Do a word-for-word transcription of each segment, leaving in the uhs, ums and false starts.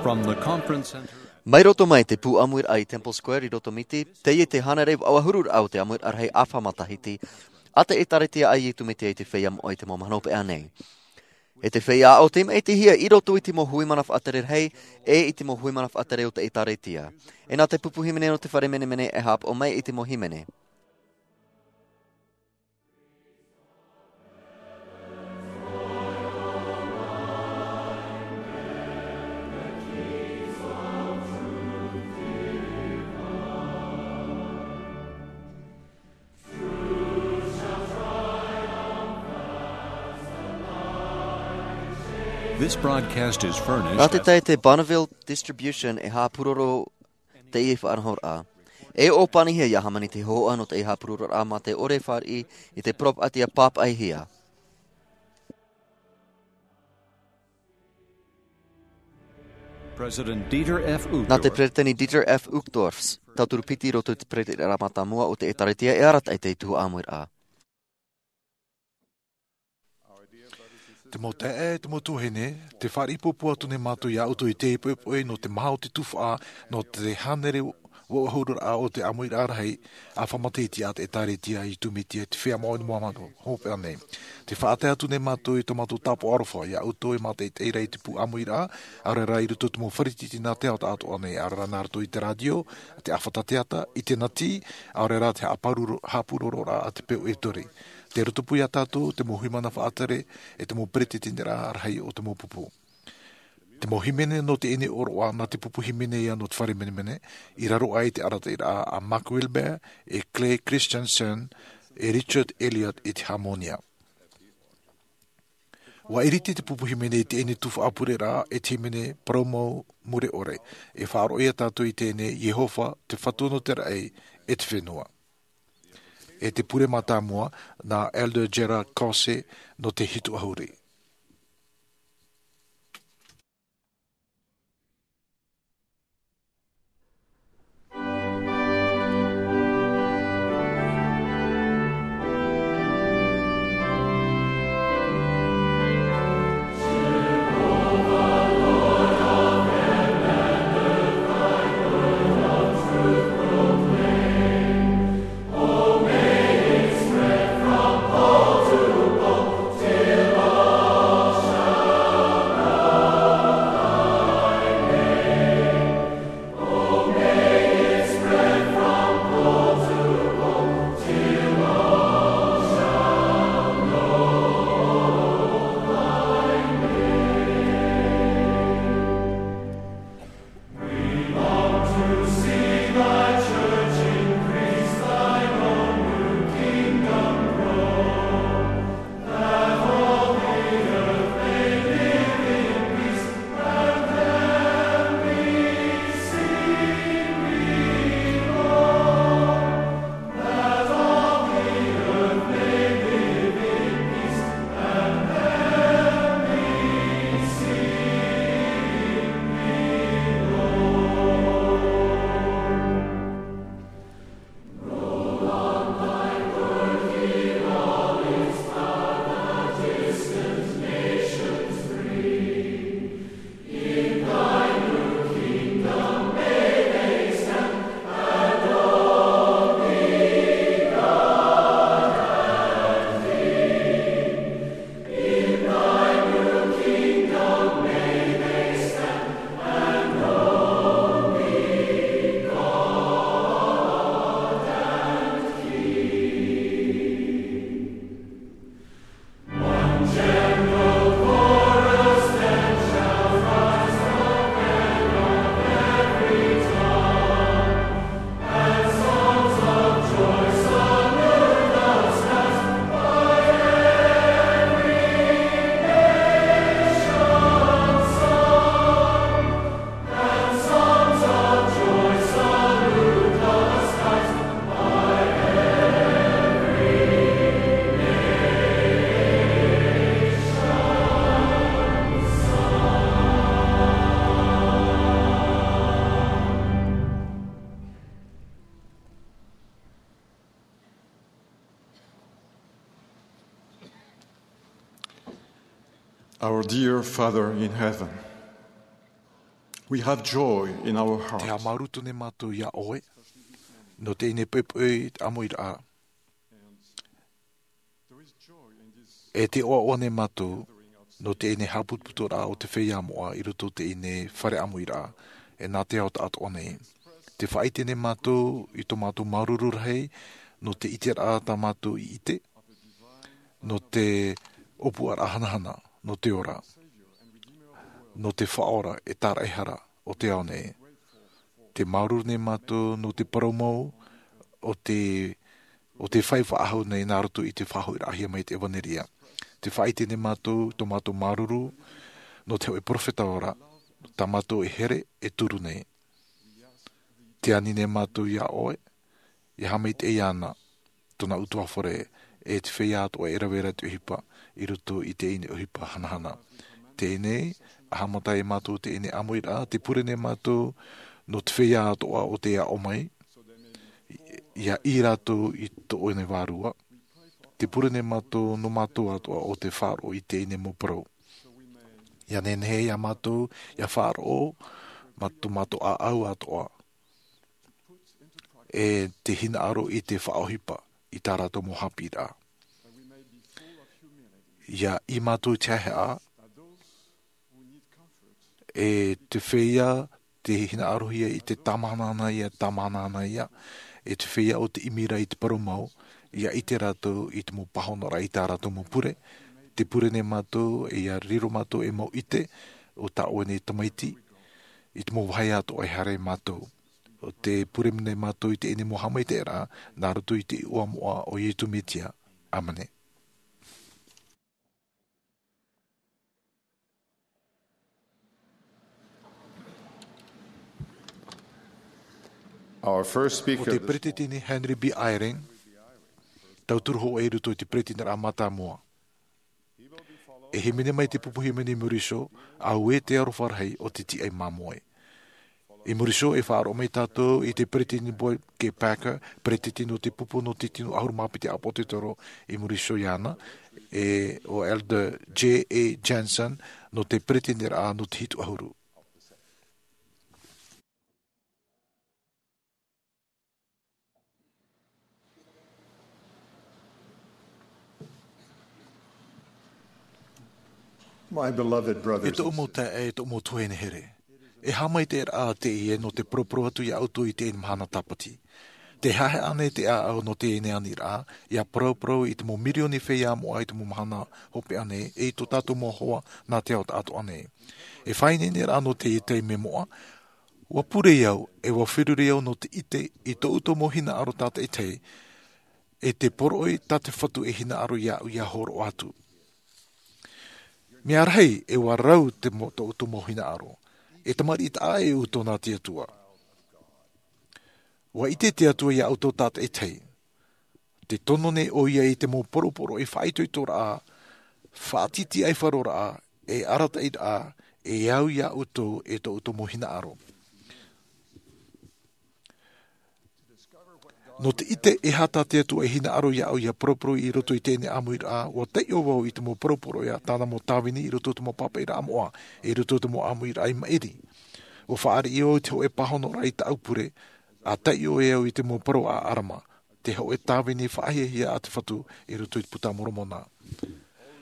From the Conference Center. Mai roto mai te pū ʻāmuiraʻa i Temple Square i Roto Miti, teie te hānere vaʻu ʻahuru raʻa o te ʻāmuiraʻa rahi ʻāfa matahiti, a te ʻĒtārētia a Iesu Mesia i te Feiā Moʻa i te mau mahana hopeʻa nei. E te feiā aʻo tei maʻitihia i roto i te mau hui mana faʻatere rahi, e i te mau hui mana faʻatere o te ʻĒtārētia. E nā te pupu hīmene nō te fare menemene e haʻapaʻo mai i te mau hīmene. This broadcast is furnished. Nā te tae te Bonneville Distribution e haʻapūroro teie faʻanahoraʻa. E ʻōpanihia ia hāmani te hōhoʻa nō teie haʻapūrororaʻa mā te ʻore e fāriʻi i te poropaʻi ʻia pāpaʻihia. President Dieter F. Uchtdorf. Nā te Peresideni Dieter F. Uchtdorf, tauturu piti i roto i te peretitiraʻa mātāmua o te ʻĒtārētia e arataʻi i teie tuhaʻa ʻāmuiraʻa. Te mau taeaʻe, te mau tuahine, tē fāriʻi pūpū atu nei mātou ia ʻoutou i teie poʻipoʻi nō te maha o te tuhaʻa, nō te hānere vaʻu ʻahuru raʻa o te ʻāmuiraʻa rahi ʻāfa matahiti a te ʻĒtārētia a Iesu Mesia i te Feiā Moʻa i te mau mahana hopeʻa nei. Tē faʻatae atu nei mātou i tō mātou tāpaʻo aroha ia ʻoutou e mātaʻitaʻi ra i te pū ʻāmuiraʻa, ʻaore rā i roto i te mau fare tītī nā te ao taʻatoʻa nei, ʻaore rā nā roto i te rātio, te ʻāfata teata, ʻiniterneti, ʻaore rā te haʻapūroro-, haʻapūrororaʻa a te peu ʻeturī. Tei roto pū ia tātou te mau hui mana faʻatere, e te mau peretiteniraʻa rahi o te mau pupu. Te mau hīmene nō teie nei ʻōroʻa nā te pupu hīmene ia nō te fare menemene, i raro aʻe i te arataʻiraʻa a Mark Wilbur, e Clay Christensen, e Richard Elliott i te hāmōnia. ʻUa ʻiriti te pupu hīmene i teie nei tuhaʻa pureraʻa e te hīmene parau mau mure ʻore, e faʻaroʻo ia tātou i teie nei Iehova, te Fatu nō te raʻi, e te fenua. E te pure mātāmua, nā Elder Gerard Caussé nō te hitu ʻahuru. Our dear Father in heaven, We have joy in our hearts. Te haʻamāuruuru nei mātou iā ʻoe, nō teie nei poʻipoʻi ʻāmuiraʻa. E te ʻoaʻoa nei mātou, nō teie nei haʻaputuputuraʻa o te feiā moʻa i roto i teie nei fare ʻāmuiraʻa, e nā te ao taʻatoʻa nei. Te faʻaʻite nei mātou i tō mātou māuruuru rahi, nō te ʻiteraʻa tā mātou i ʻite, nō te ʻōpuaraʻa hanahana, nō te ora, nō te Faʻaora e tāraʻehara o te ao nei. Te māuruuru nei mātou nō te parau mau o te, o te fai faʻahou nei nā roto i te faʻahoʻiraʻahia mai te ʻevanelia. Te faʻaʻite nei mātou, tō mātou māuruuru, nō te hōʻē perofeta ora, tā mātou e here, e turu nei. Te ani nei mātou iā ʻoe, e haʻamaitaʻi iāna, tōna ʻutuāfare, e te feiā atoʻa e rave ra i te ʻohipa, i roto i teie nei ʻohipa hanahana. Teie nei, ʻa haʻamata ai mātou teie nei ʻāmuiraʻa, te pure nei mātou, nō te feiā atoʻa o tē aʻo mai, ʻia ʻī rātou i tō ʻoe nei vārua. Te pure nei mātou, nō mātou atoʻa o tē faʻaroʻo i teie nei mau parau. ʻIa nehenehe iā mātou, ʻia faʻaroʻo, mā tō mātou ʻāʻau atoʻa. E te hinaʻaro i te faʻaʻohipa, i tā rātou mau haʻapiʻiraʻa. ʻIa ʻī mātou i te haʻehaʻa, e te feiā, te hinaʻarohia i te tāmahanahana ia, tāmahanahana ia, e te feiā o te ʻimi ra i te parau mau, ʻia ʻite rātou i te mau pāhonoraʻa i tā rātou mau pure, te pure nei mātou, e ʻia riro mātou ei mau ʻite, o tā ʻoe nei tamaiti, i te mau vāhi atoʻa e haere mātou. ʻO te pure nei mātou i teie nei mau haʻamaitaʻiraʻa, nā roto i te iʻoa moʻa o Iesu Mesia. ʻĀmene. Our first speaker ʻO te this Peresideni Henry B. Eyring, tauturu hōʻē i roto i te Peresideniraʻa mātāmua. E hīmene mai te pupu hīmene i muri iho, auē te aroha rahi o te tiaʻi māmoe. I muri iho e faʻaroʻo mai tātou i te Peresideni Boyd K. Packer, Peresideni o te pupu nō te tino ʻahuru mā piti ʻĀpōsetolo, i muri iho iāna, e ʻo Elder J. A. Jensen, nō te Peresideni ra nō te hitu ʻahuru. My beloved E brothers tōʻu and mau sisters, taeaʻe, e tōʻu mau tuahine here. E haʻamaitaʻiraʻa teie nō te poroporo atu iā ʻoutou i teie mahana tāpati. Tē haʻehaʻa nei te ʻāʻau nō teie nei aniraʻa, ʻia paraparau i te mau mirioni feiā moʻa i te mau mahana hopeʻa nei, e i tō tātou mau hoa nā te ao taʻatoʻa nei. E faʻaineineraʻa nō teie taime moʻa, ʻua pure au, e ʻua feruri au nō te ʻite i tō ʻoutou mau hinaʻaro tātaʻitahi, e te poroʻi tā te Fatu e hinaʻaro iāʻu ʻia hōroʻa atu. Mea rahi, e ʻua rau te mo-, tō ʻoutou mau hinaʻaro. E tamariʻi taʻa ʻē ʻoutou nā te Atua. ʻUa ʻite te Atua iā ʻoutou tātaʻitahi. Tē tono nei ʻoia i te mau poroporoʻi faʻaitoitoraʻa, faʻatītīʻaifaroraʻa, e arataʻiraʻa, e au iā ʻoutou e tō ʻoutou mau hinaʻaro. Nō te ʻite e aha tā te Atua e hinaʻaro iāʻu ʻia poroporo i roto i teie nei ʻāmuiraʻa, ʻua taiʻo vau i te mau poroporoʻi a tāna mau tāvini i roto i te mau pāpaʻiraʻa moʻa, i roto i te mau ʻāmuiraʻa i maʻiri. ʻUa fāriʻi au i te hōʻē pāhonoraʻa i tāʻu pure, ʻa taiʻo e au i te mau parau a ʻAlama, te hōʻē tāvini faʻahiahia a te Fatu i roto i te Puta a Moromona.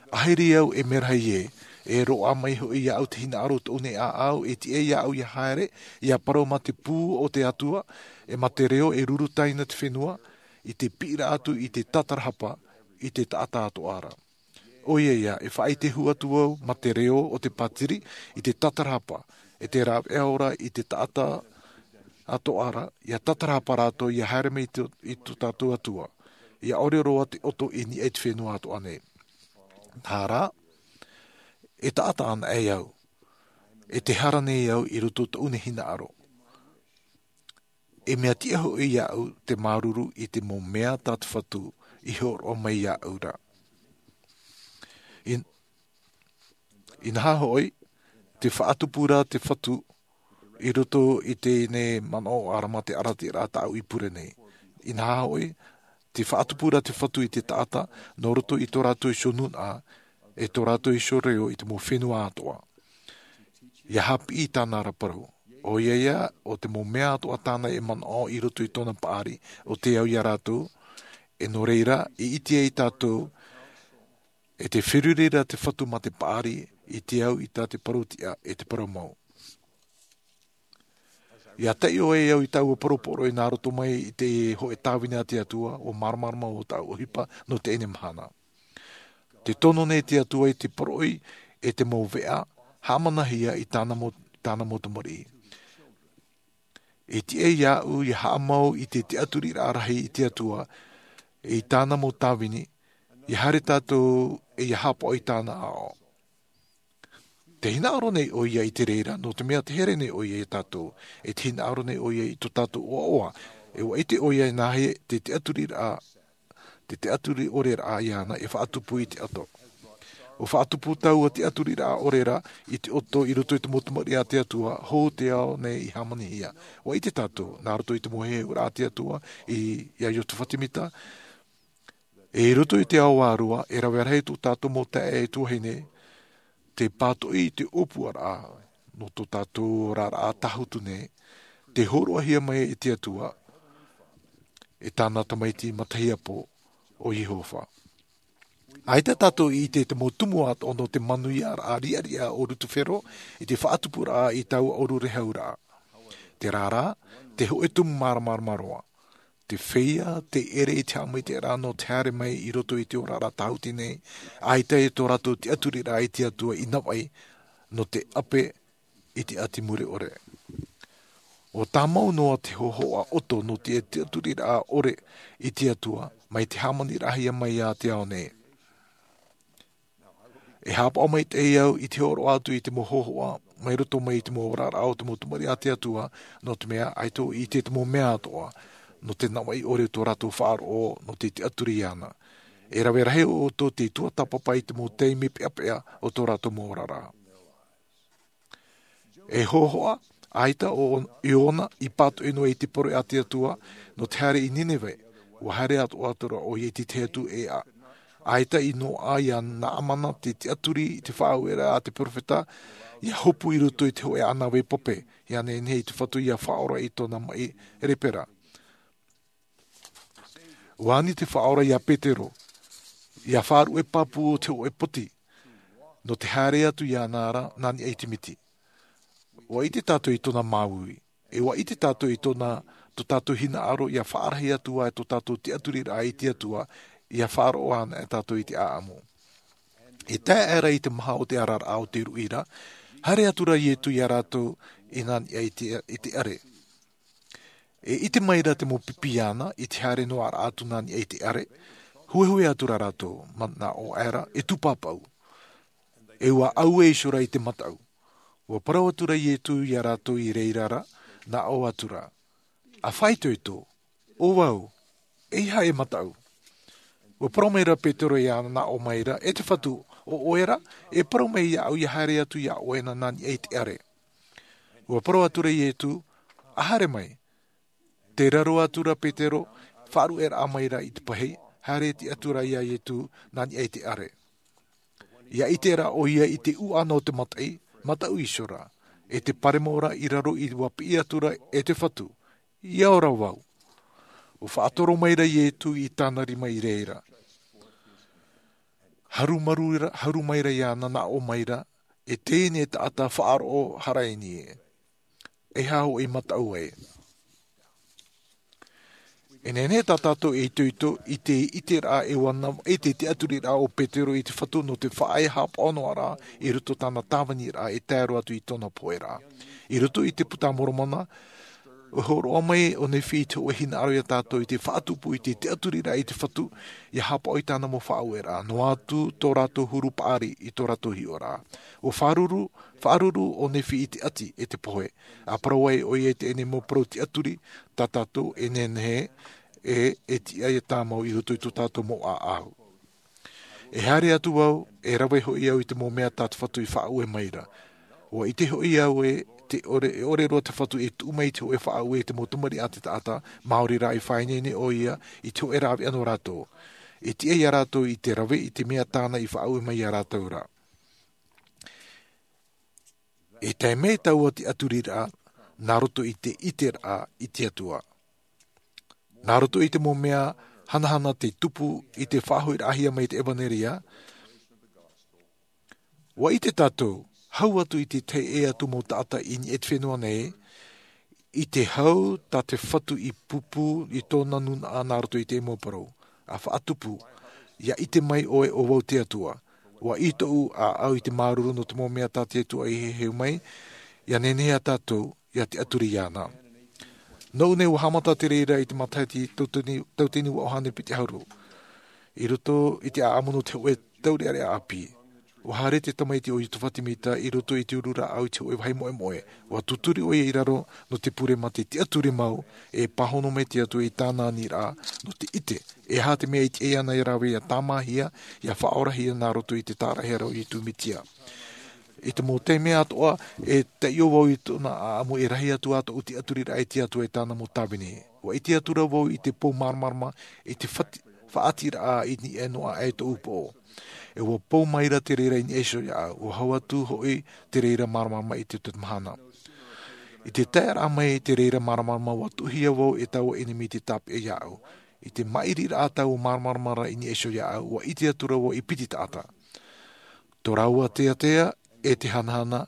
ʻAhiri au e mea rahi ē, e roaʻa mai hoʻi iāʻu te hinaʻaro tōʻu nei ʻāʻau, e tiʻa iāʻu ʻia haere, ʻia parau mā te pū o te Atua, e mā te reo e ruru taina te fenua, i te piʻiraʻa atu i te tātarahapa, i te taʻata atoʻa ra. ʻOia ia, e faʻaite hou atu au, mā te reo o te pātiri, i te tātarahapa, e te rāveʻa ora i te taʻata atoʻa ra, ʻia tātarahapa rātou, ʻia haere mai i tō, i tō tātou Atua, ʻia ʻore roa te ʻoto i niʻa i te fenua atoʻa nei. Nā reira, e taʻata anaʻe au, e tē hara nei au i roto i tōʻu nei hinaʻaro. E mea tiʻa hoʻi iāʻu te māuruuru i te mau mea tā te Fatu i hōroʻa mai iāʻu ra. In-, inaha hoʻi, tē faʻatupu ra te Fatu i roto i teie nei manaʻo ʻAlama, te arataʻiraʻa tāʻu i pure nei. Inaha hoʻi, tē faʻatupu ra te Fatu i te taʻata, nō roto i tō rātou iho nūnaʻa, e tō rātou iho reo i te mau fenua atoʻa. ʻIa haʻapiʻi i tāna ra parau. ʻO ia ia, ʻo te mau mea atoʻa tāna e manaʻo i roto i tōna paʻari, ʻo te au iā rātou, e nō reira, i ʻite ai tātou, e te feruri ra te Fatu mā te paʻari, i te au i tā te parau tiʻa, e te parau mau. ʻIa taʻi ʻoe e au i taua parau poroʻi nā roto mai i te hōʻē tāvini a te Atua, ʻua māramarama ʻo tāʻu ʻohipa nō teie mahana. Te tono nei te Atua i te poroʻi e te mau veʻa, haʻamanahia i tāna mau, tāna mau tamariʻi. E tiʻa iāʻu, ʻia haʻamau i te tiʻaturiraʻa rahi i te Atua, i tāna mau tāvini, ʻia haere tātou, e ʻia haʻapaʻo i tāna aʻo. Te hinaʻaro nei ʻo ia i te reira, nō te mea te here nei ʻo ia iā tātou, e te hinaʻaro nei ʻo ia i tō tātou ʻoaʻoa, e ʻua ʻite ʻo ia e nāhea te tiʻaturiraʻa, te tiʻaturi ʻore raʻa iāna e faʻatupu i te ʻoto. ʻUa faʻatupu taua tiʻaturiraʻa ʻore ra i te ʻoto i roto i te mau tamariʻi a te Atua, hou te ao nei i hāmanihia. ʻUa ʻite tātou, nā roto i te mau heheuraʻa a te Atua, i, iā Iosepha Semita, e i roto i te ao vārua, e rave rahi tō tātou mau taeaʻe tuahine, te pātoʻi i te ʻōpuaraʻa, nō tō tātou oraraʻa tāhutu nei, te hōroʻahia mai e te Atua, e tāna Tamaiti matahiapo, ʻo Iehova. ʻAita tātou i ʻite te mau tumu atoʻa nō te manuiaraʻa riʻariʻa o Lutifero, i te faʻatupuraʻa i taua ʻōrurehau raʻa. Terā rā, te hōʻē tumu māramarama roa. Te feiā, tē ʻere i te haʻamaitaʻiraʻa nō te haere mai i roto i te oraraʻa tāhuti nei, ʻaita e tō rātou tiʻaturiraʻa i te Atua i Navaʻi, nō te ʻape i te ʻati mure ʻore. ʻUa tāmau noa te hōhoʻa ʻoto nō te tiʻaturiraʻa ʻore i te Atua, mai te hāmaniraʻahia mai iā te ao nei. E haʻapaʻo maitaʻi au i te hōroʻa atu i te mau hōhoʻa, mai roto mai i te mau oraraʻa o te mau tamariʻi a te Atua, nō te mea ʻaita ʻoe i ʻite te mau mea atoʻa, nō te Navaʻi ʻore tō rātou faʻaroʻo, nō te tiʻaturi iāna. E rave rahi ʻoutou tei tuatāpapa i te mau taime peʻapeʻa o tō rātou mau oraraʻa. E hōhoʻa, ʻaita ʻo Iona i pātoʻi noa i te poroʻi a te Atua, nō te haere i Nineve, ʻua haere atoʻa atu ra ʻoia i te tahi atu ʻēʻa. ʻAita i noaʻa iā Naamana te tiʻaturi i te faʻaueraʻa a te perofeta, ʻia hopu i roto i te hōʻē ʻānāvai pape, ʻia nehenehe i te Fatu ʻia faʻaora i tōna maʻi lepera. ʻUa ani te Faʻaora iā Petero, ʻia faʻaruʻe pāpū o te hōʻē poti, nō te haere atu iāna ra nā niʻa i te miti. ʻUa ʻite tātou i tōna māuiui, e ʻua ʻite tātou i tōna, tō tātou hinaʻaro ʻia faʻarahi atu ai tō tātou tiʻaturiraʻa i te Atua, ʻia faʻaroʻo anaʻe tātou i te ʻāʻamu. E tae aʻera i te maha o te araraʻa o te ruʻi ra, haere atu ra Ietu iā rātou i nā niʻa i te, i te ʻare. E ʻite mai ra te mau pipi iāna, i te haere noa ra atu nā niʻa i te ʻare, huehue atu ra rātou, manaʻo aʻera, e tūpāpaʻu. E ʻua ʻaue iho ra i te mataʻu. ʻUa parau atu ra Ietu iā rātou i reira ra, nā ʻō atu ra. A faʻaitoito, ʻo vau, e aha e mataʻu? ʻUa parau mai ra Petero iāna, nā ʻō mai ra, e te Fatu, ʻo ʻoe ra, e parau mai iāʻu ʻia haere atu iā ʻoe na nā niʻa i te ʻare. ʻUa parau atu ra Ietu, a haere mai. Tē raro atu ra Petero, faʻaruʻeraʻa mai ra i te pahi, haere atu ra iā Ietu, nā niʻa i te ʻare. ʻIa ʻite ra ʻoia i te ʻūʻana o te mataʻi, mataʻu iho ra, e te paremo ra i raro i ʻua piʻi atu ra e te Fatu, ʻia ora vau. ʻUa faʻatoro mai ra Ietu i tāna rima i reira. Haru maru ra, haru mai ra iāna, nā ʻō mai ra, e teie nei taʻata faʻaroʻo haraini ē. E aha hoʻi mataʻu ai? E nehenehe tā tātou e itoito i te ʻiteraʻa e ʻua navaʻi te tiʻaturiraʻa o Petero i te Fatu nō te faʻaea haʻapaʻo noa ra i roto tāna tāviniraʻa e tae roa atu i tōna poheraʻa. I roto i te Puta a Moromona, ʻua hōroʻa mai ʻo Nephi i te hōʻē hinaʻaro iā tātou i te faʻatupu i te tiʻaturiraʻa i te Fatu, ʻia haʻapaʻo i tāna mau faʻaueraʻa, noa atu tō rātou huru paʻari i tō rātou hiʻoraʻa. ʻUa faʻaruru, faʻaruru ʻo Nephi i te ʻati e te pohe, a parau ai ʻoia i teie nei mau parau tiʻaturi, tā tātou e nehenehe, e, e tiʻa ʻia tāmau i roto i tō tātou mau ʻāʻau. E haere atu vau, e rave hoʻi au i te mau mea tā te Fatu i faʻaue mai ra. ʻUa ʻite hoʻi au ē, te ʻore, e ʻore roa te Fatu e tuʻu mai i te hōʻē faʻaue i te mau tamariʻi a te taʻata, maori rā e faʻaineine ʻoia i te hōʻē rāveʻa nō rātou. E tiʻa iā rātou i te rave i te mea tāna i faʻaue mai iā rātou ra. E tae mai taua tiʻaturiraʻa, nā roto i te ʻiteraʻa i te Atua. Nā roto i te mau mea hanahana tei tupu i te faʻahoʻiraʻahia mai te ʻevanelia, ua ʻite tātou, hau atu i te tahi ʻē atu mau taʻata i niʻa i te fenua nei, i te hau tā te Fatu i pūpū i tōna nūnaʻa nā roto i te mau parau, ʻa faʻatupu, ʻia ʻite mai ʻoe ʻo vau te Atua, ua ʻī tōʻu ʻāʻau i te māuruuru nō te mau mea tā te Atua i heheu mai, ʻia nehenehe ā tātou, ʻia tiʻaturi iāna. Nōʻu nei ua haʻamata te reira i te matahiti tauatini, tauatini ua ʻohane piti ʻahuru. I roto i te ʻāʻamu nō te hōʻē taureʻareʻa ʻāpī. Ua haere te tamaiti ʻo Iutufa Timita i roto i te uru rāʻau i te hōʻē vāhi moʻemoʻe. Ua tūturi ʻoia i raro nō te pure mā te tiʻaturi mau e pāhono mai te Atua i tāna aniraʻa nō te ʻite. E aha te mea i tiʻa iāna e rave ʻia tāmāhia, ʻia faʻaorahia nā roto i te tāraʻehara o Iesu Mesia. I te mau taime atoʻa, e taiʻo vau i tōna ʻāʻamu e rahi atu ā tōʻu tiʻaturiraʻa i te Atua e tāna mau tāvini. Ua ʻite atu ra vau i te pou māramarama, i te fati-, faʻatiraʻa i niʻa noa aʻe tōʻu poʻo. E ua pou maira te reira i niʻa iho iāʻu, ua hau atu hoʻi te reira māramarama i te, te mahana. I te taeraʻa mai i te reira māramarama ua tuʻuhia vau e taua ʻenemi i te tāpeʻa iāʻu. I te māʻiriraʻa taua māramarama ra i niʻa iho iāʻu, ua ʻite atu ra vau i piti taʻata. Tō rāua teatea, e te hanahana,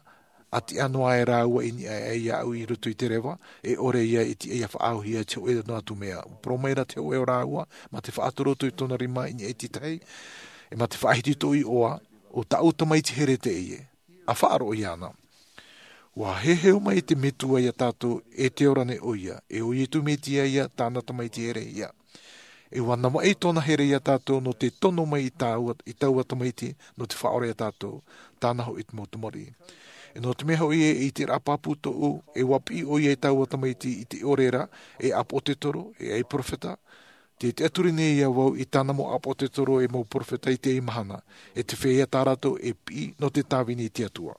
ʻa tiʻa noa aʻe rāua i niʻa aʻe iāʻu i roto i te reva, e ʻore ia e tiʻa ʻia faʻaauhia i te hōʻē noa atu mea. Ua parau maira te hōʻē o rāua, mā te faʻatorotoru i tōna rima i niʻa i te tahi, e mā te faʻahiti tōʻu iʻoa, ʻo tāʻu tamaiti here teie. ʻA faʻaroʻo iāna. Ua heheu mai te Metua iā tātou, e te ora nei ʻoia, e ʻo Iesu Mesia ia, tāna tamaiti here ia. E ua navaʻi tōna here iā tātou nō te tono mai i taua, i taua tamaiti, nō te faʻaora iā tātou, tāna hoʻi te mau tamariʻi. E nō te mea hoʻi e, i te rā pāpū tōʻu, e ua piʻi ʻoia i taua tamaiti i te ʻore ra, e ʻāpōsetolo, e ʻai perofeta, te tiʻaturi nei iā vau i tāna mau ʻāpōsetolo e mau perofeta i teie mahana, e te feiā tā rātou e piʻi nō te tāvini i te Atua.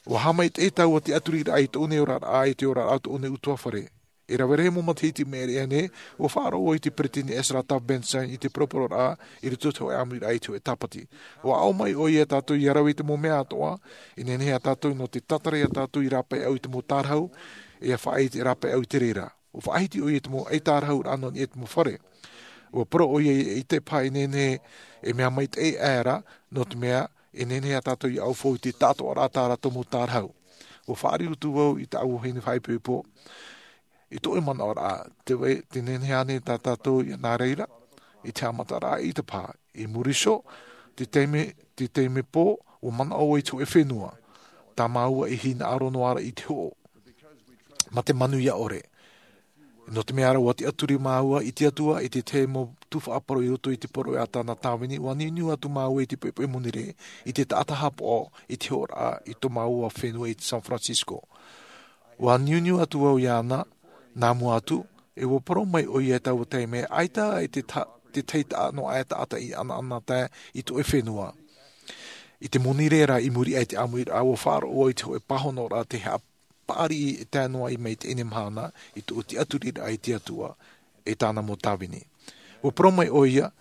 Ua haʻamaitaʻi taua tiʻaturiraʻa i tōʻu nei oraraʻa, i te oraraʻa o tōʻu nei ʻutuāfare. E rave rahi mau matahiti i maʻiri aʻe nei, ua faʻaroʻo vau i te peresideni Ezra Taft Benson i te poropororaʻa i roto i te hōʻē ʻāmuiraʻa i te hōʻē Tāpati. Ua aʻo mai ʻoia iā tātou ʻia rave i te mau mea atoʻa, e nehenehe ā tātou nō te tātara iā tātou i rāpae au i te mau tārahu, e ʻia faʻaʻite rāpae au i te reira. Ua faʻahiti ʻoia i te mau ʻaitārahuraʻa nō niʻa i te mau fare. Ua parau ʻoia i te pae e nehenehe e mea maitaʻi aʻera, nō te mea, e nehenehe ā tātou ʻia ʻaufau i te taʻatoʻaraʻa tā rātou mau tārahu. Ua fāriu atu vau i tāʻu vahine faʻaipoipo, i tōʻu manaʻoraʻa, te vai, te nehenehe ānei tā tātou ʻia nā reira, i te haʻamataraʻa i te pae, i muri iho, te taime, te taime pō, ua manaʻo vau i te hōʻē fenua, tā māua i hinaʻaro noa ra i te hoʻo, mā te manuia ʻore. Nō te mea ra ua tiʻaturi māua i te Atua i te tahi mau tuhaʻa parau i roto i te poroʻi a tāna tāvini, ua niuniu atu māua i te poʻipoʻi monirē, i te taʻata haʻapaʻo, i te hoʻoraʻa, i tō māua fenua i San Francisco. Ua niuniu atu vau iāna, nā mua atu, e ua parau mai ʻoia i taua taime, ʻaita e te ta-, te tahi taʻa noa aʻe taʻata i ʻanaʻanatae i tōʻu fenua. I te monirē ra i muri aʻe i te ʻāmuiraʻa, ua faʻaroʻo vau i te hōʻē pāhonoraʻa tei haʻa-, paʻari e tae noa i maitaʻi i teie mahana i tōʻu tiʻaturiraʻa i te Atua, e tāna mau tāvini. Ua parau mai ʻoia,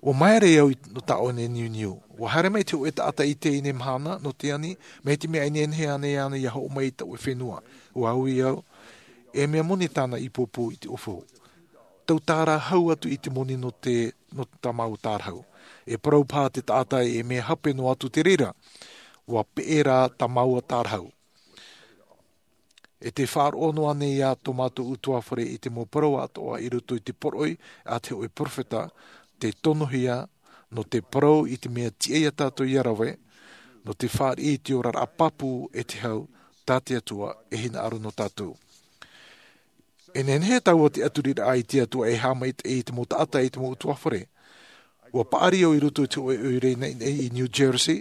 ua māere au i, nō tā ʻoe nei niuniu. Ua haere mai te hōʻē taʻata i teie mahana, nō te ani, mai te mea e nehenehe ānei iāna ʻia hoʻo mai i tōʻu fenua. Ua ui au, e mea moni tāna i pōpō i te ʻōfau. Tau tārahu hau atu i te moni nō te, nō tā māua tārahu. E parau paha te taʻata e mea hape noa atu te reira. Ua peʻe rā tā māua tārahu. E te faʻaroʻo noa nei ā tō mātou ʻutuāfare i te mau parau atoʻa i roto i te poroʻi a te hōʻē perofeta, tei tonohia, nō te parau i te mea tiʻa iā tātou ʻia rave, nō te fāriʻi i te oraraʻa pāpū e te hau, tā te Atua e hinaʻaro nō tātou. E nehenehe taua tiʻaturiraʻa i te Atua e haʻamaitaʻi i te mau taʻata i te mau ʻutuāfare. Ua paʻari au i roto i te hōʻē ʻoire naʻinaʻi i New Jersey,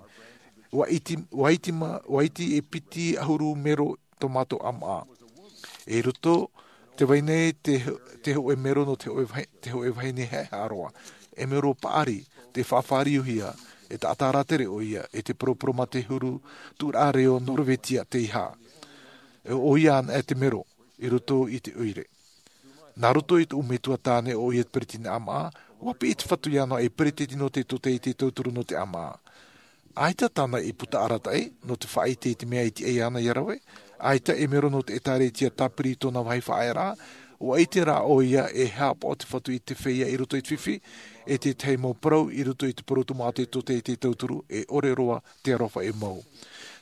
ua iti, ua iti ma-, ua iti e piti ʻahuru mero tō mātou ʻamaʻa. I roto, tē vai nei te, te hōʻē mero nō te hōʻē vahi-, te hōʻē vahine haʻehaʻa roa. E mero paʻari, tei faʻafāriuhia, e taʻata rātere ʻoia, e te poroporo mā te huru tuʻuraʻa reo Norvetia tei hā. E ʻoia anaʻe te mero, i roto i te ʻoire. Nā roto i tōʻu metua tāne ʻoia te peretiteni ʻamaʻa, ua piʻi te Fatu iāna ei peretiteni nō te tōtaiete tauturu nō te ʻamaʻa. ʻAita tāna i puta arataʻi, nō te faʻaʻite i te mea i tiʻa iāna ʻia rave, ʻAita e mero nō te ʻētārētia tāpiri i tōna vāhi faʻaearaʻa, ua ʻite rā ʻoia e haʻapaʻo te Fatu i te feiā i roto i te fifi, e te tahi mau parau i roto i te parau tō Māteo te tauturu, e ʻore roa te aroha e mau.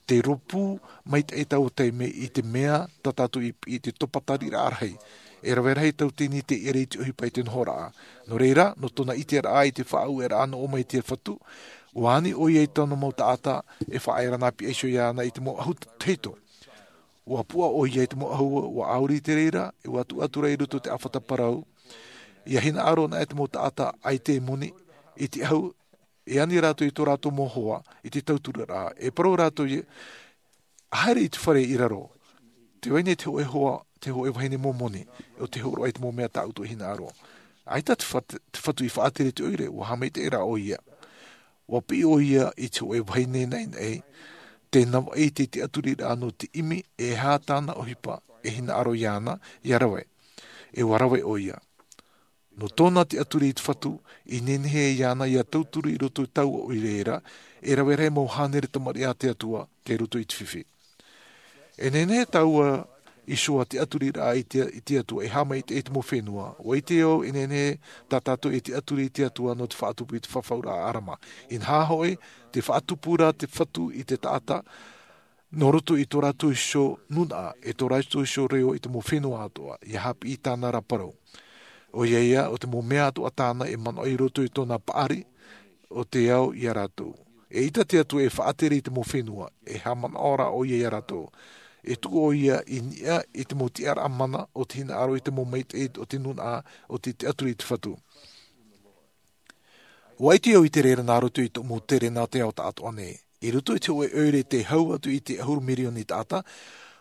Te rōpū maitaʻi taua taime i te mea tā tātou i piʻi i te topa tariraʻa rahi. E rave rahi tauatini te ʻere i te ʻohipa i te nohoraʻa. Nō reira, nō tōna ʻiteraʻa i te faʻaueraʻa nō ʻō mai te Fatu, ua ani ʻoia i tōna mau taʻata e faʻaera nā piʻi iho iāna i te mau ʻahu tahito. Ua puʻa ʻoia i te mau ʻahu, ua ʻauri te reira, e ua tuʻu atu rā i roto i te ʻāfata parau. ʻIa hinaʻaro anaʻe te mau taʻata ʻaita e moni i te ʻahu, e ani rātou i tō rātou mau hoa i te tautururaʻa, e parau rātou ia, haere i te fare i raro. Tē vai nei te hōʻē hoa, te hōʻē vahine mau moni, ʻo tē hōroʻa i te mau mea tā ʻoutou e hinaʻaro. ʻAita te Fat-, te Fatu i faʻatere i te ʻoire, ua haʻamaitaʻi rā ʻoia. Ua piʻi ʻoia i te hōʻē vahine naʻinaʻi, tē navaʻi i te tiʻaturiraʻa nō te ʻimi, e aha tāna ʻohipa e hinaʻaro iāna ʻia rave. E ua rave ʻoia. Nō tōna tiʻaturi i te Fatu, i nehenehe iāna ʻia tauturu i roto i taua ʻoire ra, e rave rahi mau hānere tamariʻi a te Atua, tei roto i te fifi. E nehenehe taua iho tiʻaturiraʻa i te, i te Atua e haʻamaitaʻi i te mau fenua, ua ʻite au e nehenehe tā tātou e tiʻaturi i te Atua nō te faʻatupu i te fafauraʻa a ʻArama. Inaha hoʻi, tē faʻatupu ra te Fatu i te taʻata, nō roto i tō rātou iho nūnaʻa, e tō rātou iho reo i te mau fenua atoʻa, ʻia haʻapiʻi i tāna ra parau. ʻOia ia, ʻo te mau mea atoʻa tāna e manaʻo i roto i tōna paʻari, ʻo te ao ia rātou. Eʻita te Atua e faʻatere i te mau fenua, e haʻamanaʻo rā ʻoia ia rātou. E tuʻu ʻoia i niʻa i te mau tiʻaraʻa mana o te hinaʻaro i te mau maitaʻi o te nūnaʻa o te tiʻaturi i te Fatu. Ua ʻite au i te reira nā roto i tōʻu mau tere nā te ao taʻatoʻa nei. I roto i te hōʻē ʻoire tei hau atu i te ʻahuru mirioni taʻata,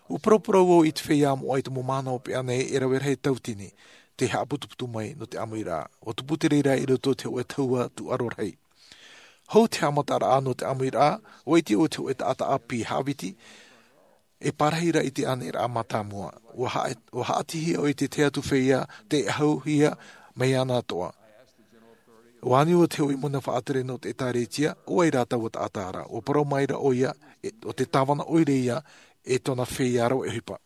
ua paraparau au i te feiā moʻa i te mau mahana hopeʻa nei e rave rahi tauatini, tei haʻaputuputu mai nō te ʻāmuiraʻa. Ua tupu te reira i roto i te hōʻē tahua tūʻaro rahi. Hou te haʻamataraʻa nō te ʻāmuiraʻa, ua ʻite au i te hōʻē taʻata ʻāpī haʻaviti, e pārahi ra i te aniraʻa mātāmua. Ua haʻa-, ua haʻatihia au i te tahi atu feiā, tei ʻahuhia mai iāna atoʻa. Ua ani au i te hōʻē muna faʻatere nō te ʻētārētia, ʻo vai rā taua taʻata ra. Ua parau mai ra ʻoia, e, ʻo te tāvana ʻoire ia, e tōna feiā rave ʻohipa.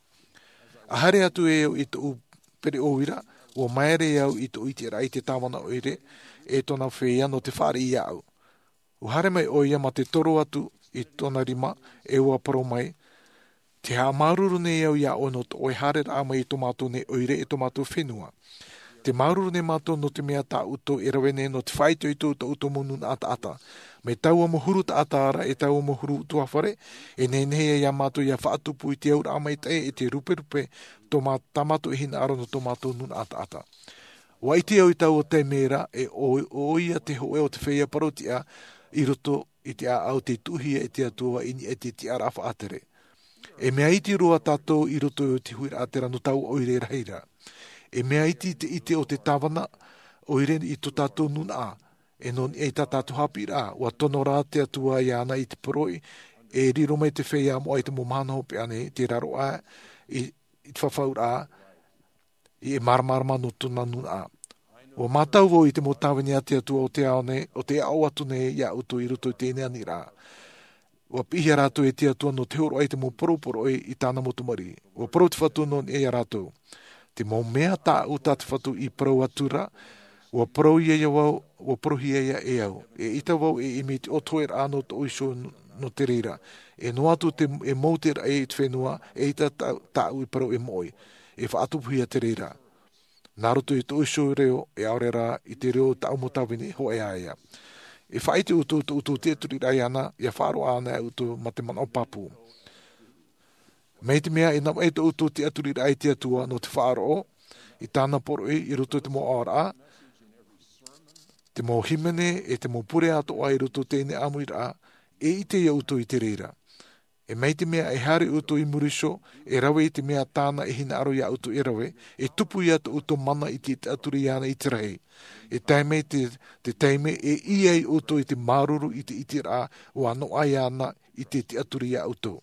ʻA haere atu e au i tōʻu pereʻoʻo ra, ua māere au i tōʻu ʻiteraʻa i te tāvana ʻoire, e tōna feiā nō te fāriʻi iāʻu. Ua haere mai ʻoia mā te toro atu i tōna rima, e ua parau mai, tē haʻamāuruuru nei au iā ʻoe nō tō ʻoe haereraʻa mai i tō mātou nei ʻoire e tō mātou fenua. Tē māuruuru nei mātou nō te mea tā ʻoutou e rave nei nō te faʻaitoito i tō ʻoutou mau nūnaʻa taʻata. Mai taua mau huru taʻata ra e taua mau huru ʻutuāfare, e nehenehe ia mātou ʻia faʻatupu i te auraʻa maitaʻi e te ruperupe tō mā-, tā mātou e hinaʻaro nō tō mātou nūnaʻa taʻata. Ua ʻite au i taua taime ra, e ʻo, ʻoia te hōʻē o te feiā parautiʻa i roto i te ʻāʻau tei tuʻuhia e te Atua i niʻa i te tiʻaraʻa faʻatere. E mea iti roa tātou i roto i te huiraʻatira nō taua ʻoire rahi ra. E mea iti te ʻite o te tāvana ʻoire i tō tātou nūnaʻa, e nō niʻa i tā tātou haʻapiʻiraʻa, ua tono rā te Atua iāna i te poroʻi, e riro mai te feiā moʻa i te mau mahana hopeʻa nei, te raroʻa i, i te fafauraʻa, i e māramarama nō tōna nūnaʻa. Ua mātau vau i te mau tāvini a te Atua o te ao nei, o te aʻo atu nei iā ʻoutou i roto i teie nei aniraʻa. Ua piʻihia rātou e te Atua nō te hōroʻa i te mau parau poroʻi i tāna mau tamariʻi. Ua parau te Fatu nō niʻa iā rātou. Te mau mea tāʻu tā te Fatu i parau atu ra, ua parauhia ia vau, ua parauhia ia e au. Eʻita vau e ʻimi i te ʻotoʻeraʻa nō tōʻu iho n-, nō te reira. E noa atu te, e mau te raʻi i te fenua, eʻita tā-, tāʻu i parau e moʻe. E faʻatupuhia te reira. Nā roto i tōʻu iho reo, e ʻaore rā i te reo o tāʻu mau tāvini, hōʻē ā ia. E faʻaʻite ʻoutou, tō ʻoutou tiʻaturiraʻa iāna, ʻia faʻaroʻo anaʻe ʻoutou mā te manaʻo pāpū. Mai te mea e navaʻi tō ʻoutou tiʻaturiraʻa i te Atua nō te faʻaroʻo i tāna poroʻi i roto i te mau aʻoraʻa, te mau hīmene e te mau pure atoʻa i roto i teie nei ʻāmuiraʻa, e ʻite ia ʻoutou i te reira. E mai te mea e haere ʻoutou i muri iho, e rave i te mea tāna e hinaʻaro iā ʻoutou e rave, e tupu ia tō ʻoutou mana i te tiʻaturi iāna i te rahi. E tae mai te, te taime e ʻī ai ʻoutou i te māuruuru i te ʻiteraʻa ua noaʻa iāna i te tiʻaturi iā ʻoutou.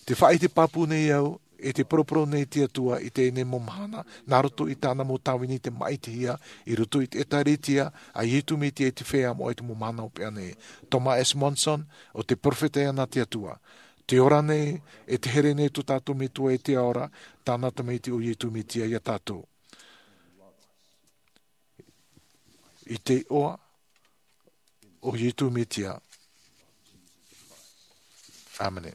Te faʻaʻite pāpū nei au, e te poroporo nei te Atua i teie nei mau mahana, nā roto i tāna mau tāvini tei māʻitihia, i roto i te ʻĒtārētia a Iesu Mesia te feiā moʻa i te mau mahana hopeʻa nei. Thomas S. Monson, ʻo te perofeta iāna a te Atua. Te ora nei, e te here nei tō tātou Metua e te ao ra, tāna Tamaiti ʻo Iesu Mesia ia tātou. I te iʻoa ʻo Iesu Mesia. ʻĀmene.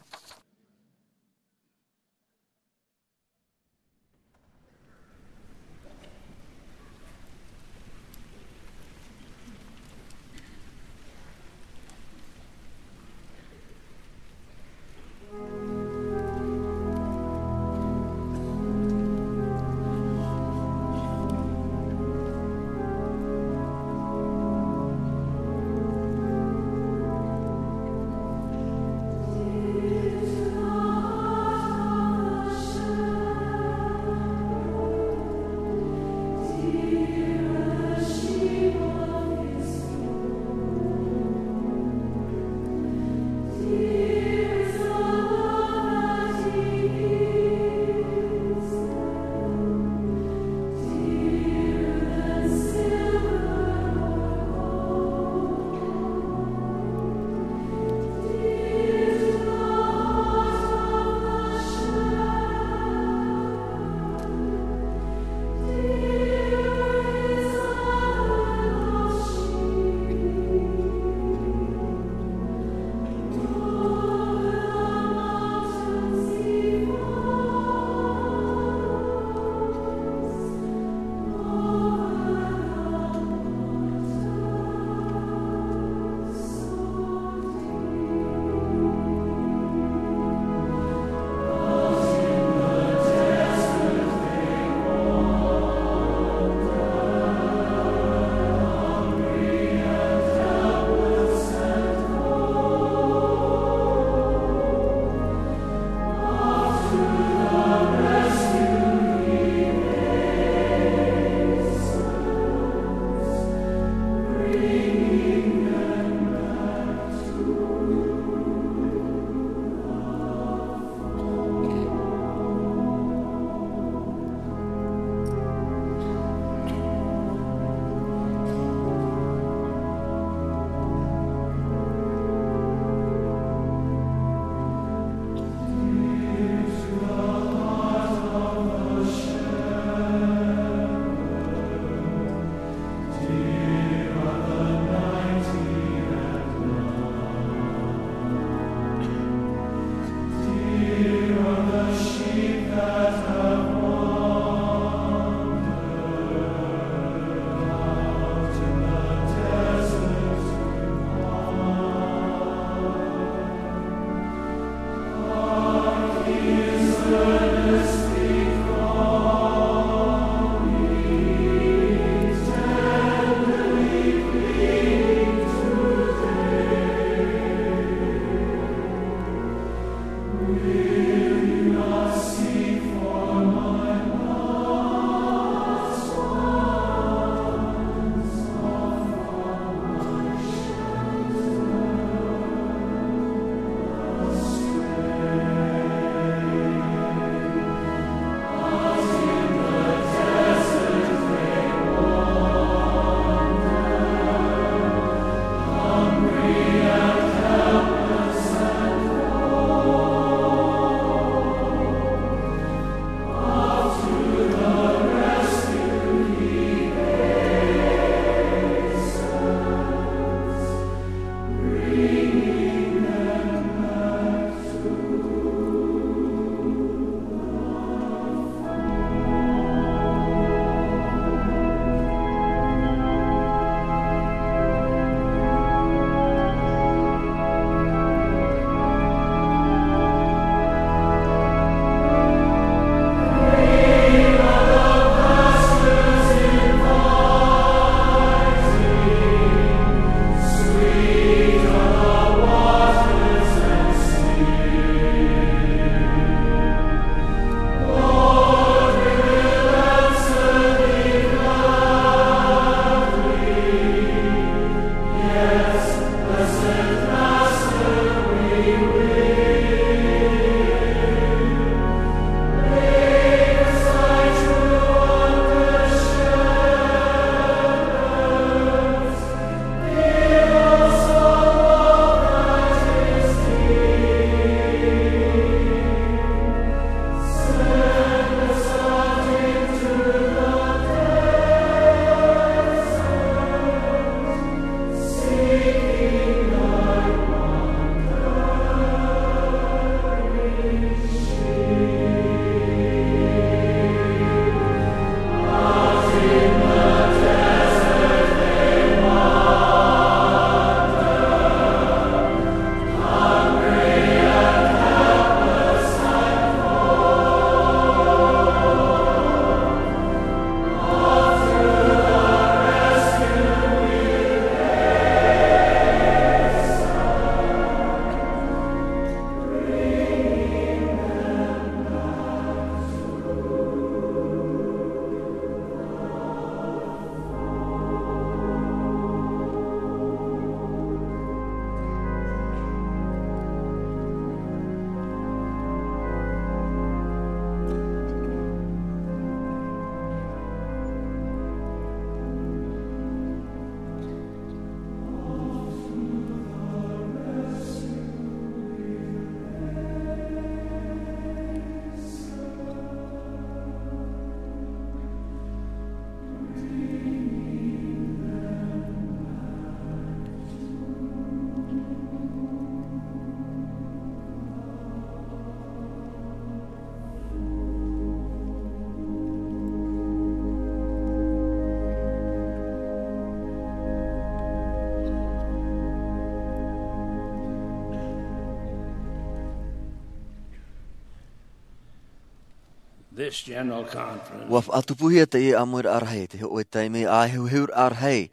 This general conference. Ua faʻatupuhia teie ʻāmuiraʻa rahi, te hōʻē taime ʻāheheuraʻa rahi,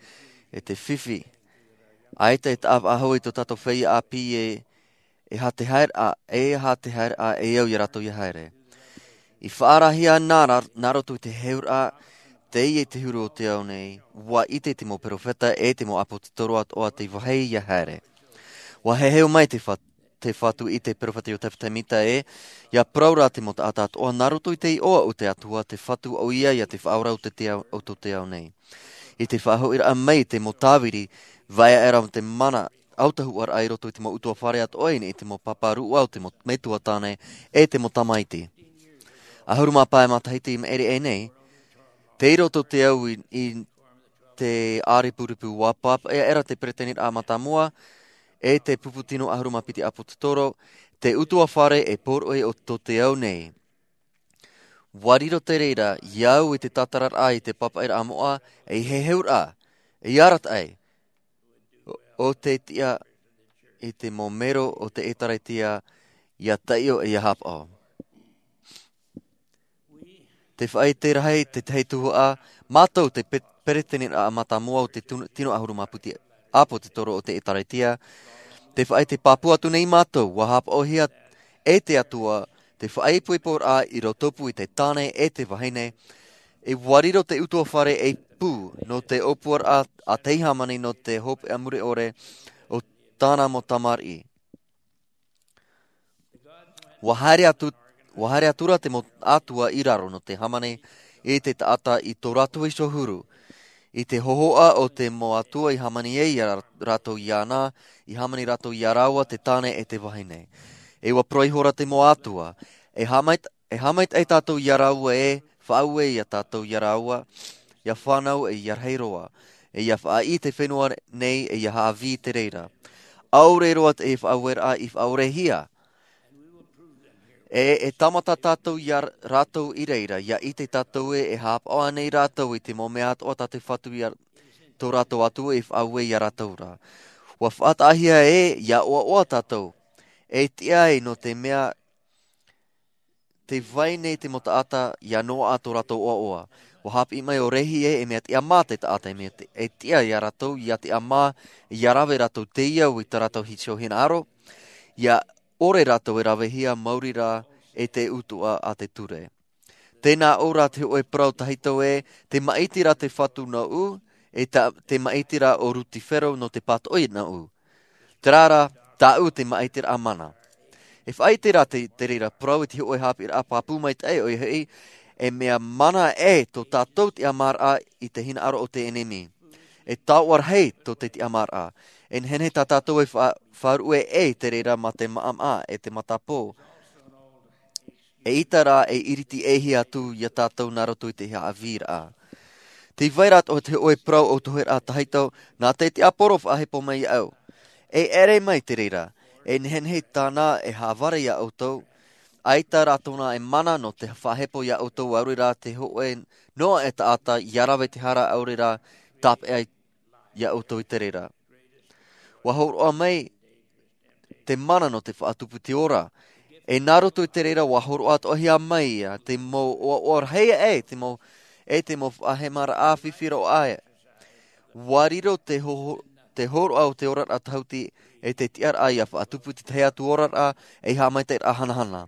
e te fifi. ʻAita e taʻa faʻahou i tō tātou feiā ʻāpī e, e aha te haereraʻa, e aha te haereraʻa e au ia rātou ia haere. I faʻaarahia nā, nā roto i te heheuraʻa, teie te huru o te ao nei, ua ʻite te mau perofeta e te mau ʻāpōsetolo atoʻa te vāhi ia haere. Ua heheu mai te fa-, te Fatu i te perofeta Iosefa Sāmita ē, ia parau ra te mau taʻata atoʻa nā roto i te iʻoa o te Atua, te Fatu ʻoia ia te Faʻaora o te, te ao, o tō te ao nei. I te faʻahoʻiraʻa mai te mau tāviri, vai aʻera te mana autahuʻaraʻa i roto i te mau ʻutuāfare atoʻa i niʻa i te mau pāpā rūʻau, te mau metua tāne, e te mau tamaiti. ʻAhuru mā pae matahiti i maʻiri aʻe nei, tei roto te au i, i te ʻārepurepu ua pāpaʻi aʻera te peretiteniraʻa mātāmua, e te pupu tino ʻahuru mā piti ʻāpōsetolo, te ʻutuāfare e poroʻi o tō te ao nei. Ua riro te reira, ia au i te tātararaʻa i te pāpaʻiraʻa moʻa, ei heheuraʻa, ei arataʻi, ʻo, ʻo te tiʻa i te mau mero o te ʻĒtārētia, ia taiʻo e ia haʻapaʻo. Te faʻaʻite rahi, te tahi tuhaʻa, mātou te pe-, peretiteniraʻa mātāmua o te tun-, tino ʻahuru mā piti ʻāpōsetolo o te ʻĒtārētia. Te faʻaʻite pāpū atu nei mātou, ua haʻapaʻohia e te Atua, te faʻaipoiporaʻa i roto pū i te tāne e te vahine, e ua riro te ʻutuāfare ei pū, nō te ʻōpuaraʻa a te hāmani nō te hopeʻa mure ʻore o tāna mau tamariʻi. Ua haere atu, ua haere atu ra te mau atua i raro nō te hāmani i te taʻata i tō rātou iho huru. I te hōhoʻa o te mau atua i hāmani ai ia rā-, rātou iāna, i hāmani rātou ia rāua te tāne e te vahine. E ua parau ihora te mau atua, e hāmai-, e hāmaitaʻi tātou ia rāua e, faʻaue ia tātou ia rāua, ia fānau e ia rahi roa, e ia faʻaʻī te fenua nei e ia haʻavī i te reira. ʻAore roa te faʻaueraʻa i faʻaorehia. E, e tāmata tātou ia r-, rātou i reira, ia ʻite tātou e, e haʻapaʻo ānei rātou i te mau mea atoʻa tā te Fatu ia tō rātou Atua i faʻaue ia rātou ra. Ua faʻataʻahia e, ia ʻoaʻoa tātou. E tiʻa ai nō te mea te vai nei te mau taʻata ia noaʻa tō rātou ʻoaʻoa. Ua haʻapiʻi mai ʻo Rehi e, e mea tiʻamā te taʻata, e mea te, e tiʻa ia rātou, ia tiʻamā, ia rave rātou teie au i tā rātou iho hinaʻaro, ia ʻore rātou e ravehia maori rā e te utuʻa a te ture. Tēnā ʻō rā te hōʻē parau tahito e, te maʻiti rā te Fatu nōʻu, e ta-, te maʻiti rā ʻo Rutifero nō te pātoʻi nōʻu. Terā rā, tāʻu te maʻitiraʻa mana. E faʻaʻite rā te, te reira parau i te hōʻē haʻapiʻiraʻa pāpū maitaʻi ʻoia hoʻi, e mea mana e tō tātou tiʻamāraʻa i te hinaʻaro o te ʻenemi. E taoʻa rahi tō te tiʻamāraʻa. E nehenehe tā tātou e fa-, faʻaruʻe e i te reira mā te maʻamaʻa e te matapō. E ʻita rā e iriti ʻē hia atu ia tātou nā roto i te haʻavīraʻa. Tē vai ra atoʻa te hōʻē parau ʻōtoheraʻa tahito, nā te tiaporo faʻahepo mai iāʻu. E ʻere mai te reira, e nehenehe tāna e haʻavare iā ʻoutou, ʻaita rā tōna e mana nō te faʻahepo iā ʻoutou, ʻaore rā te hōʻē noa e taʻata ia rave te hara, ʻaore rā tāpeʻa iā ʻoutou i te reira. Ua hōroʻa mai te mana nō te faʻatupu i te ora. E nā roto i te reira ua hōroʻa atoʻahia mai ia te mau ʻoaʻoa rahi e te mau, e te mau faʻahemaraʻa fifi roa e. Ua riro te ho-, te hōroʻa o te oraraʻa tahuti e te tiʻaraʻa ia faʻatupu i te tahi atu oraraʻa e haʻamaitaʻiraʻa hanahana.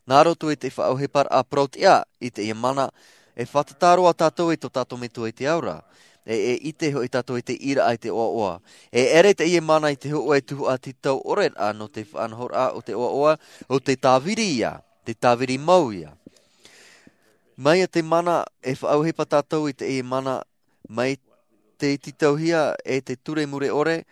Nā roto i te faʻaʻohiparaʻa parau tiʻa i teie mana, e fātata roa tātou i tō tātou Metua i te ao ra. E, e ʻite hoʻi tātou i te ʻīraʻa i te ʻoaʻoa. E ʻere teie mana i te hōʻē tuhaʻa tītau ʻore rā nō te faʻanahoraʻa o te ʻoaʻoa, ʻo te tāviri ia, te tāviri mau ia. Mai ia te mana, e faʻaʻohipa tātou i teie mana, mai te tītauhia e te ture mure ʻore,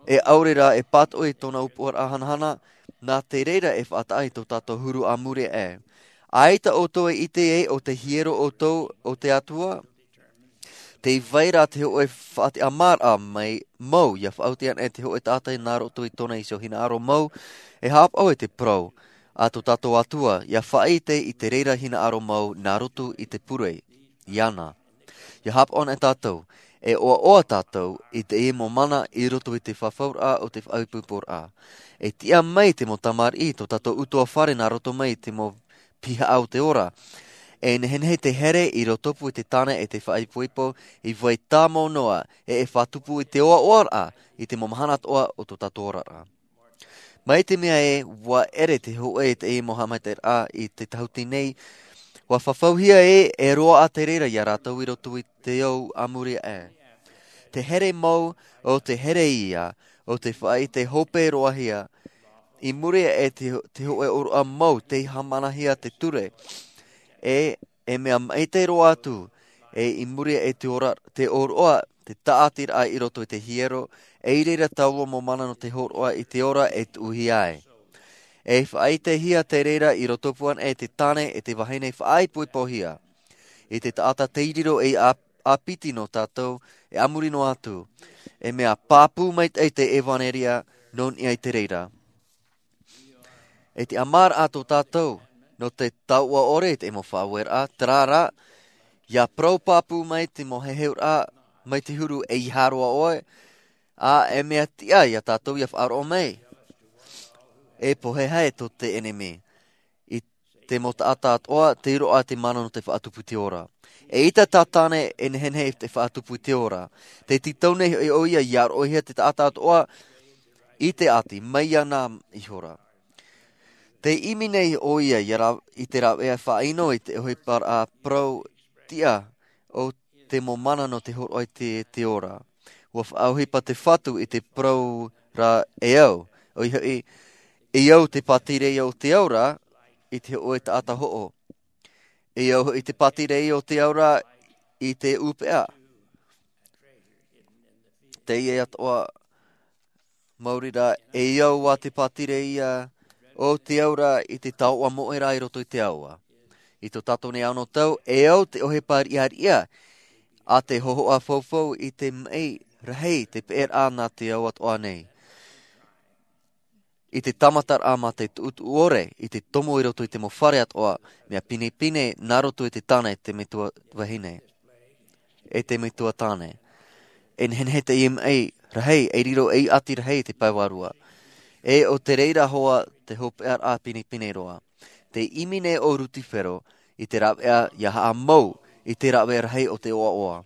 e ʻaore rā e pātoʻi tōna ʻōpuaraʻa hanahana, nā te reira e faʻataʻa i tō tātou huru a muri aʻe. ʻAita ʻoutou e ʻite ē ʻo te hiero ʻoutou o te Atua, tē vai ra te hōʻē faʻatiʻamāraʻa mai mau, ia faʻaoti ana e te hōʻē taʻata nā roto i tōna iho hinaʻaro mau, e haʻapaʻo i te parau a tō tātou Atua, ia faʻaʻite i te reira hinaʻaro mau nā roto i te pure iāna. Ia haʻapaʻo ana e tātou, e ʻoaʻoa tātou i teie mau mana i roto i te fafauraʻa o te faʻaipoiporaʻa. E tiʻa mai te mau tamariʻi i tō tātou ʻutuāfare nā roto mai i te mau pihaʻa o te ora. E nehenehe te here i rotopū i te tāne e te faʻaipoipo i vai tāmau noa, e e faʻatupu i te oaoaraʻa i te mau mahana atoʻa o tō tātou oraraʻa. Mai te mea ē, ua ʻere te hōʻē i te mau haʻamaitaʻiraʻa i te tahuti nei, ua fafauhia ē e roaʻa te reira iā rātou i roto i te ao a muri aʻe. Te here mau o te here ia o te faʻaʻite hope roahia, i muri aʻe te, te hōʻē ʻōroʻa mau tei haʻamanahia te ture, e e mea maitaʻi roa atu, e i muri aʻe te ora, te ʻōroʻa, te tāʻatiraʻa i roto i te hiero, e i reira taua mau mana nō te hōroʻa i te ora e tuʻuhia ai. E faʻaʻitehia te reira i rotopū ana e te tāne e te vahine faʻaipoipohia. I te taʻata tei riro ei ʻā-, ʻāpiti nō tātou, e a muri noa atu. E mea pāpū maitaʻi te ʻevaneria nō niʻa i te reira. E te ʻamaraʻa tō tātou, nō te taoʻa ʻore i te mau faʻaueraʻa, terā rā, ʻia parau pāpū mai te mau heheuraʻa, mai te huru e ʻeiaha roa ʻoe, ʻa e mea tiʻa iā tātou ʻia faʻaroʻo mai. E pohe hia tō te ʻenemi. I te mau taʻata atoʻa, tei roaʻa te mana nō te faʻatupu i te ora. E ʻita tā tāne e nehenehe te faʻatupu i te ora. Tē tītau nei hoʻi ʻoia ʻia roʻohia te taʻata atoʻa i te ʻati, mai iāna ihora. Tē ʻimi nei ʻoia ʻia rā-, i te rāveʻa faʻaʻino i te ʻohiparaʻa parau tiʻa o te mau mana nō te hōroʻa i te, te ora. ʻUa faʻaʻohipa te Fatu i te parau ra e au. ʻOia hoʻi, e au te pātireia o te aura i te hōʻē taʻata hoʻo. E au hoʻi te pātireia o te aura i te ʻūpeʻa. Teie atoʻa mauri rā, e au ā te pātireia o te aura i te taoʻa moʻe rā i roto i te aoa. I tō tātou nei anotau, e au te ʻohipa riʻariʻa a te hōhoʻa faufau i te maʻi rahi te peʻeraʻa nā te ao atoʻa nei. I te tāmataraʻa mā te tuʻutuʻu ʻore, i te tomo i roto i te mau fare atoʻa, mea pinepine nā roto i te tāne te metua vahine. E te metua tāne. E nehenehe teie maʻi rahi, e riro ei ʻati rahi te pae vārua. E ʻo te reira hoʻi te hopeʻaraʻa pinepine roa. Tē ʻimi nei ʻo Rutifero i te rāveʻa ʻia haʻamau i te rāveʻa rahi o te ʻoaʻoa.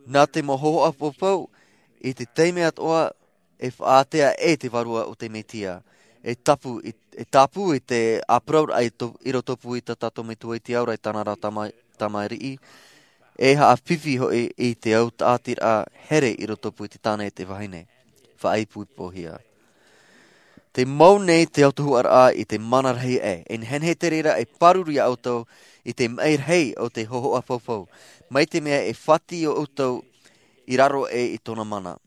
Nā te mau hōhoʻa faufau, i te taime atoʻa e faʻaātea e te Vārua o te Mesia. E tāpū i, e tāpū i te āparauraʻa i to-, i rotopū i tā tātou Metua i te aura i tāna ra tama-, tamariʻi. E haʻafifi hoʻi i te au tāʻatiraʻa here i rotopū i te tāne e te vahine. Faʻaipoipohia. Tē mau nei te autahuʻaraʻa i te mana rahi aʻe, e nehenehe te reira e pāruru iā ʻoutou i te maʻi rahi o te hōhoʻa faufau, mai te mea e fati iā ʻoutou i raro aʻe i tōna mana.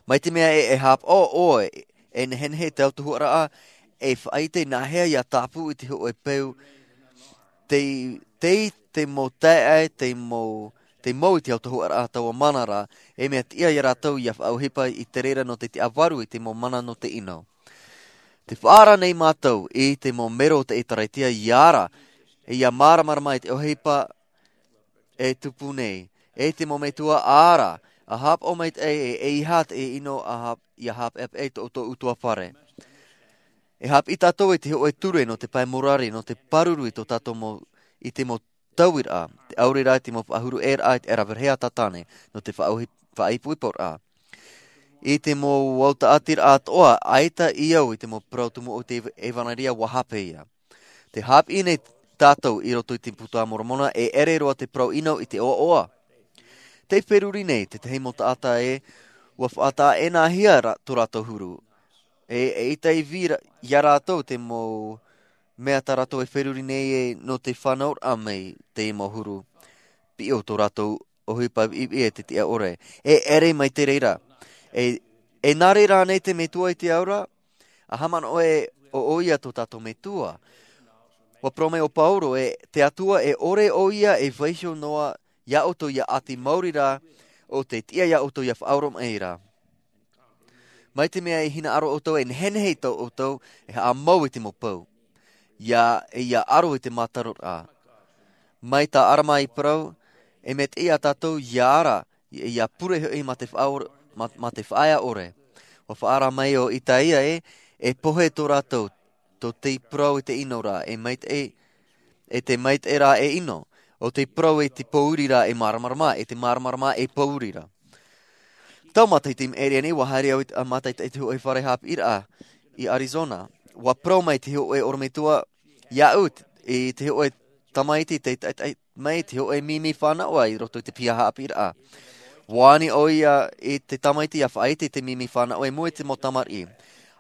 Mai te mea e, e haʻapaʻo ʻoe, e nehenehe te autahuʻaraʻa, e faʻaʻite nāhea ʻia tāpū i te hōʻē peu, tei, tei te mau taeaʻe, tei mau, tei mau i te autahuʻaraʻa taua mana ra, e mea tiʻa iā rātou ʻia faʻaʻohipa i te reira nō te tiʻavaru i te mau mana nō te ʻino. Tē faʻaara nei mātou i te mau mero o te ʻĒtārētia ʻia ara, e ʻia māramarama i te ʻohipa e tupu nei. E te mau metua ʻa ara, ʻa haʻapaʻo maitaʻi e, e ʻeiaha te ʻino ʻa hap-, ʻia haʻapeʻapeʻa i tō ʻoutou ʻutuāfare. E haʻapiʻi tātou i te hōʻē ture nō te pae morare, nō te pāruru i tō tātou mau, i te mau tauiraʻa, te ʻaore rā i te mau faʻahuru ʻē raʻa i te ʻaraverehea tātane, nō te faʻaʻohi-, faʻaipoiporaʻa. I te mau autaʻatiraʻa atoʻa, ʻaita i au i te mau parau tumu o te ev-, ʻevaneria ʻua hape ia. Tē haʻapiʻi nei tātou i roto i te Buka a Moromona, e ʻere roa te parau ʻino i te ʻoaʻoa. Tē feruri nei tētahi mau taʻata ē, ʻua faʻataʻa-ʻē-nāhia rā tō rātou huru. E, eʻita i vī ra-, iā rātou te mau mea tā rātou e feruri nei ē nō te fānauraʻa mai te mau huru. Piʻo tō rātou ʻohipa viʻiviʻi e te tiʻa ʻore. E ʻere mai te reira. E, e nā reira ānei te Metua i te aura, ʻa haʻamanaʻo ē ʻo, ʻoia tō tātou Metua. ʻUa parau mai ʻo Pauro ē, te Atua e ʻore ʻoia e vaiiho noa iā ʻoutou ʻia ʻati maori rā, ʻo te tiʻa iā ʻoutou ʻia faʻaoromaʻi ra. Mai te mea e hinaʻaro ʻoutou, e nehenehe tō ʻoutou, e haʻamau i te mau pou. ʻIa, e ʻia aro i te mātaroraʻa. Mai tā ʻArama i parau, e mea tiʻa iā tātou ʻia ara, ʻia, ʻia pure hoʻi mā te faʻaor-, mā, mā te faʻaea ʻore. ʻUa faʻaara mai ʻo Itaia ē, e pohe tō rātou, tō te parau i te ʻino ra, e maitaʻi, e te maitaʻi rā e ʻino, ʻo te parau e te pōuri rā e māramarama, e te māramarama e pōuri rā. Tau matahiti i maʻiri aʻe nei, ua haere au i te, a, mātaʻitaʻi i te hōʻē fare haʻapiʻiraʻa i Arizona. Ua parau mai te hōʻē ʻorometua iāʻu, i te hōʻē tamaiti, tei taʻitaʻi mai te hōʻē mimi fānaʻo i roto i te piha haʻapiʻiraʻa. Ua ani ʻoia i te tamaiti ʻia faʻaʻite i te mimi fānaʻo i mua i te mau tamariʻi.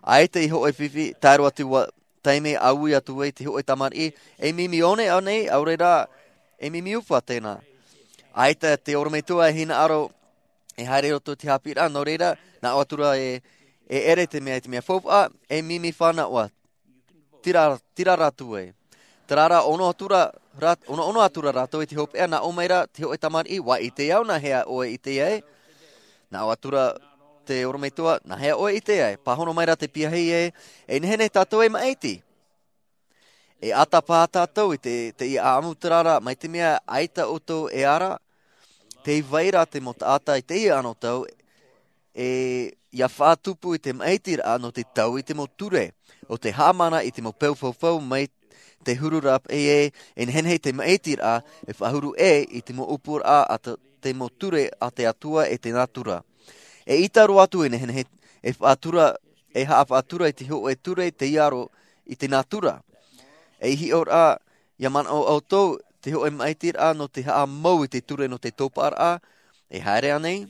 ʻAita i hōʻē fifi, tae roa atu ua taime ʻaui atu ai te hōʻē tamariʻi, e mimi one ānei, ʻaore rā, e mimi ufa tēnā. ʻAita te ʻorometua e hinaʻaro, e haere i roto i te haʻapiʻiraʻa, nō reira, nā ʻō atu ra e, e ʻere te mea, te mea faufaʻa, e mimi fānaʻo, tira, tira rātou e. Terā rā, ono atu ra, rā, ono, ono atu ra rātou i te hopeʻa, nā ʻō mai ra te hōʻē tamariʻi, ʻua ʻite au, nā hea ʻoe e ʻite ai? Nā ʻō atu ra te ʻorometua, nā hea ʻoe e ʻite ai? Pāhono mai ra te piahi e, e nehenehe tātou e maʻiti. E ʻata paha tātou i te, teie ʻāʻamu, terā rā, mai te mea ʻaita ʻoutou e ara, tē vai ra te mau taʻata i teie anotau, e, ʻia faʻatupu i te maʻitiraʻa nō te tau i te mau ture, ʻo te haʻamana i te mau peu faufau mai te huru rāpaʻi e, e nehenehe te maʻitiraʻa, e faʻahuru ʻē i te mau ʻōpuaraʻa a te, te mau ture a te Atua e te nātura. E ʻita roa atu e nehenehe, e faʻatura, e haʻafaʻatura i te hōʻē ture tei aro i te nātura. E hiʻoraʻa, ʻia manaʻo ʻoutou, te hōʻē maʻitiraʻa nō te haʻamau i te ture nō te tōpaʻaraʻa, e haere ānei?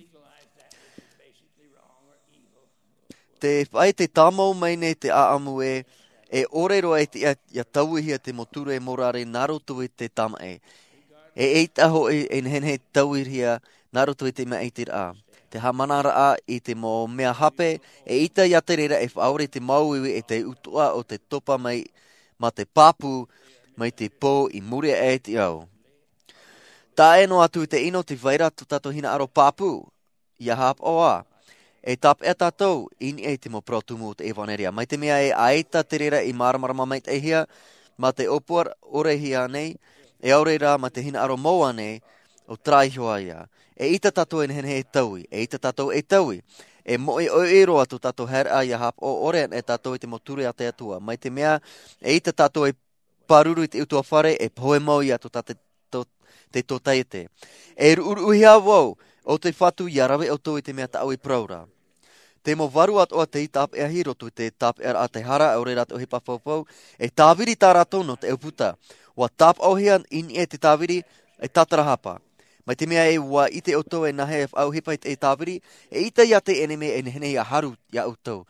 Te faʻaʻite tāmau mai nei te ʻāʻamu e, e ʻore roa e tiʻa ʻia tauihia te mau ture e morare nā roto i te tamaʻi. E ʻeita hoʻi e nehenehe tauihia nā roto i te maʻitiraʻa. Te haʻamanaraʻa i te mau mea hape, e ʻita ʻia te reira e faʻaʻore te māuiui e te utuʻa o te topa mai, mā te pāpū, mai te pō i muri aʻe i te ao. Taʻa ʻē noa atu i te ʻino, tē vai ra tō tātou hinaʻaro pāpū, ʻia haʻapaʻo ā. E tāpeʻa tātou i niʻa i te mau parau tumu o te ʻevaneria. Mai te mea e ʻaita te reira i māramarama maitaʻihia, mā te ʻōpua ʻore hia nei, e ʻaore rā mā te hinaʻaro mau ānei, ʻo terā iho ā ia. E ʻita tātou e nehenehe e taui, e ʻita tātou e taui. E moʻe ʻoiʻoi roa tō tātou haereʻa ʻia haʻapaʻo ʻore ana e tātou i te mau ture a te Atua. Mai te mea, e ʻita tātou e pāruru i te ʻutuāfare, e pohe mau ia tō tā te, tō, te tōtaiete. E ruʻuruʻuhia vau, ʻo te Fatu ʻia rave ʻoutou i te mea tāʻu i parau ra. Te mau varu atoʻa tei tāpeʻahi i roto i te tāpeʻaraʻa a te hara, ʻaore rā te ʻohipa faufau, e tāviri tā rātou nō te ʻauputa. ʻUa tāpaʻohia i niʻa i te tāviri, e tātarahapa. Mai te mea e ʻua ʻite ʻoutou e nāhea e faʻaʻohipa i te tāviri, e ʻita ʻia te ʻenemi e nehenehe ʻia haru ia ʻoutou.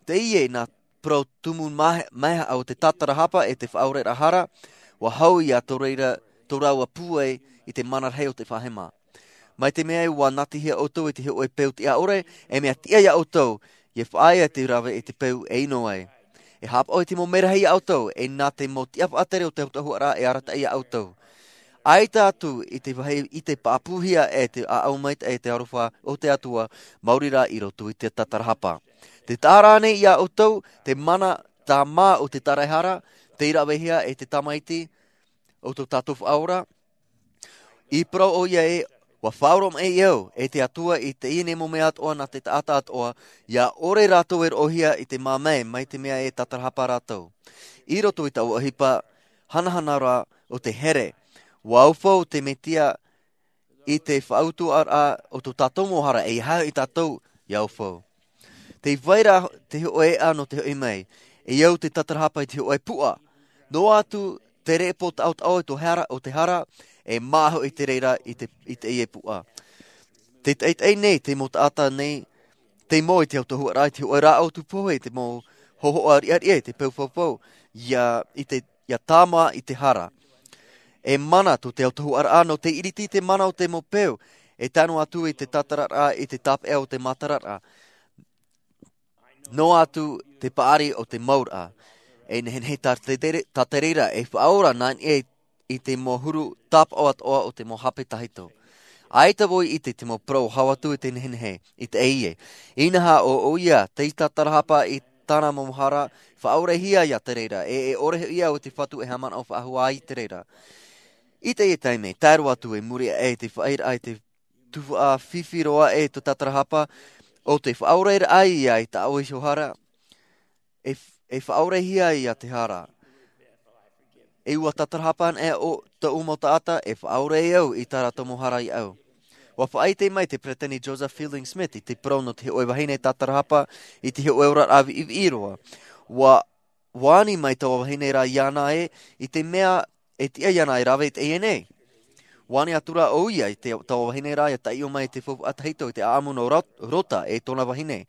Teie nā parau tumu mahe-, maheaʻa o te tātarahapa e te faʻaoreraʻa hara, ʻua hau ia tō reira, tō rāua pūai i te mana rahi o te faʻahema. Mai te mea e ʻua nātihia ʻoutou i te hōʻē peu tiʻa ʻore, e mea tiʻa ia ʻoutou, ʻia faʻaea te rave i te peu e ʻino ai. E haʻapaʻo i te mau merahi ia ʻoutou, e nā te mau tiʻa faʻatere o te autahuʻaraʻa e arataʻi ia ʻoutou. ʻAita atu i te vāhi i te pāpūhia e te ʻāʻau maitaʻi e te aroha o te Atua, maori rā i roto i te tātarahapa. Tē taʻa ra ānei ia ʻoutou, te mana tāmā o te taraehara, tei ravehia e te tamaiti o tō tātou Faʻaora? I parau ʻoia ē, ʻua faʻaoromaʻi au e te Atua i teie nei mau mea atoʻa nā te taʻata atoʻa, ʻia ʻore rātou e roʻohia i te māmae, mai te mea e tātarahapa rātou. I roto i taua ʻohipa hanahana ra o te here, ʻua aufau te Mesia i te faʻautuʻaraʻa o tō tātou mau hara, e ʻeiaha ia tātou ʻia aufau. Tē vai ra te hōʻē eʻa nō te hoʻi mai, e au te tātarahapa i te hōʻē puʻa. Noa atu te repo taʻotaʻo o te hara, o te hara, e māʻa hoʻi te reira i te, i teie puʻa. Tē taʻitaʻi nei te mau taʻata nei, tei mau i te autahuʻaraʻa, i te hōʻē rāʻau tūpohe, i te mau hōhoʻa riʻariʻa, i te peu faufau, ʻia, i te, ʻia tāmā i te hara. E mana tō te autahuʻaraʻa nō te iriti i te mana o te mau peu, e tae noa atu i te tātararaʻa, i te tāpeʻa o te mātararaʻa. Noa atu te paʻari o te mauraʻa. E nehenehe tā te tere-, tā te reira, e faʻaora nā niʻa i te mau huru tāpaʻo atoʻa o te mau hape tahito. ʻAita vau i ʻite i te mau parau hau atu i te nehenehe, i teie. Inaha ʻo, ʻoia, tei tātarahapa i tāna mau hara, faʻaorehia ia te reira, e, e ʻore hoʻi au i te Fatu e haʻamanaʻo faʻahou ai i te reira. I teie taime, tae roa atu i muri aʻe i te faʻaʻiteraʻa i te tuhaʻa fifi roa e tō tātarahapa, ʻo te faʻaoreraʻa ia i tāʻu iho hara, e f-, e faʻaorehia ia te hara. E ua tātarahapa ana e o tōʻu mau taʻata e faʻaora e au i tā rātou mau hara i au. Ua faʻaʻite mai te peresideni Joseph Fielding Smith i te parau nō te hōʻē vahine tātarahapa i te hōʻē oraraʻa viʻiviʻi roa. Ua ua ani mai taua vahine rā iāna ē, i te mea e tiʻa iāna e rave i teie nei. Ua ani atu rā ʻo ia i te taua vahine rā ia taiʻo mai i te faufaʻa tahito i te ʻaʻamu nō Rot- Rota e tōna vahine.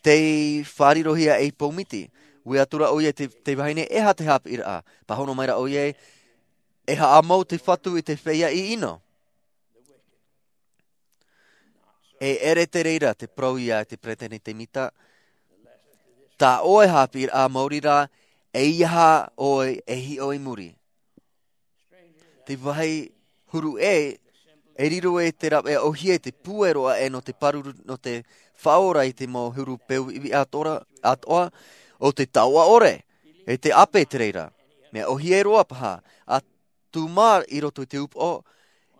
Tei fārirohia ei pou miti. Ui atu rā ʻo ia i te, te vahine e aha te haʻapiʻiraʻa. Pāhono mai rā ʻo ia ē, e haʻamau te Fatu i te feiā ʻiʻino. E ʻere te reira te parau ia te peresideni Temita. Tā ʻoe haʻapiʻiraʻa maori rā, e aha ʻoe e hiʻo i muri. Te vāhi huru ē, e riro e te rāveʻa ʻōhie te pūai roa ē nō te pāruru nō te faʻaora i te mau huru peu ivi atoʻa, atoʻa, ʻo te taoʻa ʻore, e te ʻape te reira. Mea ʻōhie roa paha, a tūmā i roto i te upoʻo,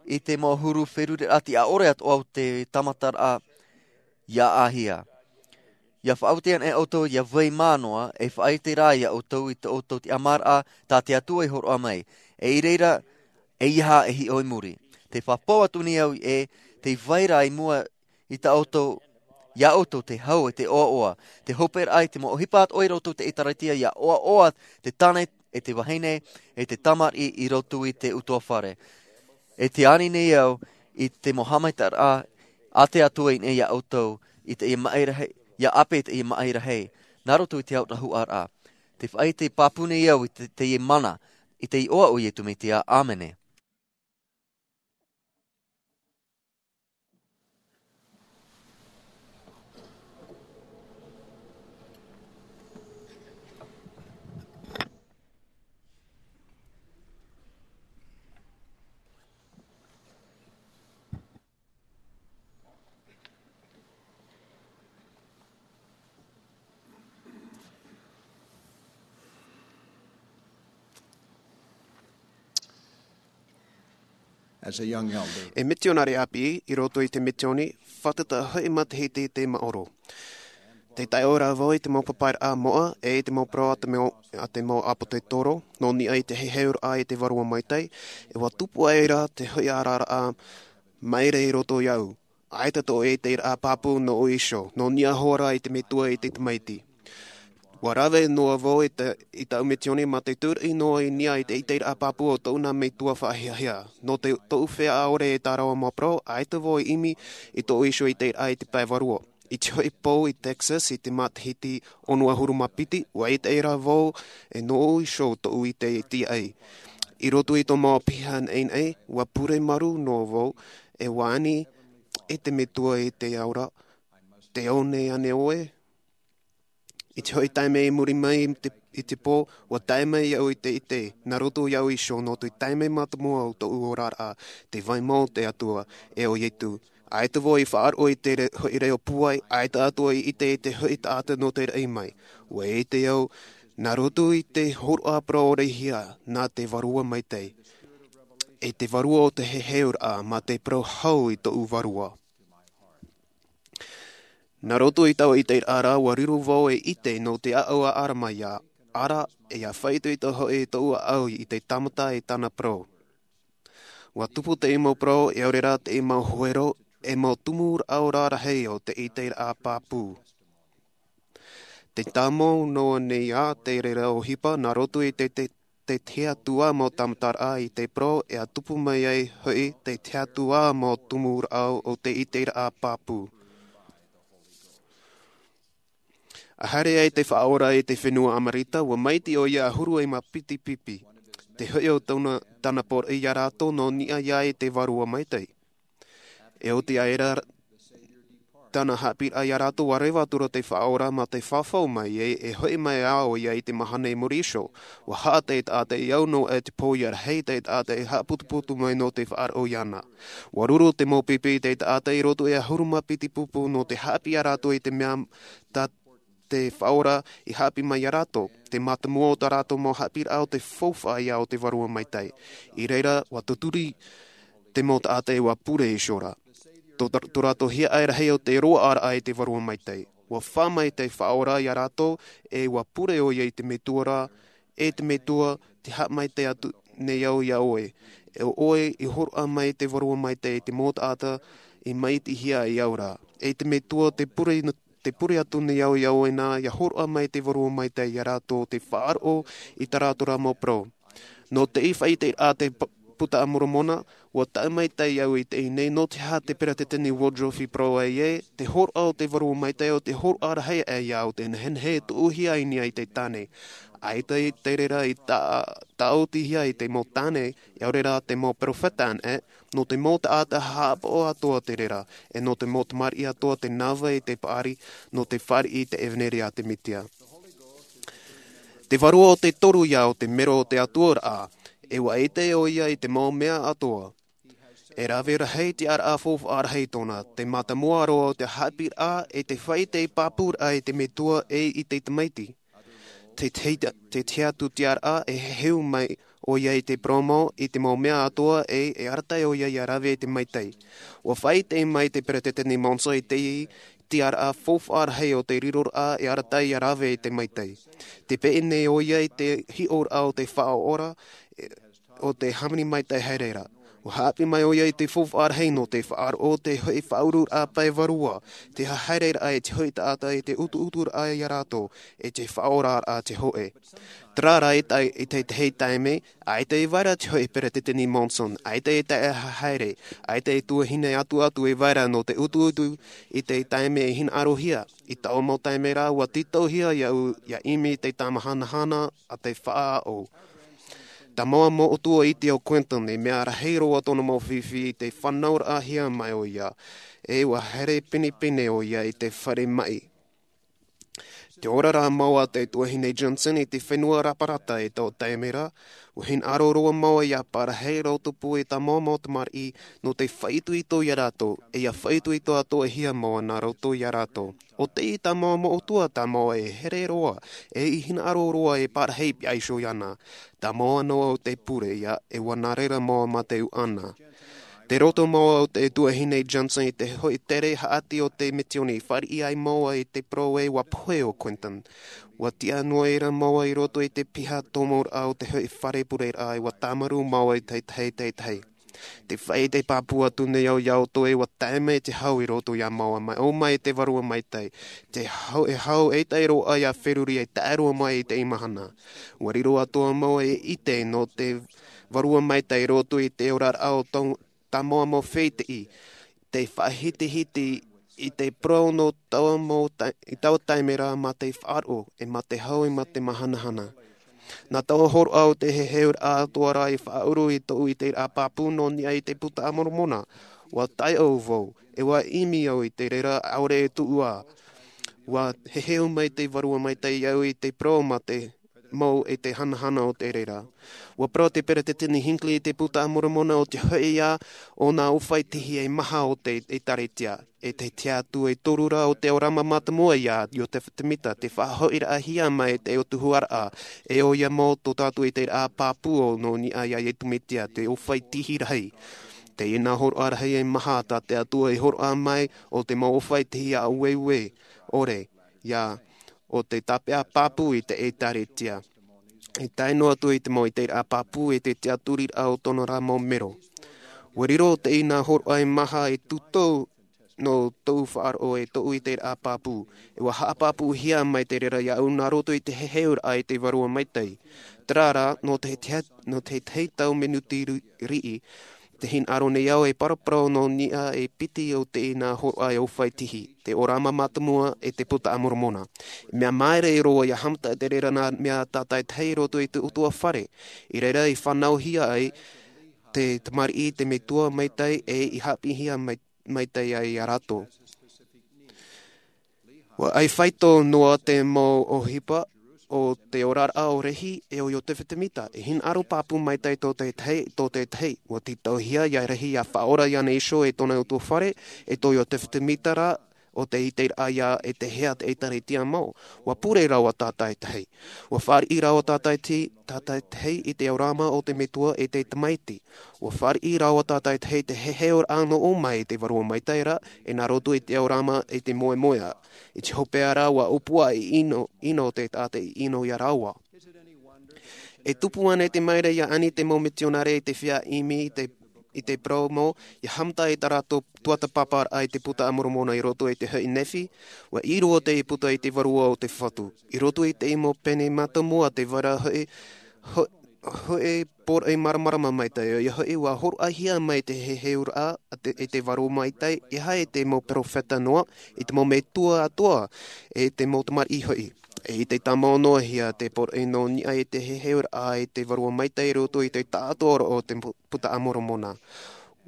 i te mau huru feruriraʻa tiʻa ʻore atoʻa o te tāmataraʻa ia ʻāhia. Ia faʻaoti ana e ʻoutou ia vai mā noa, e faʻaʻite rā ia ʻoutou i tō ʻoutou tiʻamāraʻa tā te Atua i hōroʻa mai. E i reira, e aha e hiʻo i muri. Te pāpū atu nei au ē, tei vai rā i mua i tā ʻoutou, ia ʻoutou te hau e te ʻoaʻoa, te hoperaʻa i te mau ʻohipa atoʻa i roto i te ʻĒtārētia ia ʻoaʻoa te tāne e te vahine, e te tamariʻi i roto i te ʻutuāfare. E te ani nei au i te mau haʻamaitaʻiraʻa a te Atua i niʻa ia ʻoutou, i teie maʻi rahi, ia ʻape i teie maʻi rahi, nā roto i te autahuʻaraʻa. Te faʻaʻite pāpū nei au i te, teie mana, i te iʻoa o Iesu Mesia, ʻāmene. As a young elder. E mitionare ʻāpī i roto i te mitioni, fātata hoʻi matahiti i te maoro. Tei taiʻo rā vau i te mau papairaʻa moʻa, e i te mau parau a te mau, a te mau ʻāpōsetolo, nō niʻa i te heheuraʻa i te Vārua Maitaʻi, e ua tupu ai rā te hoʻi ʻararaʻa maere i roto iāʻu. ʻAita tō ʻoe ʻiteraʻa pāpū nō ʻoe iho, nō niʻa hoʻi rā i te Metua i te Tamaiti. Ua rave noa vau i te, i taʻu mitioni mā te tūraʻi noa i niʻa i te ʻiteraʻa pāpū o tōʻu nā metua faʻahiahia. Nō te, tōʻu feiā ʻaore e tārava mau parau, ʻaita vau i ʻimi i tōʻu iho ʻiteraʻa i te pae vārua. I te hoʻi pō i Texas i te matahiti ono ʻahuru mā piti, ua ʻite rā vau e nō ʻoe iho tōʻu ʻite i te ʻai. I roto i tō mau piha naʻinaʻi, ua pure marū noa vau, e ua ani e te Metua i te ao ra, tē ao nei ānei ʻoe? I te hoʻi taime i muri mai i te, i te pō, ua tae mai au i te ʻite, nā roto iāʻu iho nō te taime mātāmua o tōʻu oraraʻa, tē vai mai te Atua, e ʻo Iesu. ʻAita vau i faʻaroʻo i te re-, hoʻi reo pūai, ʻaita atoʻa i ʻite i te hoʻi taʻata nō te raʻi mai. Ua ʻite au, nā roto i te hōroʻa parau ʻorehia, nā te Vārua Maitaʻi. E te vārua o te heheuraʻa, mā te parau hau i tōʻu vārua. Nā roto i taua ʻiteraʻa, ua riro vau e ʻite nō te ʻāʻau a ʻAramaia, ʻāreʻa, e ʻia faʻaitoito hoʻi tōʻu ʻāʻau i te tāmata e tāna parau. Ua tupu te mau parau, e ʻaore rā te mau huero, e mau tumu rāʻau rarahi o te ʻiteraʻa pāpū. Tē tāmau noa nei ā te reira ʻohipa, nā roto i te, te, te tahi atu ā mau tāmataraʻa i te parau, e ʻia tupu mai ai hoʻi te tahi atu ā mau tumu rāʻau o te ʻiteraʻa pāpū. ʻA haere ai te Faʻaora i te fenua Amerika, ua maitaʻi ʻoia ʻahuru mā piti pipi. Te hoʻi o tōna, tāna poroʻi ia rātou nō niʻa ia i te Vārua Maitaʻi. E oti ai rā tāna haʻapiʻiraʻa ia rātou, ua reva atu ra te Faʻaora mā te fafau mai, e, e hoʻi mai ā ʻoia i te mahana i muri iho. Ua haʻa te taʻata i au noa i te pō ia rahi te taʻata i haʻaputuputu mai nō te faʻaroʻo iāna. Ua ruru te mau pipi i te taʻata i roto i te ʻahuru mā piti pupu nō te haʻapiʻi ia rātou i te mea tā te Faʻaora i haʻapiʻi mai ia rātou, te mātāmua o tā rātou mau haʻapiʻiraʻa o te faufaʻa ia o te Vārua Maitaʻi. I reira, ua tuturi te mau taʻata ē ua pure iho ra. Tō, tō rātou hiaʻai rahi o te roaʻaraʻa i te Vārua Maitaʻi. Ua fā mai te Faʻaora ia rātou, e ua pure ʻoia i te Metua ra, e te Metua, te haʻamaitaʻi atu nei au iā ʻoe. E ʻo ʻoe i hōroʻa mai te Vārua Maitaʻi i te mau taʻata i māʻitihia ai au ra. E te Metua te pure, te pure atu nei au iā ʻoe nā, ʻia hōroʻa mai te Vārua Maitaʻi iā rātou te faʻaroʻo i tā rātou rā mau parau. Nō te faʻaʻiteraʻa a te p-, Buka a Moromona, ʻua taʻu maitaʻi au i teie nei, nō te aha te Peretiteni Woodruff i parau ai ē, te hōroʻa o te Vārua Maitaʻi ʻo te hōroʻa rahi aʻe iā ʻoe, tē nehenehe e tuʻuhia i niʻa i te tāne. ʻAita i te reira i tā-, tāʻotihia i te mau tāne, ʻaore rā te mau perofeta anaʻe, nō te mau taʻata haʻapaʻo atoʻa te reira, e nō te mau tamariʻi atoʻa te nava i te paʻari, nō te fāriʻi i te ʻevaneria a te Mesia. Te Vārua ʻo te toru ïa ʻo te mero o te Atua ra, e ʻua ʻite ʻoia i te mau mea atoʻa. E rave rahi te tiʻaraʻa faufaʻa rahi tōna, te mātāmua roa o te haʻapiʻiraʻa e te faʻaʻite pāpūraʻa i te Metua e i te Tamaiti. Te, te, te tiʻa atu tiʻaraʻa e heheu mai ʻoia i te parau mau i te mau mea atoʻa e, e arataʻi ʻoia ʻia rave i te maitaʻi. ʻUa faʻaʻite mai te Peretiteni Monson i te tiʻaraʻa faufaʻa rahi o te riroraʻa e arataʻi ʻia rave i te maitaʻi. Tē peʻe nei ʻoia i te hiʻoraʻa o te Faʻaora, e, ʻo te hāmani maitaʻi haere ra. ʻUa haʻapiʻi mai ʻoia i te faufaʻa rahi nō te faʻaroʻo te hoʻi faʻaururaʻa pae vārua, te haereraʻa i te hoʻi taʻata i te utuuturaʻa iā rātou, e te faʻaoraraʻa te hōʻē. Terā rā i te, i te, te tahi taime, ʻaita i vai ra te hoʻi Peretiteni Monson, ʻaita i tae haere, ʻaita i tuahine atu atu i vai ra nō te utuutu i te taime i hinaʻarohia, i taua mau taime rā ʻua tītauhia iāʻu ʻia ʻimi i te tāmahanahana a te faʻaʻau. Tāmau mau ʻutuāfare o Quentin, e mea rahi roa tōna mau fifi i te fānauraʻahia mai ʻoia, e ʻua haere pinepine ʻoia i te fare maʻi. Tē ora ra mau a te tuahine Johnson i te fenua Raparata i taua taime ra, ʻua hinaʻaro roa mau ʻia parahi rātou pū i tāmau mau tamariʻi nō te faʻaitoito iā rātou, e ʻia faʻaitoito atoʻahia mau nā roto iā rātou. ʻO tei tāmau mau ʻutuāfare tāmau e here roa, e i hinaʻaro roa e parahi pihaʻi iho iāna. Tāmau noa ʻo te pure ïa, e ʻua nā reira mau mā te ʻuʻana. Tei roto mau ʻo te tuahine Johnson i te hoʻi tere haʻati o te misiōni, fāriʻi ai mau i te parau e ʻua pohe ʻo Quentin. ʻUa tiʻa noa ʻia rātou mau i roto i te piha tomoraʻa o te hoʻi fare pureraʻa, e ʻua tāmarū mau i te tahi, te tahi. Te faʻaʻite pāpū atu nei au iā ʻoutou e ʻua tae mai te hau i roto iā māua mai, ʻō mai te Vārua Maitaʻi. Te hau, e hau e tae roa ʻia feruri e tae roa mai i teie mahana. ʻUa riro atoʻa mau e ʻite nō te Vārua Maitaʻi i roto i te oraraʻa o tō, tāmau mau fētiʻi. Te faʻahitihiti i te parau nō taua mau ta-, i taua taime ra mā te faʻaroʻo, e mā te hau, e mā te māhanahana. Nā taua hōroʻa o te heheuraʻa atoʻa ra i faʻauru i tōʻu ʻiteraʻa pāpū nō niʻa i te Buka a Moromona. ʻUa taiʻo vau, e ʻua ʻimi au i te reira ʻaore e tuʻu ā. ʻUa heheu mai te Vārua Maitaʻi iāʻu i te parau mā te mau e te hanahana o te reira. ʻUa parau te Peretiteni Hinckley i te Buka a Moromona ʻo te hoʻi ïa o nā ʻōfaʻi tihi e maha o te ʻĒtārētia. E te tiʻa atu e toru ra o te ʻōrama mātāmua iā Iosepha Semita, te faʻahoʻiraʻahia mai te ʻOtua Huaraʻa, e ʻoia mau tō tātou ʻiteraʻa pāpū nō niʻa iā Iesu Mesia, te ʻōfaʻi tihi rahi. Teie nā hōroʻa rahi e maha tā te Atua i hōroʻa mai, ʻo te mau ʻōfaʻi tihi ʻāueue, ʻore, ïa, ʻo te tāpeʻa pāpū i te ʻĒtārētia. E tae noa atu i te mau ʻiteraʻa pāpū e te tiʻaturiraʻa o tōna rā mau mero. ʻUa riro teie nā hōroʻa e maha e tūtau nō tōʻu faʻaroʻo e tōʻu ʻiteraʻa pāpū. E ʻua haʻapāpūhia mai te reira iāʻu nā roto i te heheuraʻa i te Vārua Maitaʻi. Terā rā, nō te, te, nō te tahi tau minuti ri-, riʻi, tē hinaʻaro nei au e paraparau nō niʻa e piti o teie nā hōroʻa e ʻōfaʻi tihi, te ʻōrama mātāmua e te Buka a Moromona. Mea māere roa ʻia haʻamata te reira nā mea tātaʻitahi i roto i te ʻutuāfare. I reira i fānauhia ai te tamariʻi, te Metua Maitaʻi, e i haʻapiʻihia mai, maitaʻi ai iā rātou. ʻUa ʻai faito noa te mau ʻohipa o te oraraʻa o Lehi e o Iosepha Semita. E hinaʻaro pāpū maitaʻi tō te tahi, tō te tahi. ʻUa tītauhia iā Lehi ʻia faʻaora iāna iho e tōna ʻutuāfare, e tō Iosepha Semita rā, ʻo te ʻiteraʻa ïa e te hea te ʻĒtārētia mau. ʻUa pure rāua tātaʻitahi. ʻUa fāriʻi rāua tātaʻitahi, tātaʻitahi i te ʻōrama o te Metua e te Tamaiti. ʻUa fāriʻi rāua tātaʻitahi te heheuraʻa nō ʻō mai i te Vārua Maitaʻi ra, e nā roto i te ʻōrama e te moemoeā. I te hopeʻa rā ʻua ʻōpua i ʻino, ʻino te taʻata i ʻino iā rāua. E tupu ana i te maere ia ani te mau mitionare i te feiā ʻimi i te, i te parau mau, ia haʻamata i tā rātou tuatāpaparaʻa i te Buka a Moromona i roto i te hoʻi Nephi, ʻua ʻīrava te puta i te vārua o te Fatu. I roto i te mau pene mātāmua te vaira hoʻi, ho-, hoʻi poroʻi māramarama maitaʻi, ia hoʻi ʻua hōroʻahia mai te heheuraʻa a te, i te vārua maitaʻi, e aha i te mau perofeta noa, i te mau metua atoʻa, e te mau tamariʻi hoʻi. E i te tāmau noa hia te poroʻi nō niʻa i te heheuraʻa i te vārua maitaʻi i roto i te taʻatoʻaraʻa o te pu-, Buka a Moromona.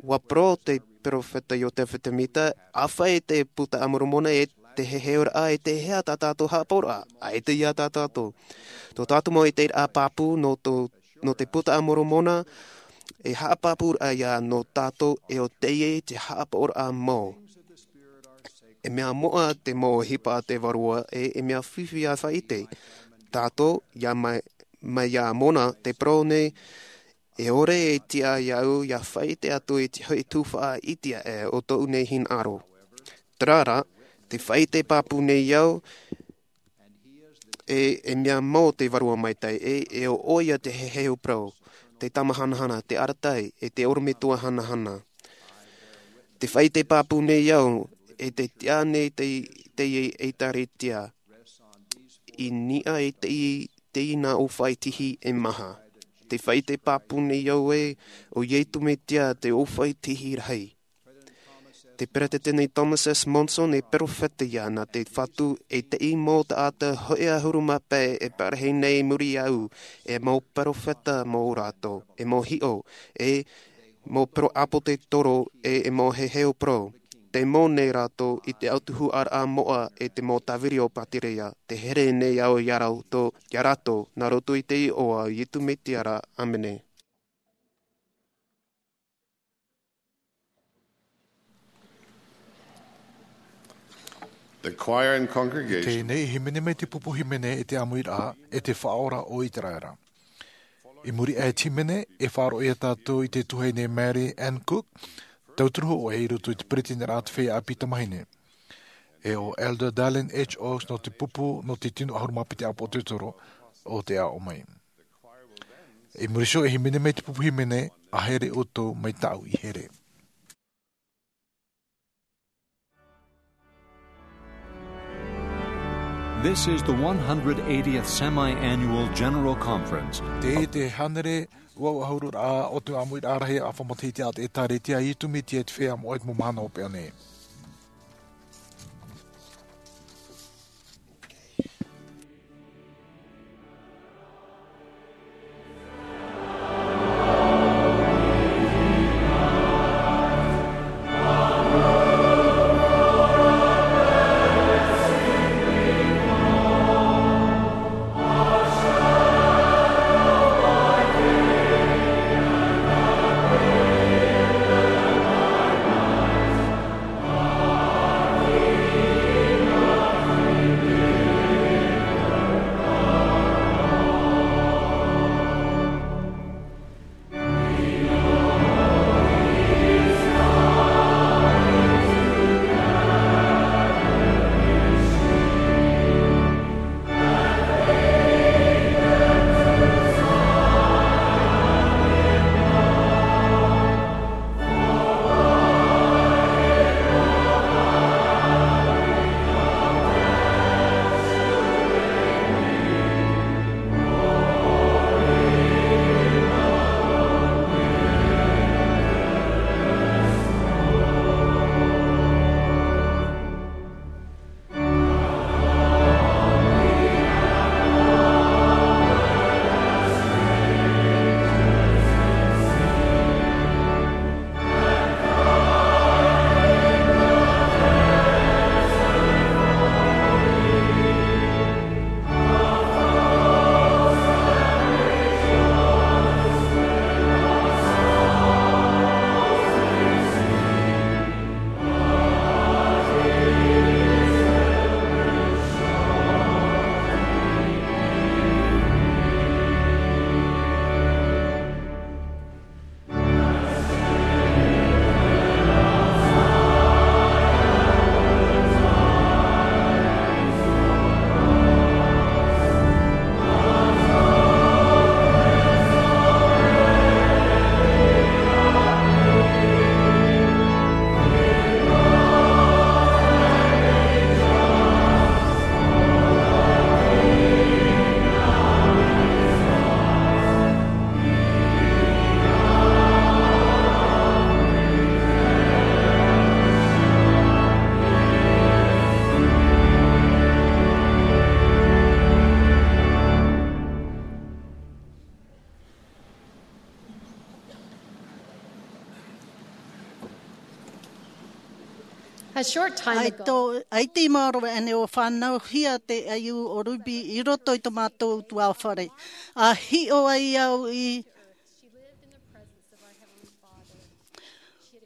ʻUa parau te perofeta Iotefa Temita, ʻa fai te Buka a Moromona e te heheuraʻa e te hea tā tātou haʻapaʻoraʻa, ʻaita ia tā tātou. Tō tātou mau ʻiteraʻa pāpū nō tō, nō te Buka a Moromona, e haʻapāpūraʻa ia nō tātou e ʻo teie te haʻapaʻoraʻa mau. E mea moʻa te mau ʻohipa a te vārua e, e mea fifi ʻa faʻaʻite. Tātou, ia mai, mai ia Mona, te parau nei, e ʻore e tiʻa iāʻu ia faʻaʻite atu i te hoʻi tuhaʻa iti aʻe o tōʻu nei hinaʻaro. Terā rā, te faʻaʻite pāpū nei au, e, e mea mau te vārua maitaʻi, e, e ʻo ʻoia te heheu parau, te tama hanahana, te arataʻi, e te ʻorometua hanahana. Te faʻaʻite pāpū nei au, e te tiʻa nei te, te ʻēkālesia, i niʻa i te, te ʻina ʻōfaʻi tihi e maha. Te faʻaʻite pāpū nei au ē, ʻo Iesu Mesia te ʻōfaʻi tihi rahi. Te Peresideni Thomas S. Monson e perofeta ia nā te Fatu e teie mau taʻata hoʻi ʻahuru mā pae e parahi nei i muri iāʻu, e mau perofeta mau rātou, e mau hiʻo, e mau poro ʻāpōsetolo, e, e mau heheu parau. Te mau nei rātou i te ʻautuhuraʻa moʻa e te mau tāviri o Pātireia, te here nei au ia rātou, ia rātou, nā roto i te iʻoa o Iesu Mesia ra. ʻĀmene. The choir and congregation. Teie nei e hīmene mai te pupu hīmene e te ʻāmuiraʻa, e te Faʻaora o Iteraera. I muri aʻe i te hīmene, e faʻaroʻo ia tātou i te tuahine Mary Ann Cook, tauturu hōʻē i roto i te peretiteniraʻa o te feiā ʻāpī tamāhine. E ʻo Elder Dallin H. Oaks nō te pupu, nō te tino ʻahuru mā piti ʻāpōsetolo o te aʻo mai. I muri iho e hīmene mai te pupu hīmene, ʻa here ʻoutou mai tāʻu i here. This is the one hundred eightieth Semi-Annual General Conference. Teie te hānere ua ʻahuru rā o te ʻāmuiraʻa rahi ʻāfa matahiti a te ʻĒkālesia Iesu Mesia te Feiā Moʻa i te mau mahana hopeʻa nei. A short time ago, ʻaita i maoro aʻenei ʻua fānauhia te ʻaiū o Ruby i roto i tō mātou ʻutuāfare. ʻA hiʻo ai au i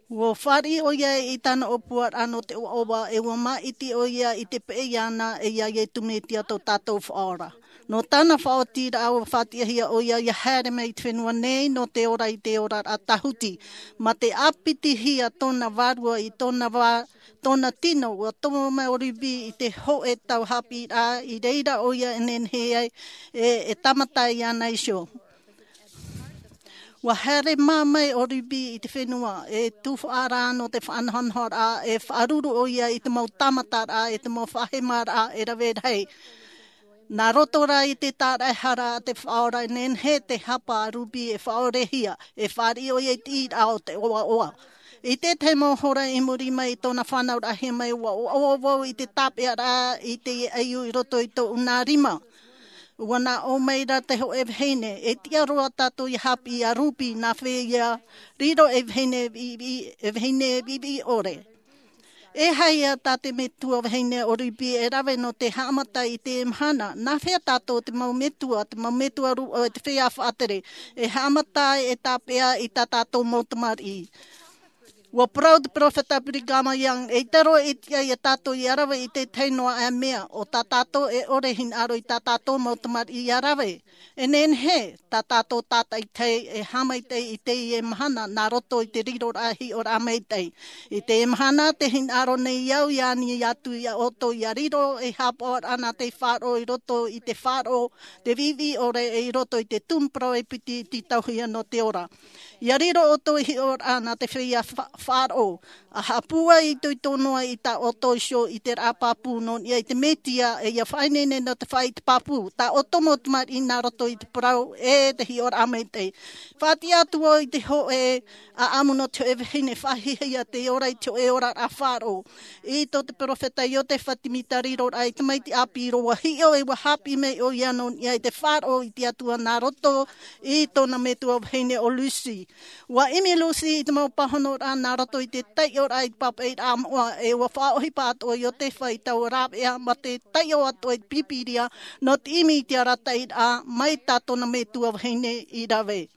Ua fāriʻi ʻoia i tāna ʻōpuaraʻa nō te ʻoaʻoa, e ua māʻiti ʻoia i te peʻe iāna e iā Iesu Mesia tō tātou Faʻaora. Nō tāna faʻaotiraʻa ua faʻatiʻahia ʻoia ʻia haere mai i te fenua nei nō te ora i te oraraʻa tāhuti. Mā te ʻāpitihia tōna vārua i tōna vā-, tōna tino, ua tomo mai ʻo Ruby i te hōʻē tau haʻapiʻiraʻa i reira ʻoia e nehenehe ai e, e tāmata iāna iho. Ua haere mā mai ʻo Ruby i te fenua, e tuhaʻa rā nō te faʻanahonahoraʻa, e faʻaruru ʻoia i te mau tāmataraʻa, e te mau faʻahemaraʻa e rave rahi. Nā roto rā i te tāraʻehara a te Faʻaora, e nehenehe te hapa a Ruby e faʻaorehia, e fāriʻi ʻoia i te ʻīraʻa o te ʻoaʻoa. I te tahi mau hora i muri mai i tōna fānauraʻahia mai, ua ʻoaʻoa vau i te tāpeʻaraʻa i te ʻaiū i roto i tōʻu nā rima. Ua nā ʻō mai ra te hōʻē vahine, e tiʻa roa tātou ʻia haʻapiʻi iā Ruby, nā hea ʻia riro ei vahine viʻiviʻi, e vahine viʻiviʻi ʻore. E aha ia tā te metua vahine o Ruby e rave nō te haʻamata i te mahana, nā hea tātou te mau metua, te mau metua rūʻau e te feiā faʻatere, e haʻamata ai e tāpeʻa i tā tātou mau tamariʻi. Ua parau te peropheta Brigham Young, eʻita roa e tiʻa ia tātou ʻia rave i te tahi noa ā mea, ʻo tā tātou e ʻore hinaʻaro i tā tātou mau tamariʻi ʻia rave. E nehenehe tā tātou tātaʻitahi e haʻamaitaʻi i teie mahana nā roto i te riroraʻa hiʻoraʻa maitaʻi. I teie mahana tē hinaʻaro nei au ʻia ani atu iā ʻoutou ʻia riro ei haʻapaʻoraʻa nā te faʻaroʻo i roto i te faʻaroʻo, te viʻiviʻi ʻore e i roto i te tumu parau e piti i te tauihaʻa nō te ora. ʻIa riro ʻoutou ei hiʻoraʻa nā te feiā fa-, faʻaroʻo. ʻA haʻapūai itoito noa i tā ʻoutou iho i te raʻa pāpū nō niʻa i te Mesia, e ʻia faʻaineine nō te faʻaʻite pāpū, tā ʻoutou mau tamariʻi nā roto i te parau e te hiʻoraʻa maitaʻi. Faʻatiʻa atu vau i te hōʻē ʻāʻamu nō te hōʻē vahine faʻahiahia tei ora i te hōʻē oraraʻa faʻaroʻo. I tō te peropheta Iosefa Semita riroraʻa i te tamaiti ʻāpī roa, ʻua hiʻo e ʻua haʻapiʻi mai ʻoia nō niʻa i te faʻaroʻo i te Atua nā roto i tōna metua vahine ʻo Lucy. ʻUa ʻimi Lucy i te mau pāhonoraʻa nā roto i te taiʻoraʻa i te pāpaʻiraʻa moʻa, e ʻua faʻaʻohipa atoʻa Iosefa i taua rāveʻa mā te taiʻo atoʻa i te Pīpīria nō te ʻimi i te arataʻiraʻa mai tā tōna metua vahine i rave.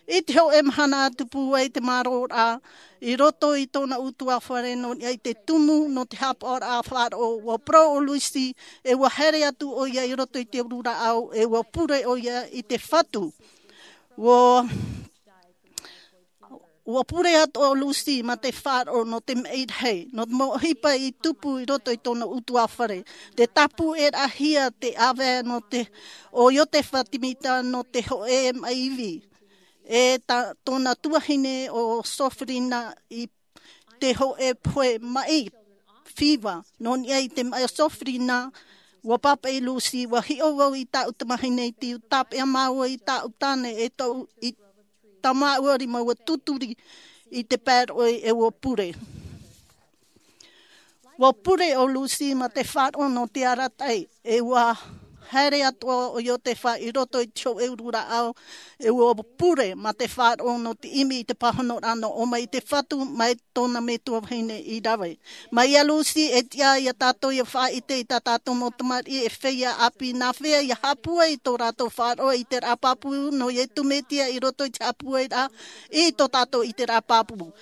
I te hōʻē mahana ʻa tupu ai te mārōraʻa i roto i tōna ʻutuāfare nō niʻa i te tumu nō te haʻapaʻoraʻa faʻaroʻo, ʻua parau ʻo Lucy, e ʻua haere atu ʻoia i roto i te uru rāʻau, e ʻua pure ʻoia i te fatu. ʻUa, ʻua pure atoʻa ʻo Lucy mā te faʻaroʻo nō te maʻi rahi, nō te mau ʻohipa i tupu i roto i tōna ʻutuāfare. Tē tāpūʻerahia te ʻāvae nō te, ʻo Iosefa Semita nō te hōʻē maʻi ivi. E tā tōna tuahine ʻo Sofrina i te hōʻē pohe maʻi fiva. Nō niʻa i te maʻi Sofrina, ʻua pāpaʻi Lucy, ʻua hiʻo vau i tāʻu tamahine i te tāpeʻa māua i tāʻu tāne e tau i tā māua rima ʻua tūturi i te pae roʻi e ʻua pure. ʻUa pure ʻo Lucy mā te faʻaroʻo nō te arataʻi, e ʻua haere atoʻa ʻo Iosefa i roto i te hōʻē uru rāʻau, e ʻua pure mā te faʻaroʻo nō te ʻimi i te pāhonoraʻa nō ʻō mai i te fatu mai tōna metua vahine i rave. Mai iā Lucy e tiʻa ia tātou ʻia faʻaʻite i tā tātou mau tamariʻi e feiā ʻāpī nā hea ʻia haʻapūai i tō rātou faʻaroʻo i te raʻa pāpū nō Iesu Mesia i roto i te haʻapūairaʻa i tō tātou i te raʻa pāpū.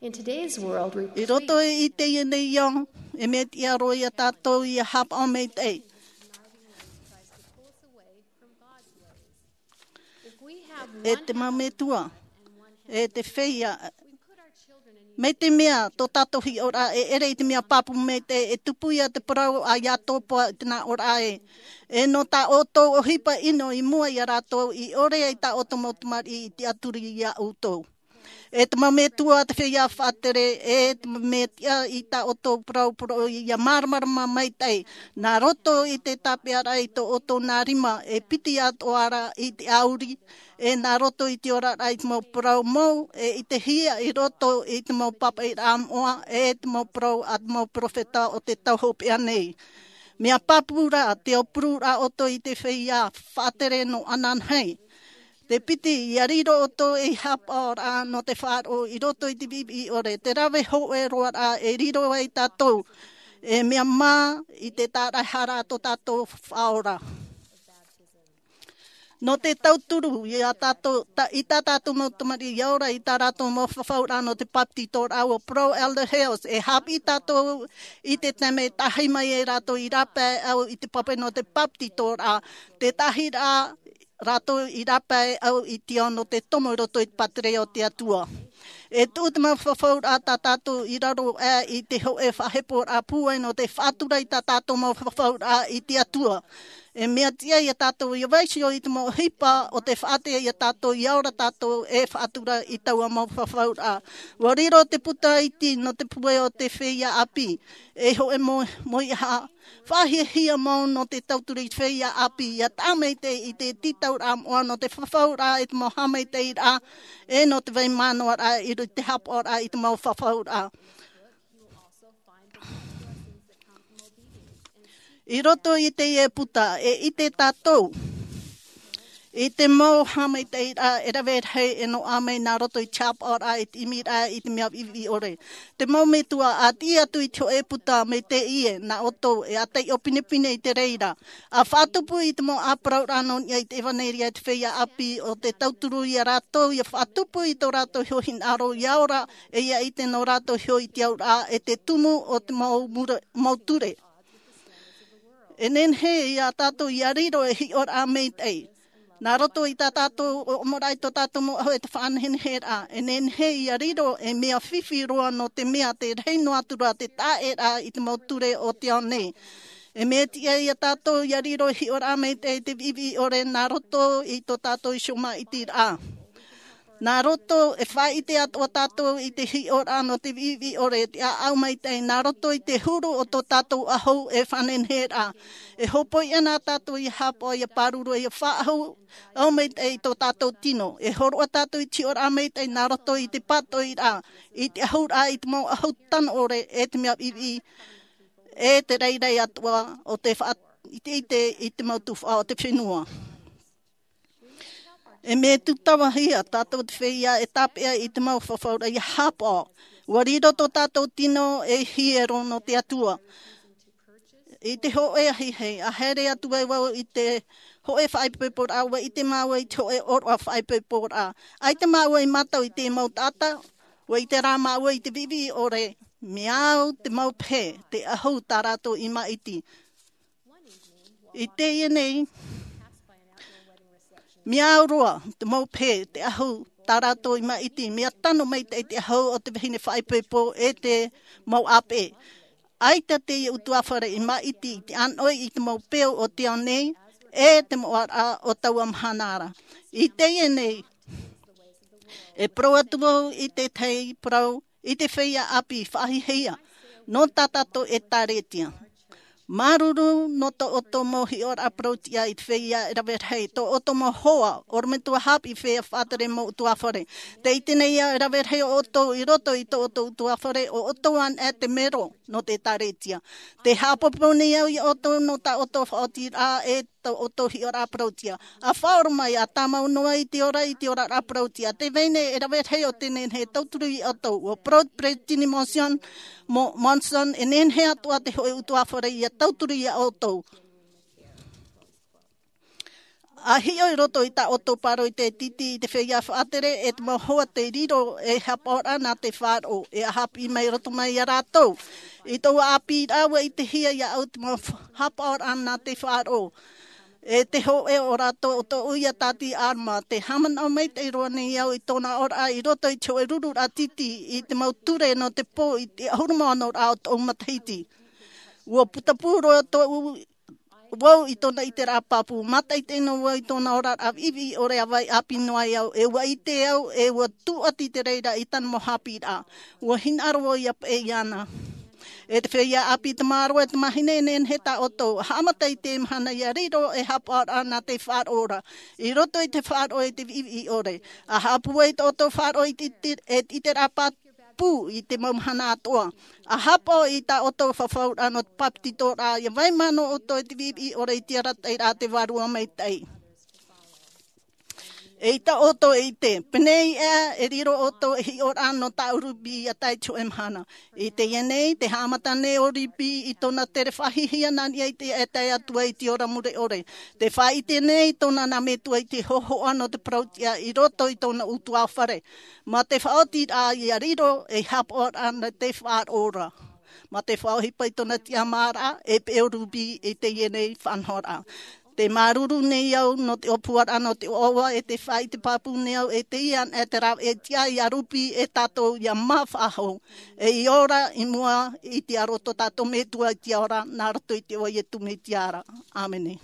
In today's world, we I roto i teie nei ao, e mea tiʻa roa ia tātou ʻia haʻapaʻo maitaʻi. If we have E te mau metua, e te feiā, mai te mea tō tātou hiʻoraʻa e ʻere i te mea pāpū maitaʻi, e tupu ia te parau a Iatopa i te nā ʻōraʻa ē. E nō tā ʻoutou ʻohipa ʻino i mua ia rātou i ʻore ai tā ʻoutou mau tamariʻi i tiʻaturi iā ʻoutou. E te mau metua, te feiā faʻatere, e te mau mea tiʻa i tā ʻoutou parau, parau ʻia māramarama maitaʻi. Nā roto i te tāpeʻaraʻa i tō ʻoutou nā rima, e piti atoʻa ra i te ʻauri, e nā roto i te oraraʻa i te mau parau mou, e i te hia i roto i te mau pāpaʻiraʻa moʻa, e te mau parau a te mau peropheta o te tau hopeʻa nei. Mea pāpū rā, tē ʻōpururaʻa ʻoutou i te feiā faʻatere nō ananahi. Te piti, ia riro ʻoutou ei haʻapaʻoraʻa nō te faʻaroʻo i roto i te viʻiviʻi ʻore, te rave hōʻē roa raʻa e riro ai tātou, e mea mā i te tāraʻehara tō tātou faʻaora. Nō te tauturu i a tātou, ta, i tā tātou mau tamariʻi ia ora i tā rātou mau fafauraʻa nō te papetitoraʻa, ʻua parau Elder Hales, e haʻapiʻi tātou i te taime e tahi mai ai rātou i rāpae au i te pape nō te papetitoraʻa, te tahi rā rātou i rāpae au i te ao nō te tomo i roto i te pātireia o te Atua. E tuʻu te mau fafauraʻa tā tātou i raro aʻe i te hōʻē faʻaheporaʻa pūai nō te faʻatura i tā tātou mau fafauraʻa i te Atua. E mea tiʻa ia tātou ia vaiiho i te mau ʻohipa o te faʻaʻite ia tātou ia ora tātou e faʻatura i taua mau fafauraʻa. ʻUa riro te puta iti nō te pūai o te feiā ʻāpī. E hōʻē mau, mau ʻaha, faʻahiahia mau nō te tauturu i te feiā ʻāpī, ia taʻa maitaʻi i te tītauraʻa moʻa nō te fafauraʻa i te mau haʻamaitaʻiraʻa, e nō te vai manaʻoraʻa i roto i te haʻapaʻoraʻa i te mau fafauraʻa. I roto i teie puta, e ʻite tātou i te mau haʻamaitaʻiraʻa e rave rahi e noaʻa mai nā roto i te haʻapaʻoraʻa, i te ʻimiraʻa, i te mea viʻiviʻi ʻore. Te mau metua, ʻa tiʻi atu i te hōʻē puta mai teie, nā ʻoutou e ʻātaiʻo pinepine i te reira. ʻA faʻatupu i te mau ʻāparauraʻa nō niʻa i te ʻevanelia i te feiā ʻāpī, ʻo te tauturu ia rātou, ia faʻatupu i tō rātou iho hinaʻaro ia ora, e ia ʻite nō rātou iho i te auraʻa, e te tumu o te mau mure-, mau ture. E nehenehe ia tātou ia riro e hiʻoraʻa maitaʻi. Nā roto i tā tātou ʻōmuaraʻa i tō tātou mau ʻahu e te faʻaneheneheraʻa. E nehenehe ia riro e mea fifi roa nō te mea te rahi noa atu ra te taʻeraʻa i te mau ture o te ao nei. E mea tiʻa ia tātou ia riro e hiʻoraʻa maitaʻi i te viʻiviʻi ʻore nā roto i tō tātou iho maʻitiraʻa. Nā roto e faʻaʻite atoʻa tātou i te hiʻoraʻa nō te viʻiviʻi ʻore, te ʻāʻau maitaʻi, nā roto i te huru o tō tātou ʻahu e faʻanehenehe ra. E hōpoi ana tātou ia haʻapaʻo, ia pāruru, ia faʻaʻahu, ʻahu maitaʻi i tō tātou tino. E hōroʻa tātou i te hiʻoraʻa maitaʻi nā roto i te pātoʻiraʻa, i te ʻahuraʻa, i te mau ʻahu tano ʻore, e te mea viʻiviʻi, e te rairai atoʻa o te faʻaʻiteʻite i te mau tuhaʻa o te fenua. E mea tūtavahia tātou te feiā e tāpeʻa i te mau fafauraʻa ia haʻapaʻo. ʻUa riro tō tātou tino ei hiero nō te Atua. I te hōʻē ahiahi, ʻa haere atu ai vau i te hōʻē faʻaipoiporaʻa, ʻua ʻite māua i te hōʻē ʻōroʻa faʻaipoiporaʻa. ʻAita māua i mātau i te mau taʻata, ʻua ʻite rā māua i te viʻiviʻi ʻore, mea au te mau pehe, te ʻahu tā rātou i maʻiti. I teie nei, mea au roa te mau pehe, te ʻahu tā rātou i maʻiti, mea tano maitaʻi te ʻahu o te vahine faʻaipoipo e te mau ʻāpeʻe. ʻAita teie ʻutuāfare i maʻiti i te ʻānoʻi i te mau peu o te ao nei, e te moʻaraʻa o taua mahana ra. I teie nei, e parau atu vau i te tahi parau, i te feiā ʻāpī faʻahiahia, nō tā tātou ʻĒtārētia. Māuruuru nō tō ʻoutou mau hiʻoraʻa parauʻtiʻa i te feiā e rave rahi, tō ʻoutou mau hoa, ʻorometua haʻapiʻi feiā faʻatere mau ʻutuāfare. Tē ʻite nei au e rave rahi ʻoutou i roto i tō ʻoutou ʻutuāfare, ʻo ʻoutou anaʻe te mero nō te ʻĒtārētia. Tē haʻapāpū nei au ia ʻoutou nō tā ʻoutou faʻaotiraʻa e tō ʻoutou hiʻoraʻa parauʻtiʻa. ʻA faʻaora mai, ʻa tāmau noa i te ora, i te oraraʻa parauʻtiʻa. Tē vai nei e rave rahi o tē nehenehe e tauturu ia ʻoutou. ʻUa parau te peresideni Monson, Mo-, Monson, e nehenehe atoʻa te hōʻē ʻutuāfare ia tauturu ia ʻoutou. ʻA hiʻo i roto i tā ʻoutou pāroita e tītī i te feiā faʻatere, e te mau hoa tei riro ei haʻapaʻoraʻa nā te faʻaroʻo, e ʻa haʻapiʻi mai roto mai ia rātou. I taua ʻāpīraʻa ʻua ʻitehia iāʻu te mau fa-, haʻapaʻoraʻa nā te faʻaroʻo. E te hōʻē o rātou ʻo tōʻu ia tāti Alma, tē haʻamanaʻo maitaʻi roa nei au i tōna oraraʻa i roto i te hōʻē rururaʻa tītī i te mau ture nō te pō i te ʻahuru mā ono ra o tōʻu matahiti. ʻUa putapū roa tōʻu, vau i tōna ʻiteraʻa pāpū, mātaʻitaʻi noa vau i tōna oraraʻa viʻiviʻi ʻore ʻa vai ʻāpī noa ai au, e ʻua ʻite au, e ʻua tūʻati te reira i tāna mau haʻapiʻiraʻa. ʻUa hinaʻaro vau ia paʻi iāna. E te feiā ʻāpī, tamāroa, e tamāhine, e nehenehe tā ʻoutou, haʻamata i te mahana ia riro ei haʻapaʻoraʻa nā te faʻaroʻo ra. I roto i te faʻaroʻo e te viʻiviʻi ʻore. ʻA haʻapūai tō ʻoutou faʻaroʻo i te, te, e te ʻiteraʻa pā-, pū i te mau mahana atoʻa. ʻA haʻapaʻo i tā ʻoutou fafauraʻa nō te papetitoraʻa, ia vai manaʻo ʻoutou i te viʻiviʻi ʻore i te arataʻiraʻa a te Vārua Maitaʻi. E ʻaita ʻoutou e ʻite, pēnei ā e riro ʻoutou e hiʻoraʻa nō tāʻu rūpī ia tae i te hōʻē mahana. I teie nei, tē haʻamata nei ʻo rūpī i tōna tere faʻahiahia nā niʻa i te taeaʻe Atua i te ora mure ʻore. Tē faʻaʻite nei tōna nā metua i te hōhoʻa nō te parauʻtiʻa i roto i tōna ʻutuāfare. Mā te faʻaotiraʻa ia riro ei haʻapaʻoraʻa nā te faʻaroʻo ra. Mā te faʻaʻohipa i tōna tiʻamāraʻa, e peʻe ʻo rūpī i teie nei faʻanahoraʻa. Tē māuruuru nei au nō te ʻōpuaraʻa nō te ʻoaʻoa e tē faʻaʻite pāpū nei au e teie anaʻe te rāveʻa tiʻa ia rūpī e tātou ia mā faʻahou. E i ora i mua i te aro tō tātou Metua i te ao ra, nā roto i te iʻoa o Iesu Mesia ra. ʻĀmene.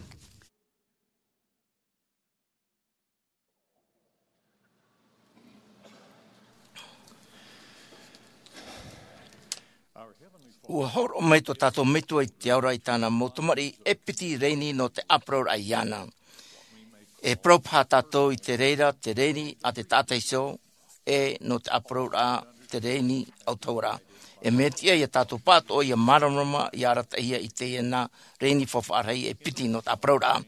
ʻUa hōroʻa mai tō tātou Metua i te ao ra i tāna mau tamariʻi e piti rēni nō te ʻāparauraʻa iāna. E parau paha tātou i te reira, te rēni a te taʻata iho, e nō te ʻāparauraʻa, te rēni autahuʻaraʻa. E mea tiʻa ia tātou pātoʻo ia māramarama, ia arataʻihia i teie nā rēni faufaʻa rahi e piti nō te ʻāparauraʻa.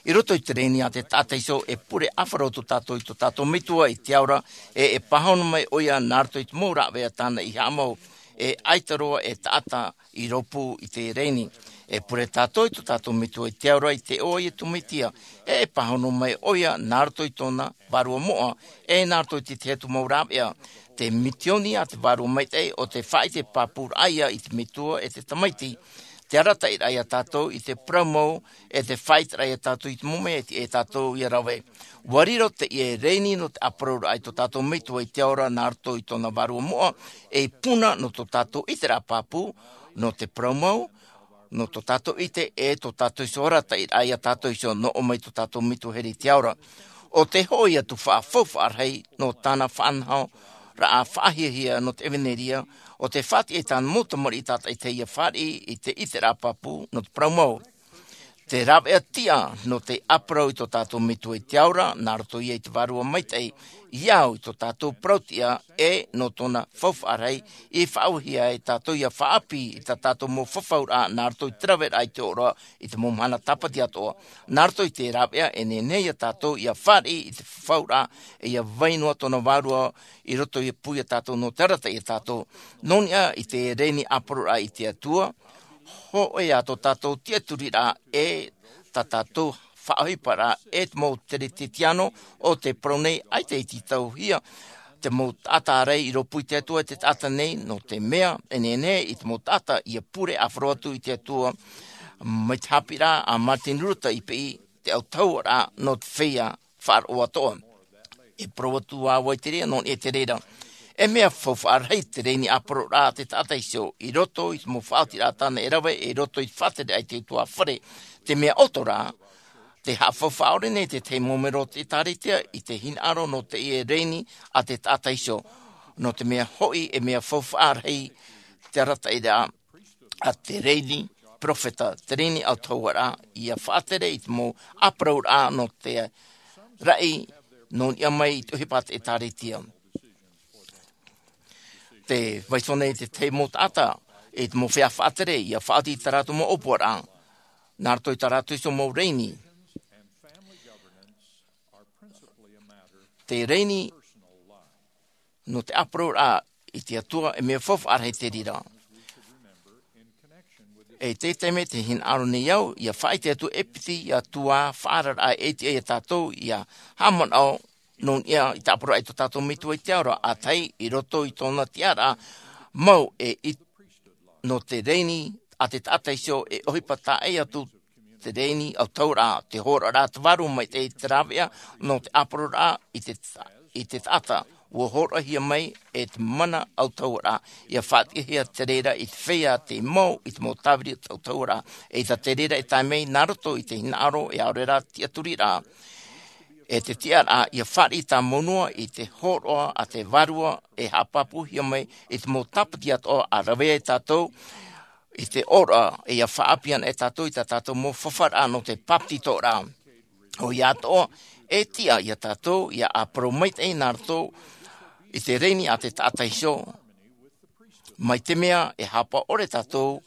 I roto i te rēni a te taʻata iho, e pure ʻāfaro atu tātou i tō tātou Metua i te ao ra, e, e pāhono mai ʻoia nā roto i te mau rāveʻa tāna i haʻamau, e ʻaita roa e taʻata i rōpū i te rēni. E pure tātou i tō tātou Metua i te ao ra i te iʻoa o Iesu Mesia, e, e pāhono mai ʻoia nā roto i tōna vārua moʻa, e nā roto i te tahi atu mau rāveʻa. Te misioni a te Vārua Maitaʻi ʻo te faʻaʻite pāpūraʻa ia i te Metua e te Tamaiti. Te arataʻiraʻa ia tātou i te parau mau, e te faʻaʻiteraʻa ia tātou i te mau mea e tiʻa ia tātou ia rave. ʻUa riro teie rēni nō te ʻāparauraʻa i tō tātou Metua i te ao ra nā roto i tōna vārua moʻa, ei puna nō tō tātou ʻiteraʻa pāpū, nō te parau mau, nō tō tātou ʻite, e tō tātou iho arataʻiraʻa ia tātou iho nō ʻō mai tō tātou Metua here i te ao ra. ʻO te hoʻi atu faʻa-, faufaʻa rahi nō tāna faʻanahoraʻa faʻahiahia nō te ʻevanelia, ʻo te faʻatiʻa i tāna mau tamariʻi tātaʻitahi ia fāriʻi i te ʻiteraʻa pāpū nō te parau mau. Te rāveʻa tiʻa nō te ʻāparau i tō tātou Metua i te ao ra, nā roto ia i te Vārua Maitaʻi, ia au i tō tātou parauʻtiʻa, e nō tōna faufaʻa rahi, i faʻaauhia ai tātou ia faʻaʻāpī i tā tātou mau fafauraʻa, nā roto i te raveraʻa i te ora, i te mau mahana tāpati atoʻa. Nā roto i te rāveʻa e nehenehe ia tātou ia fāriʻi i te fafauraʻa, e ia vai noa tōna vārua i roto i pū ia tātou nō te arataʻi ia tātou. Nō niʻa i te rēni ʻāparauraʻa i te Atua, hōʻē ā tō tātou tiʻaturiraʻa e tā tātou faʻaʻohiparaʻa e te mau Kerisetiano o te parau nei ʻaita i tītauhia te mau taʻata ārai i rōpū i te Atua e te taʻata nei, nō te mea, e nehenehe i te mau taʻata ia pure ʻāfaro atu i te Atua, mai te haʻapiʻiraʻa a Martin Luther i piʻi te autahuʻaraʻa nō te feiā faʻaroʻo atoʻa. E parau atu ā vau i te reira, nō niʻa i te reira. E mea faufaʻa rahi te rēni ʻāparauraʻa a te taʻata iho, i roto i te mau faʻaotiraʻa tāna e rave, i roto i te faʻatere a te ʻutuāfare, te mea ʻoto rā, te haʻafaufaʻa ʻore nei te tahi mau mero o te ʻĒtārētia i te hinaʻaro nō teie rēni a te taʻata iho. Nō te mea hoʻi, e mea faufaʻa rahi te arataʻiraʻa a te rēni peropheta, te rēni autahuʻaraʻa, ia faʻatere i te mau ʻāparauraʻa nō te raʻi nō niʻa mai i te ʻohipa a te ʻĒtārētia. Tē vai iho nei te tahi mau taʻata, i te mau feiā faʻatere, ia faʻaoti i tā rātou mau ʻōpuaraʻa. Nā roto i tā rātou iho mau rēni. Te rēni nō te ʻāparauraʻa i te Atua, e mea faufaʻa rahi te reira. E te taime tē hinaʻaro nei au, ia faʻaʻite atu e piti ia tuaʻā faʻaararaʻa e tiʻa ia tātou ia haʻamanaʻo nō niʻa i te ʻāparauraʻa i tō tātou Metua i te ao ra, ʻa tahi i roto i tōna tiʻaraʻa mau e i, nō te rēni a te taʻata iho e ʻohipa taʻa atu te rēni autahuʻaraʻa, te hōroʻaraʻa a te Vārua Maitaʻi, te rāveʻa nō te ʻāparauraʻa i te, i te taʻata. ʻUa hōroʻahia mai e te mana autahuʻaraʻa, ia faʻatiʻahia te reira i te feiā tei mau i te mau tāviri autahuʻaraʻa, eʻita te reira e tae mai nā roto i te hinaʻaro e ʻaore rā tiʻaturiraʻa. E te tiʻaraʻa, ia fāriʻi tāmau noa i te hōroʻa a te Vārua e haʻapāpūhia mai i te mau tāpati atoʻa, ʻa rave ai tātou i te ora, e ia faʻaʻāpī ana e tātou i tā tātou mau fafauraʻa nō te bāpetizoraʻa. ʻOia atoʻa, e tiʻa ia tātou, ia ʻāparau maitaʻi nā roto i te rēni a te taʻata iho, mai te mea e haʻapaʻo ʻore tātou,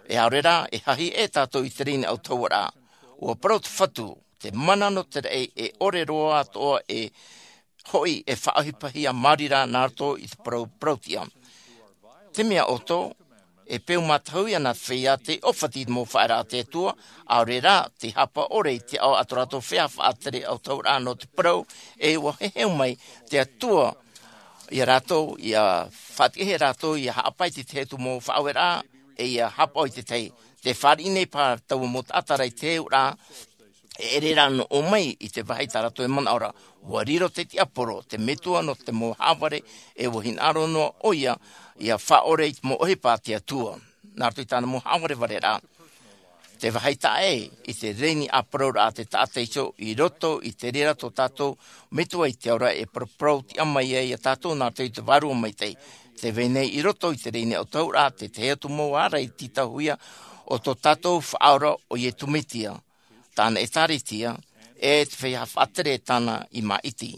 e ʻaore rā, e hahi e tātou i te rēni autahuʻaraʻa. ʻUa parau te Fatu, te mana nō te raʻi e ʻore roa atoʻa e hoʻi e faʻaʻohipahia maori rā nā roto i te parau parauʻtiʻa. Te mea ʻoto, e peu mātahuhia nā te feiā te ʻōfati i te mau faʻaearaʻa a te Atua, ʻaore rā te hapa ʻore i te ao a tō rātou feiā faʻatere autahuʻaraʻa nō te parau, e ʻua heheu mai te Atua ia rātou, ia faʻatiʻahia rātou ia haʻapae i te tahi atu mau faʻaueraʻa, e ia hapaʻo i te tahi. Te fāriʻi nei paha taua mau taʻata ra i te heheu ra, e ʻere rā nō ʻō mai i te vāhi tā rātou e manaʻo ra. ʻUa riro te tiaporo, te metua nō te mau hāvare, e ʻua hinaʻaro noa ʻoia ia faʻaʻore i te mau ʻohipa a te Atua. Nā roto i tāna mau hāvarevare ra, te vāhi taʻa ʻē i te reni ʻāparauraʻa a te taʻata iho i roto i te reira tō tātou Metua i te ao ra e paraparau tiʻa mai ai ia tātou nā roto i te Vārua Maitaʻi. Te vai nei i roto i te reni autahuʻaraʻa te tahi atu mau ārai tītauhia o tō tātou Faʻaora ʻo Iesu Mesia, tāna ʻEtāretia, e te feiā faʻatere tāna i māʻiti.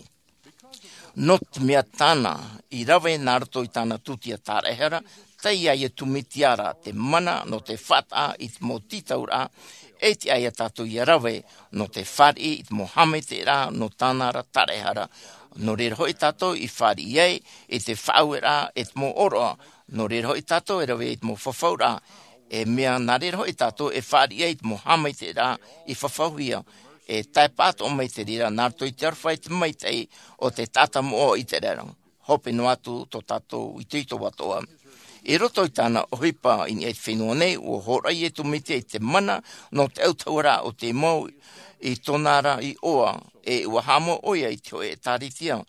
Nō te mea tāna i rave nā roto i tāna tūtia tāraʻehara, tei ia Iesu Mesia ra te mana nō te faʻataʻa i te mau tītauraʻa, e tiʻa ia tātou ia rave nō te fāriʻi i te mau haʻamaitaʻiraʻa nō tāna ra tāraʻehara. Nō reira hoʻi tātou i fāriʻi ai i te faʻaueraʻa e te mau ʻōroʻa, nō reira hoʻi tātou e rave i te mau fafauraʻa, e mea nā reira hoʻi tātou e fāriʻi ai i te mau haʻamaitaʻiraʻa i fafauhia, e tae pātoʻa mai te reira nā roto i te aroha i te maitaʻi o te taʻata moʻa o Iseraela. Hope noa atu tō tātou itoito atoʻa. I roto i tāna ʻohipa i niʻa i te fenua nei, ʻua hōroʻa Iesu Mesia i te mana nō te autahuʻaraʻa o te mau i tōna ra iʻoa, e ʻua haʻamau ʻoia i te hōʻē ʻEtāretia.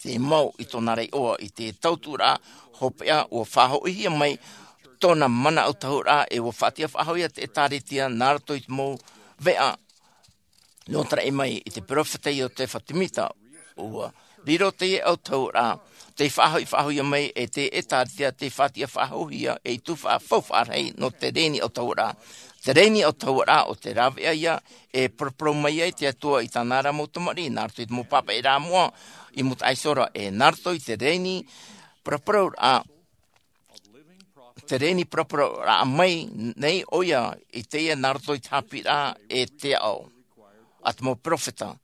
Te mau i tōna ra iʻoa i te tauturu ra, hopeʻa ʻua faʻahoʻihia mai tōna mana autahuʻaraʻa, e ʻua faʻatiʻa faʻahou ia te ʻEtāretia nā roto i te mau veʻa nō te raʻi mai i te peropheta Iosefa Semita. ʻUa riro teie autahuʻaraʻa, tei faʻahoʻi faʻahouhia mai e te ʻEtāretia, tei faʻatiʻa faʻahouhia ei tuhaʻa faufaʻa rahi nō te reni autahuʻaraʻa. Te reni autahuʻaraʻa ʻo te rāveʻa ia e paraparau mai ai te Atua i tāna ra mau tamariʻi, nā roto i te mau pāpaʻiraʻa moʻa i mūtaʻa iho ra, e nā roto i te reni paraparauraʻa, te reni paraparauraʻa mai nei ʻoia i teie nā roto i te haʻapiʻiraʻa e te ao a te mau peropheta.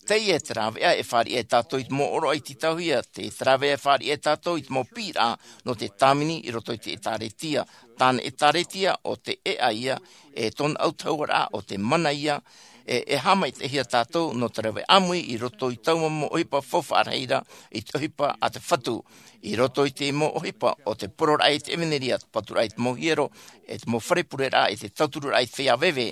Teie te rāveʻa e fāriʻi ai tātou i te mau ʻōroʻa i tītauhia, te rāveʻa e fāriʻi ai tātou i te mau piʻiraʻa nō te tāvini i roto i te ʻEtāretia, tāna ʻEtāretia ʻo te ʻēʻa ia, e tōna autahuʻaraʻa ʻo te mana ia, e, e haʻamaitaʻihia tātou nō te rave ʻāmui i roto i taua mau ʻohipa faufaʻa rahi ra, i te ʻohipa a te Fatu, i roto i te mau ʻohipa o te poroʻraʻa i te ʻevanelia, te paturaʻa i te mau hiero, e te mau fare pureraʻa, e te tautururaʻa i te feiā veve.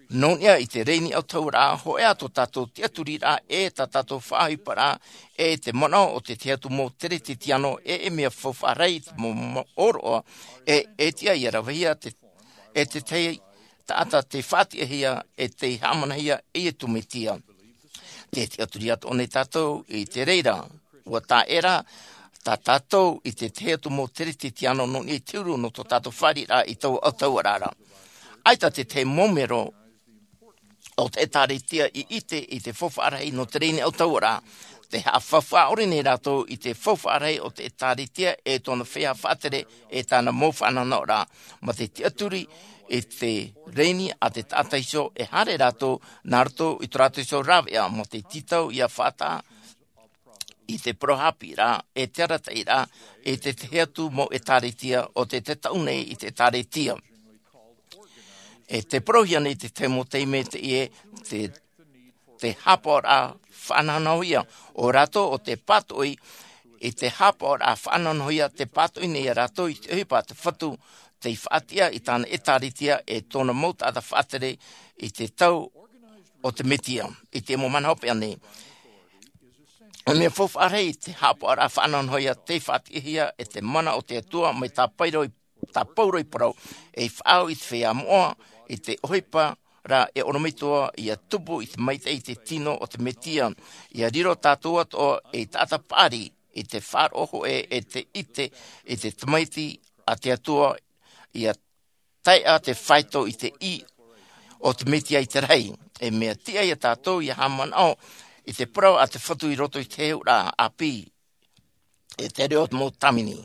Nō niʻa i te reni autahuʻaraʻa, hōʻē ā tō tātou tiʻaturiraʻa, e tā tātou faʻaʻohiparaʻa, e te manaʻo o te tahi atu mau Keresetiano, e, e mea faufaʻa rahi i te mau, mau ʻōroʻa, e, e tiʻa ia ravehia te, e te tahi taʻata tei faʻatiʻahia, e tei haʻamanahia e Iesu Mesia. Tē tiʻaturi atoʻa nei tātou i te reira, ʻua tae ra tā tātou i te tahi atu mau Keresetiano nō niʻa i te huru nō tō tātou fāriʻiraʻa i taua autahuʻaraʻa ra. ʻAita te tahi mau mero o te ʻEtāretia i ʻite i te faufaʻa rahi nō te reni autahuʻaraʻa. Tē haʻafaufaʻa ʻore nei rātou i te faufaʻa rahi o te ʻEtāretia e tōna feiā faʻatere e tāna mau faʻanahonahoraʻa. Mā te tiʻaturi i te reni a te taʻata iho, e haere rātou nā roto i tō rātou iho rāveʻa, mā te tītau ia faʻataʻa i te parau haʻapiʻiraʻa, e te arataʻiraʻa, e te tahi atu mau ʻEtāretia o te, te taʻu nei i te ʻEtāretia. E tē parauhia nei te tahi mau taime teie, te, te haʻapaʻoraʻa faʻanahonahohia, ʻo rātou ʻo tē pātoʻi i te haʻapaʻoraʻa faʻanahonahohia, tē pātoʻi nei ia rātou i te ʻohipa a te Fatu, tei faʻatiʻa i tāna ʻEtāretia e tōna mau taʻata faʻatere i te tau o te Mesia, i te mau mahana hopeʻa nei. E mea faufaʻa rahi te haʻapaʻoraʻa faʻanahonahohia tei faʻatiʻahia e te mana o te Atua mai tā Pauro i, tā Pauro i parau, ei faʻaau i te feiā moʻa, i te ʻohipa ra e ʻorometua ia tupu i te maitaʻi i te tino o te Mesia, ia riro tātou atoʻa ei taʻata paʻari i te faʻaroʻo hōʻē e te ʻite i te Tamaiti a te Atua, ia taeʻa te faito i te ʻī o te Mesia i te rahi. E mea tiʻa ia tātou ia haʻamanaʻo i te parau a te Fatu i roto i te heheuraʻa ʻāpī, e te reo o te mau tāvini.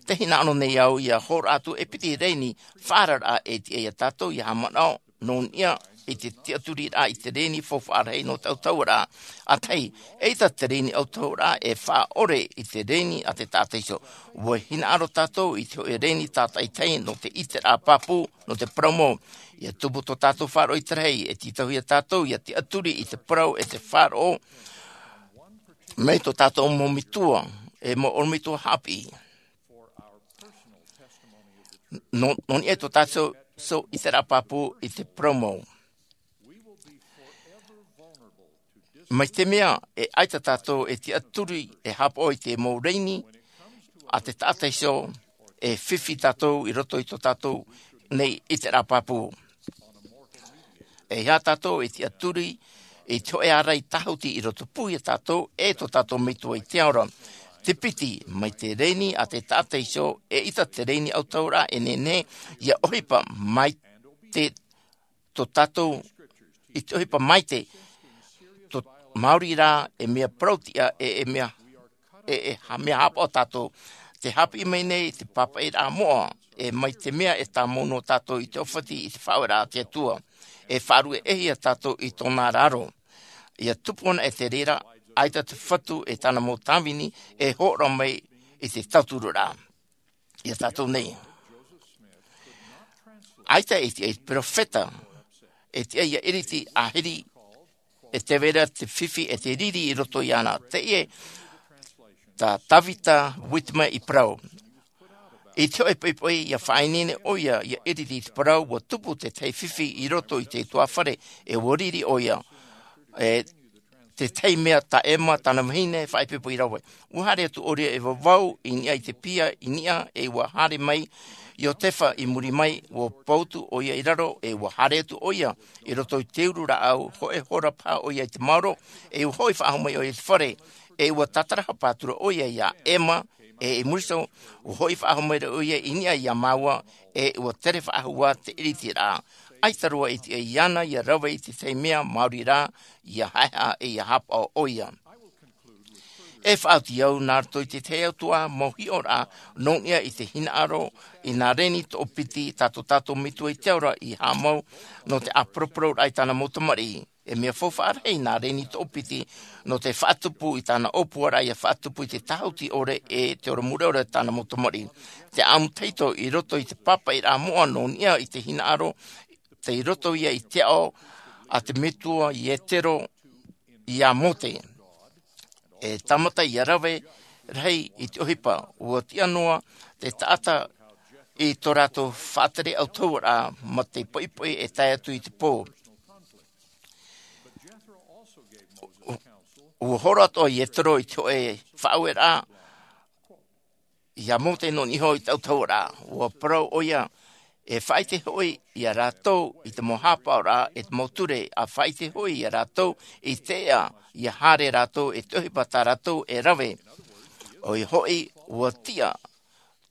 Tē hinaʻaro nei au ia hōroʻa atu e piti reni faʻaararaʻa e tiʻa ia tātou ia haʻamanaʻo nō niʻa i te tiʻaturiraʻa i te reni faufaʻa rahi nō te autahuʻaraʻa. ʻA tahi, eʻita te reni autahuʻaraʻa e faʻaʻore i te reni a te taʻata iho. ʻUa hinaʻaro tātou i te hoʻe reni tātaʻitahi nō te ʻiteraʻa pāpū, nō te parau mau. ʻIa tupu tō tātou faʻaroʻo i te rahi, e tītauhia tātou ʻia tiʻaturi i te parau e te faʻaroʻo mai tō tātou mau metua, e mau ʻorometua haʻapiʻi. Nō, nō niʻa i tō tātou, so, ʻiteraʻa pāpū i te parau mau. Mai te mea, e ʻaita tātou e tiʻaturi, e haʻapaʻo i te mau reni a te taʻata iho, e fifi tātou i roto i tō tātou nei ʻiteraʻa pāpū. E aha tātou e tiʻaturi i te hoʻe ārai tāhuti i roto pū ia tātou, e tō tātou metua i te ao ra. Te piti, mai te reni a te taʻata iho, eʻita te reni autahuʻaraʻa e nehenehe ʻia ʻohipa mai te, tō tātou, i te ʻohipa maitaʻi, tō, maori rā, e mea parau-tiʻa, e, e mea, e, e, ha-, mea haʻapaʻo tātou. Tē haʻapiʻi mai nei te pāpaʻiraʻa moʻa, e mai te mea e tāmau noa tātou i te ʻōfati i te faʻaueraʻa a te Atua. E faʻaruʻehia tātou i tōna ra aro. ʻIa tupu anaʻe te reira, ʻaita te Fatu e tāna mau tāvini, e hōroʻa mai i te tauturu ra. Ia tātou nei. ʻAita e tiʻa i te peropheta, e tiʻa ia ʻiriti ʻahiri, e tē vai ra te fifi e te riri i roto iāna. Teie tā Tavita Whitmer i parau. I te hoʻe poʻipoʻi ʻia faʻaineine ʻoia ʻia ʻiriti i te parau, ʻua tupu te tahi fifi i roto i te tuāfare, e ʻua riri ʻoia. E te tahi mea tā Emma tāna vahine faʻaipoipo i rave. ʻUa haere atu ʻoia i vavau, i niʻa i te piha, i niʻa, e ʻua haere mai Iotefa i muri mai, ʻua pau atu ʻoia i raro, e ʻua haere atu ʻoia i roto i te uru rāʻau, hoʻē hora paha ʻoia i te maoro, e ʻua hoʻi faʻahou mai ʻoia i te fare, e ʻua tātarahapa atu ra ʻoia iā Emma, e i muri iho, ʻua hoʻi faʻahou mai ra ʻoia i niʻa iā māua, e ʻua tere faʻahou ā te ʻiritiraʻa. ʻAita roa e tiʻa iāna ʻia rave i te tahi mea maori rā, ʻia haʻehaʻa e ʻia haʻapaʻo ʻoia. E faʻaoti au nā roto i te tahi atu ā mau hiʻoraʻa, nō niʻa i te hinaʻaro i nā reni toʻopiti tā tō tātou Metua i te ao ra i haʻamau, nō te ʻāporopororaʻa i tāna mau tamariʻi. E mea faufaʻa rahi nā reni toʻopiti, nō te faʻatupu i tāna ʻōpuaraʻa ʻia faʻatupu i te tāhuti ʻore e te ora mure ʻore tāna mau tamariʻi. Te ʻāmuitahito i roto i te pāpaʻiraʻa moʻa nō niʻa i te hinaʻaro, tei roto ia i te aʻo a te Metua Ietero iā Mōte. E tāmata ʻia rave rahi i te ʻohipa, ʻua tiʻa noa te taʻata i tō rātou faʻatere autahuʻaraʻa mā te poʻipoʻi e tae atu i te pō. ʻUa hōroʻa atoʻa Ietero i te hoʻē faʻaueraʻa iā Mōte nō niʻa iho i te autahuʻaraʻa. ʻUa parau ʻoia, e faʻaʻite hoʻi ia rātou i te mau haʻapaʻoraʻa e te mau ture, ʻa faʻaʻite hoʻi ia rātou i te ʻēʻa, ʻia haere rātou e te ʻohipa tā rātou e rave. ʻOia hoʻi, ʻua tiʻa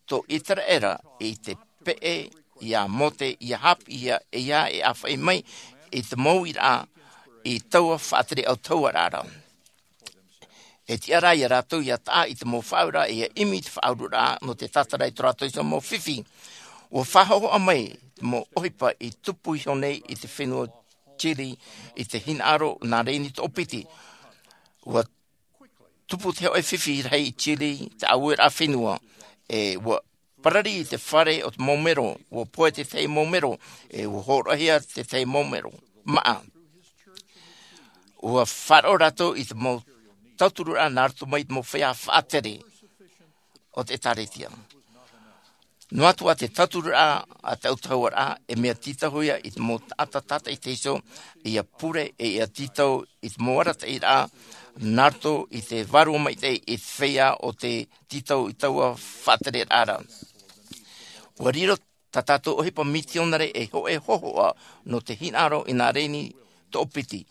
tō ʻĪteraʻera i te peʻe iā Mōte ʻia haʻapiʻihia e ia e ʻāfaʻi mai i te mau uiraʻa i taua faʻatere autahuʻaraʻa ra. E tiʻa rā ia rātou ʻia taʻa i te mau faʻaueraʻa ʻia ʻimi i te faʻaururaʻa nō te tātara i tō rātou iho mau fifi. ʻUa faʻahōhoʻa mai te mau ʻohipa i tupu iho nei i te fenua Chile i te hinaʻaro nā reni toʻopiti. ʻUa tupu te hoʻē fifi rahi i Chile, te ʻāueraʻa fenua, e ʻua parari i te fare o te mau mero, ʻua pohe te tahi mau mero, e ʻua hōroʻahia te tahi mau mero. Maʻa. ʻUa faʻaroʻo rātou i te mau tautururaʻa nā roto mai i te mau feiā faʻatere o te ʻĒtārētia. Noa atu ā te tautururaʻa a te autahuʻaraʻa, e mea tītauhia i te mau taʻata tātaʻitahi iho, ʻia pure, e ʻia tītau i te mau arataʻiraʻa, nā roto i te vārua maitaʻi i te feiā o te tītau i taua faʻatereraʻa ra. ʻUa riro tā tātou ʻohipa mitionare ei hoʻē hōhoʻa nō te hinaʻaro i nā reni toʻopiti.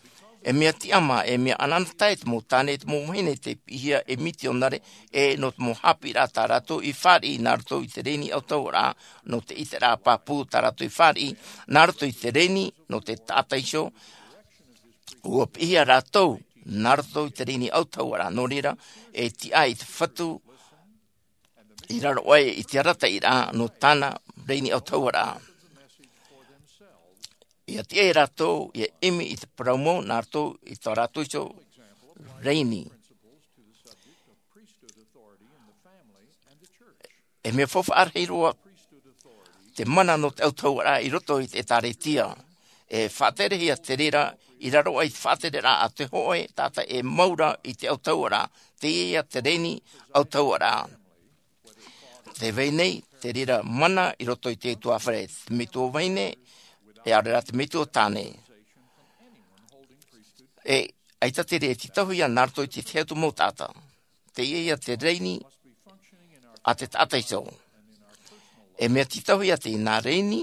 E mea tiʻamā, e mea ʻanaʻanatae te mau tāne, te mau vahine tei piʻihia ei mitionare, e nō te mau haʻapiʻiraʻa tā rātou i fāriʻi nā roto i te reni autahuʻaraʻa, nō te ʻiteraʻa pāpū tā rātou i fāriʻi, nā roto i te reni, nō te taʻata iho, ʻua piʻihia rātou, nā roto i te reni autahuʻaraʻa, nō reira, e tiʻa i te Fatu, i raro aʻe i te arataʻiraʻa nō tāna reni autahuʻaraʻa. Ia tiʻa e rātou ia ʻimi i te parau mau nā rātou i tā rātou iho rēni. E mea faufaʻa rahi roa te mana nō te autahuʻaraʻa i roto i te ʻētāretia. E faʻaterehia te reira i raro aʻe i te faʻatereraʻa a te hōʻē taʻata e mau ra i te autahuʻaraʻa. Teie ia te rēni autahuʻaraʻa. Te vai nei te reira mana i roto i te tuāfare, te metua vahine, e ʻaore rā te metua tāne. E ʻaita te reira e tītauhia nā roto i te tahi atu mau taʻata. Teie ia te rēni a te taʻata iho. E mea tītauhia teie nā rēni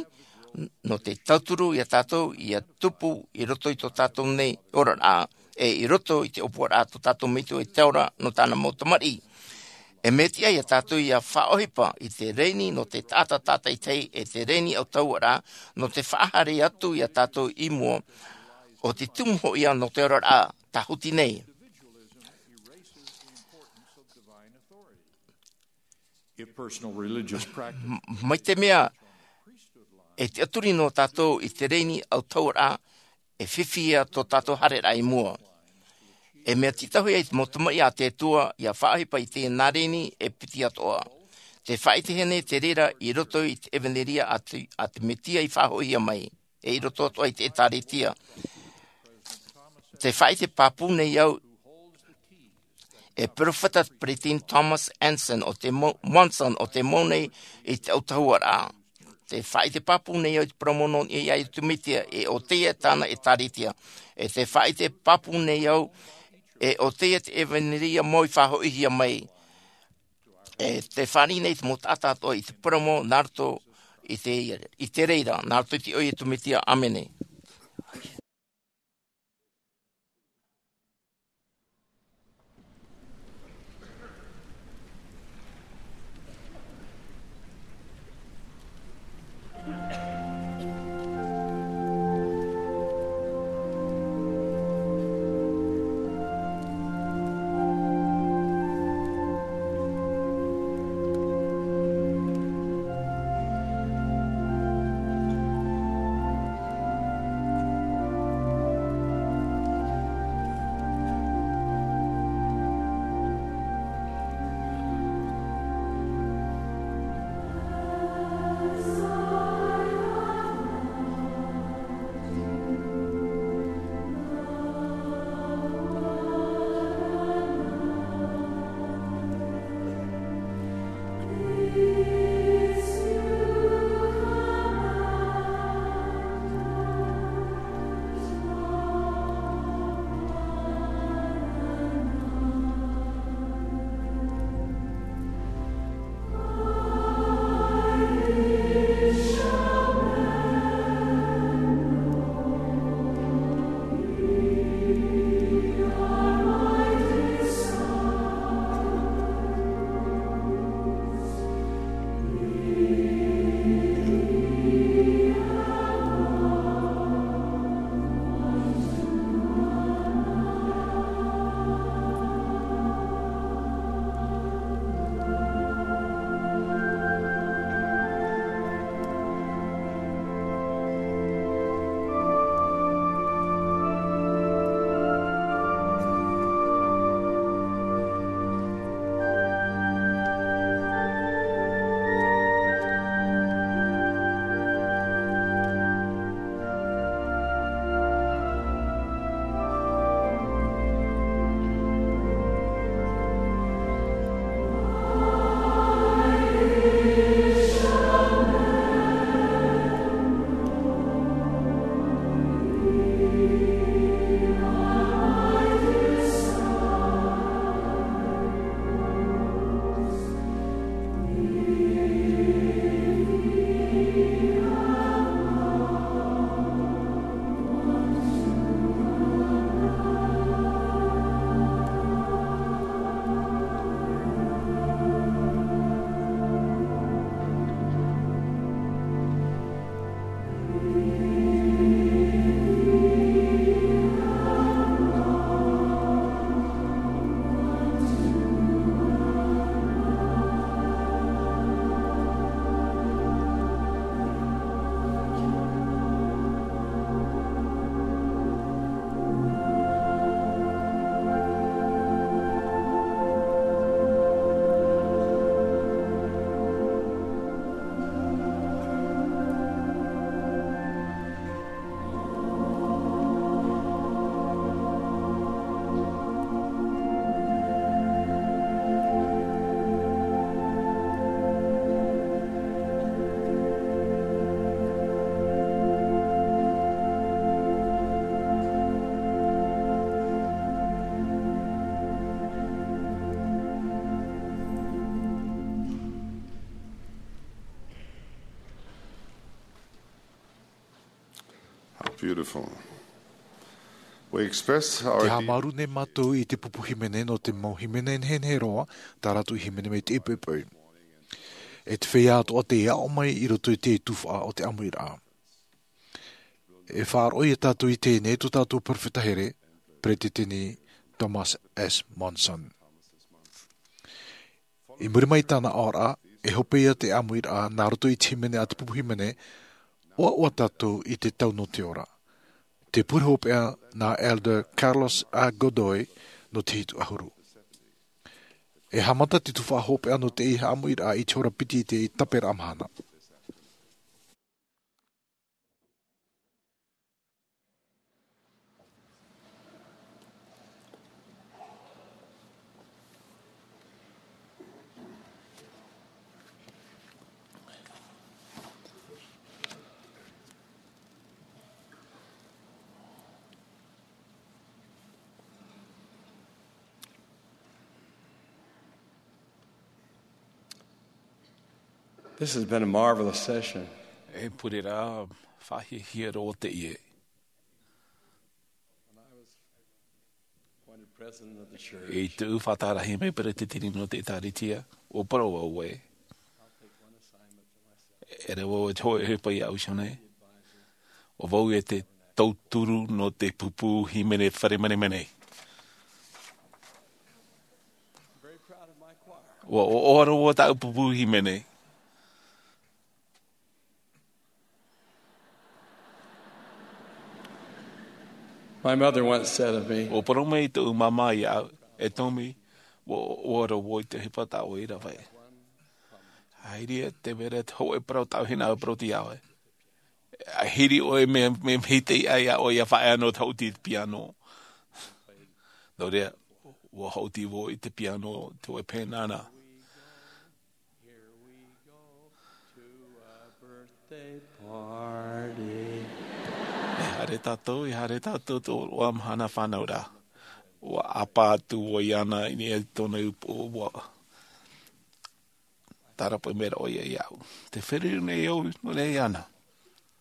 nō te tauturu ia tātou ia tupu i roto i tō tātou nei oraraʻa, e i roto i te ʻōpuaraʻa tō tātou metua i te ora nō tāna mau tamariʻi. E mea tiʻa ia tātou ia faʻaʻohipa i te rēni nō te taʻata tātaʻitahi, e te rēni autahuʻaraʻa nō te faʻahaere atu ia tātou i mua, ʻo te tumu hoʻi ia nō te oraraʻa tāhuti nei. If personal religious practice M-, mai te mea e tiʻaturi nō tātou i te rēni autahuʻaraʻa, e fifi ia tō tātou haereraʻa i mua. E mea tītauhia i te mau tamariʻi a te Atua ia faʻaʻohipa i teie nā rēni e piti atoʻa. Te faʻaʻitehia nei te reira i roto i te ʻevaneria a te, a te Mesia i faʻahoʻihia mai, e i roto atoʻa i te ʻētāretia. Te faʻaʻite pāpū nei au e perofeta peresideni Thomas Anson o te mau, Monson o te mau nei i te autahuʻaraʻa. Te faʻaʻite pāpū nei au i te parau mau nō niʻa iā Iesu Mesia, e ʻo teie tāna ʻētāretia. E te faʻaʻite pāpū nei au, e ʻo teie te ʻevaneria mau i faʻahoʻihia mai. E te fāriʻi nei te mau taʻata atoʻa i te parau mau nā roto i te, i te reira, nā roto i te iʻoa o Iesu Mesia. ʻĀmene. Beautiful. We express our Te deep haʻamāuruuru nei mātou i te pupu hīmene nō te mau hīmene nehenehe roa, tā rātou i hīmene mai te poʻipoʻi. E te feiā atoʻa tei aʻo mai i roto i te tuhaʻa o te ʻāmuiraʻa. E faʻaroʻo ia tātou i teie nei tō tātou perofeta here, Peresideni Thomas S. Monson. I muri mai i tāna aʻoraʻa, e hope ia te ʻāmuiraʻa nā roto i te hīmene a te pupu hīmene, ʻoaʻoa tātou i te tau nō te ora. Te pure hopeʻa nā Elder Carlos A. Godoy nō te hitu ʻahuru. E haʻamata te tuhaʻa hopeʻa nō te ʻāmuiraʻa i te hora piti i te taperaʻa mahana. This has been a marvelous session. E pure rā, faʻahiahia roa teie. When I was appointed president of the church, I te faʻatārahi mai peresideni nō te ʻĒtārētia, ʻua parau au ē. I'll take one assignment for myself. E reva au e te hōʻē ʻohipa iāʻu iho nei. ʻO vau e te tauturu nō te pupu hīmene fare menemene. I'm very proud of my choir. ʻUa ʻoaʻoa roa tāʻu pupu hīmene. My mother once said of me, ʻUa parau mai tōʻu māmā iāʻu, e Tommy, ʻua, ʻua ʻoaʻoa roa vau i te ʻohipa tā ʻoe i rave. ʻAita te mea rā te hōʻē parau tāʻu hinaʻaro parau iā ʻoe. ʻA hiri ʻoe mea, mea, mea hiti ai ʻoe ʻia faʻaea noa te haʻuti i te piano. Nō reira, ʻua haʻuti vau i te piano, te hōʻē pēnana. Here we go to a birthday party. E haere tātou, e haere tātou tō ʻoe mahana fānauraʻa. ʻUa ʻāpā atu vau iāna i niʻa i tōna upoʻo, ʻua tārapaʻi mai ra ʻoia iāʻu. Tē feruri nei au nō niʻa iāna.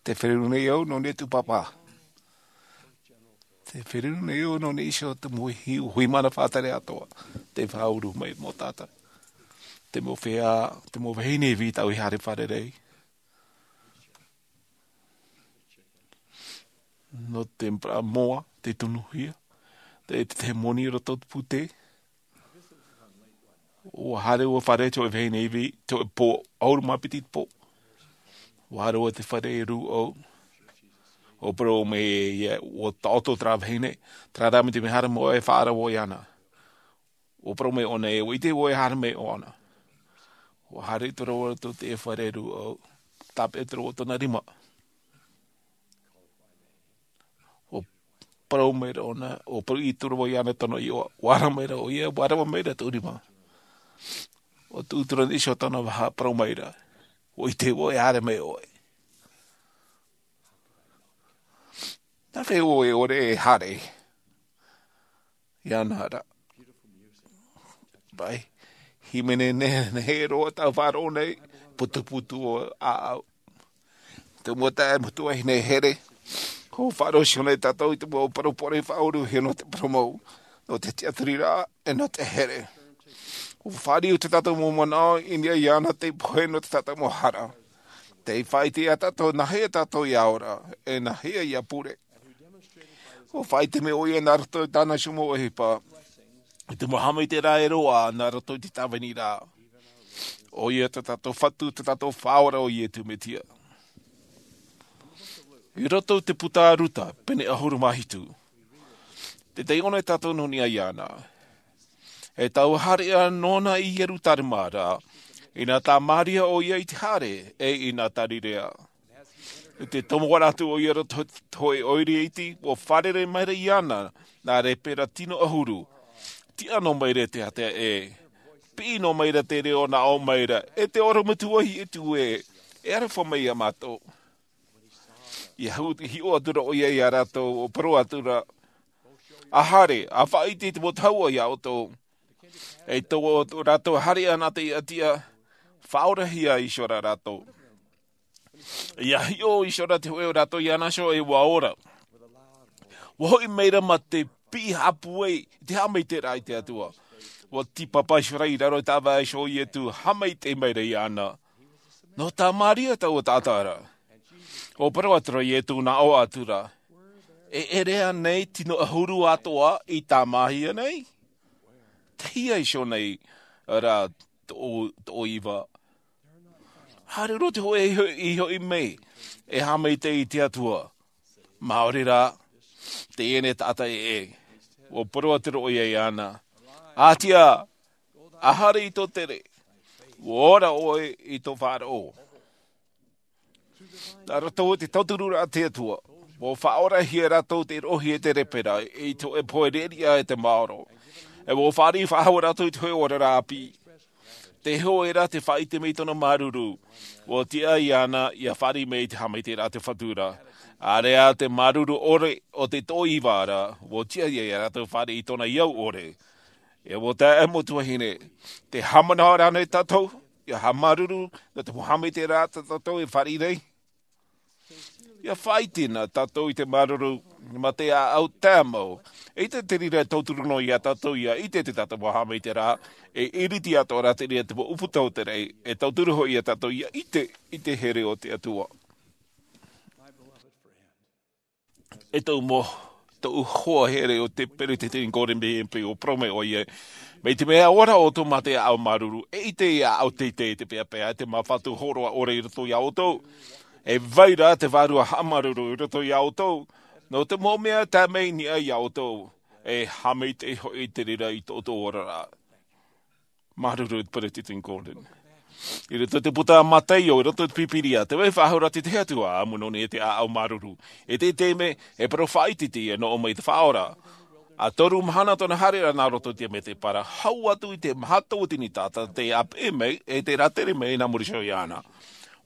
Tē feruri nei au nō niʻa i tōʻu pāpā. Tē feruri nei au nō niʻa iho i te mau hui, hui mana faʻatere atoʻa. Tē faʻauru mai mō tātou. Te mau feiā, te mau vahine vī tāʻu i haere fārerei. Nō te moa, te tonuhia, te, te, te moni i roto i te pūtē. ʻUa haere au i te fare i te hōʻē vahine ivi, te hōʻē pō, ʻahuru mā piti te pō. ʻUa haere au i te fare e rū au. ʻUa parau mai ē, ʻua taʻoto terā vahine, terā rā mai te mea haere mai ʻoe e faʻaara vau iāna. ʻUa parau mai ʻōna ē, ʻua ʻite vau e haere mai ʻōna. ʻUa haere atu ra vau i te fare e rū au, tāpeʻa atu ra vau i tōna rima. ʻUa parau mai ra ʻōna, ʻua parau atu ra vau iāna i tōna iʻoa, ʻua ara mai ra ʻoia, ʻua rava mai ra tōʻu rima. ʻUa tuʻu atu ra i niʻa iho i tōna vaha, parau mai ra, ʻua ʻite vau e haere mai ʻoe. Nā hea ʻoe e ʻore e haere? Iāna ra. Vai. Hīmene nehenehe roa tāʻu i faʻaroʻo nei, putuputu ʻāʻau. Te mau taeaʻe, mau tuahine here. ʻUa faʻaroʻo iho nei tātou i te mau parau pōʻoraʻa faʻaʻohipa nō te parau mau, nō te tiʻaturiraʻa, e nō te here. ʻUa fāriu tā tātou mau manaʻo i niʻa iāna tei pohe nō tā tātou mau hara. Tei faʻaʻite ia tātou nā hea tātou ʻia ora, e nā hea ʻia pure. ʻUa faʻaʻite mai ʻoia nā roto i tāna iho mau ʻohipa, i te mau haʻamaitaʻiraʻa e roaʻa nā roto i te tāviniraʻa. ʻOia tā tātou Fatu, tā tātou Faʻaora ʻo Iesu Mesia. I roto i te puta a Ruta, pene ʻahuru mā hitu. Tē taiʻo nei tātou nō niʻa iāna. E tau haere ā nōna i Ierutarema ra, inā tā Maria ʻoia i te haere, e inā tā Irirea. I te tomo atu ʻoia i roto i te hōʻē ʻoire iti, ʻua fārerei mai ra iāna, nā reira tino ʻahuru. Tiʻa noa mai ra te ātea ē. Piʻi noa mai ra te reo nā ʻō mai ra, e te ʻorometua Iesu ē, e aroha mai ia mātou. I hiʻo atu ra ʻoia ia rātou, ʻua parau atu ra, ʻA haere, ʻa faʻaʻite i te mau tahua ia ʻoutou. E tō rātou haere ʻana te ʻatiʻa, faʻaorahia iho ra rātou. Ia hiʻo iho ra te hōʻē o rātou iāna iho e ua ora. Ua hoʻi mai ra ma te piʻi hāpū ai i te haʻamaitaʻiraʻa i te Atua. Ua tīpapa iho ra i raro i te ʻāvae iho o Ietu, haʻamaitaʻi mai ra iāna. Nō Tamaria taua taʻata ra. Ua parau atu ra Ietu, nā ʻō atu ra, e ʻere ānei tino ʻahuru atoʻa i tāmāhia nei? Tei hea iho nei rā tō, tō iva? Haere roa te hōʻē i ho-, i hoʻi mai, e haʻamaitaʻi i te Atua. Māori rā, teie nei taʻata ʻē. Ua parau atu ra ʻoia iāna, ʻĀtīʻā, ʻa haere i tō tere, ua ora ʻoe i tō faʻaroʻo. Nā roto i te tauturu ra a te Atua, ua faʻaorahia rātou te rohi e te repera, i te hōʻē pohe reʻareʻa e te maoro. E ua fāriʻi faʻahou rātou i te hōʻē oraraʻa ʻāpī. Te hōʻē ra te faʻaʻite mai i tōna māuruuru, ua tiʻa iāna ia fāriʻi mai i te haʻamaitaʻiraʻa a te Fatu ra. ʻĀreʻa te māuruuru ʻore o te tō iva ra, ua tiʻa ia rātou fāriʻi i tōna iau ʻore. E ua tae ā mau tuahine, tē haʻamanaʻo ra ānei tātou ia haʻamāuruuru nō te mau haʻamaitaʻiraʻa tā tātou e fāriʻi nei? Ia faʻaʻite na tātou i te māuruuru ma te ʻāʻau tae mau. ʻEita te reira e tauturu noa ia tātou ia ʻite te tātou mau haʻamaitaʻiraʻa, e iriti atoʻa ra te reira te mau ʻuputa o te raʻi, e tauturu hoʻi ia tātou ia ʻite i te here o te Atua. E tōʻu mau, tōʻu hoa here o te Peretiteni Gordon B. Hinckley, ua parau mai ʻoia, mai te mea ʻaore ra ʻoutou ma te ʻāʻau māuruuru, e ʻite ia ʻoutou teitei te peapea, te mau fatu hōroʻa ʻore i roto ia ʻoutou. E vai ra te vārua haʻamāuruuru i roto ia ʻoutou. Nō te mau mea tae mai i niʻa ia ʻoutou, e haʻamaitaʻi hoʻi te reira i tō ʻoutou oraraʻa. Māuruuru Peretiteni Gordon. I roto i te puta a Mataio, i roto i te Pīpīria, tē vai faʻahou ra te Atua, ʻamu noa nei te ʻāʻau māuruuru. I te taime, e parau faʻaʻite teie nō ʻō mai te Faʻaora. ʻA toru mahana tōna haereraʻa nā roto i te mētēpara, hau atu i te maha tauatini taʻata tei ʻāpeʻe mai, e tei rātere mai nā muri iho iāna.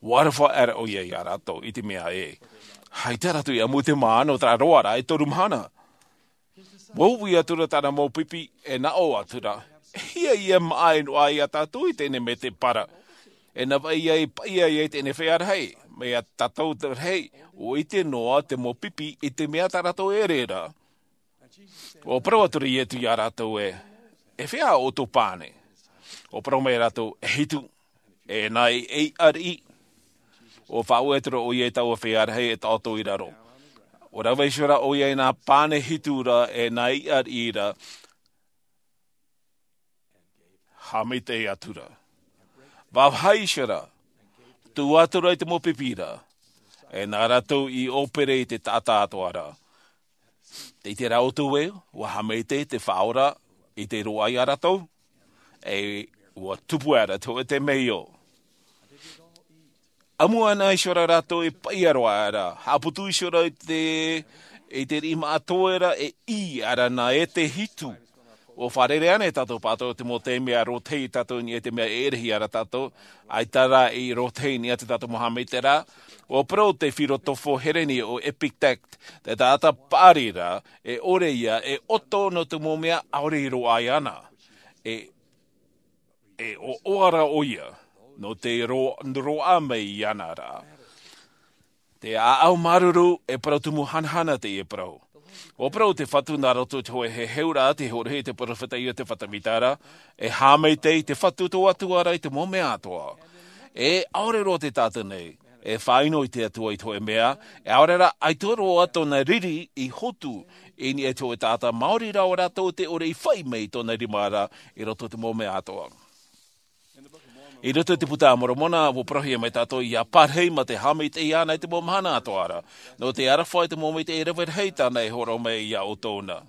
Ua aroha aʻera ʻoia ia rātou i te mea ē, ʻaita rātou i ʻamu i te māʻa nō terā roaraʻa e toru mahana. Ua uʻi atu ra tāna mau pipi, e nā ʻō atu ra, e hia ia māʻa e noaʻa ia tātou i teie mētēpara? E nā vai ia i paʻi ai i teie feiā rahi, mai ia tātou te rahi, ʻua ʻite noa te mau pipi i te mea tā rātou e ʻere ra. Ua parau atu ra Ietu ia rātou ē, e feiā ʻoutou pane? Ua parau mai rātou, e hitu. E nā ʻeiʻa riʻi. Ua faʻaue atu ra ʻoia i taua feiā rahi e taʻoto i raro. Ua rave iho ra ʻoia i nā pane hitu ra, e nā ʻeiʻa riʻi ra, haʻamaitaʻi atu ra. Vāvāhi iho ra, tū atu ra i te mau pipi ra, e nā rātou i ʻōpere i te taʻata atoʻa ra. Tē ʻite ra ʻoutou ē, ua haʻamaitaʻi te Faʻaora i te roaʻa ia rātou, e ua tupu aʻera te hōʻē temeio. ʻAmu ana iho ra rātou e paʻi roa aʻera, haʻaputu iho ra i te, i te riʻi māʻa toe ra, e ʻī aʻera nā ʻētē hitu. Ua fārerei ānei tātou pātou te mau taime ʻa rōtahi tātou i niʻa i te mea e ʻere hia ra tātou, ʻaita rā i rōtahi i niʻa i tā tātou mau haʻamaitaʻiraʻa? Ua parau te filosofo Hereni ʻo Epictet, te taʻata paʻari ra, e ʻore ia e ʻoto nō te mau mea ʻaore i roaʻa iāna. E, e ʻoʻoa ra ʻoia, nō te ro-, roaʻa mai iāna ra. Te ʻāʻau māuruuru, e parau tumu hanahana teie parau. Ua parau te Fatu nā roto i te hōʻē heheuraʻa, tē hōroʻahia e te peropheta Iosefa Sāmita ra, e haʻamaitaʻi te Fatu tō Atua ra i te mau mea atoʻa. E ʻaore roa te taʻata nei, e faʻaʻino i te Atua i te hōʻē mea, e ʻaore rā, ʻaita roa tōna riri i hotu i niʻa i te hōʻē taʻata, maori rā ʻo rātou tē ʻore i fai mai i tōna rima ra i roto i te mau mea atoʻa. I roto i te Puta a Moromona, ua parauhia mai tātou ia parahi ma te haʻamaitaʻi iāna i te mau mahana atoʻa ra. Nō te aroha i te mau maitaʻi rave rahi tāna e hōroʻa mai ia ʻoutou na.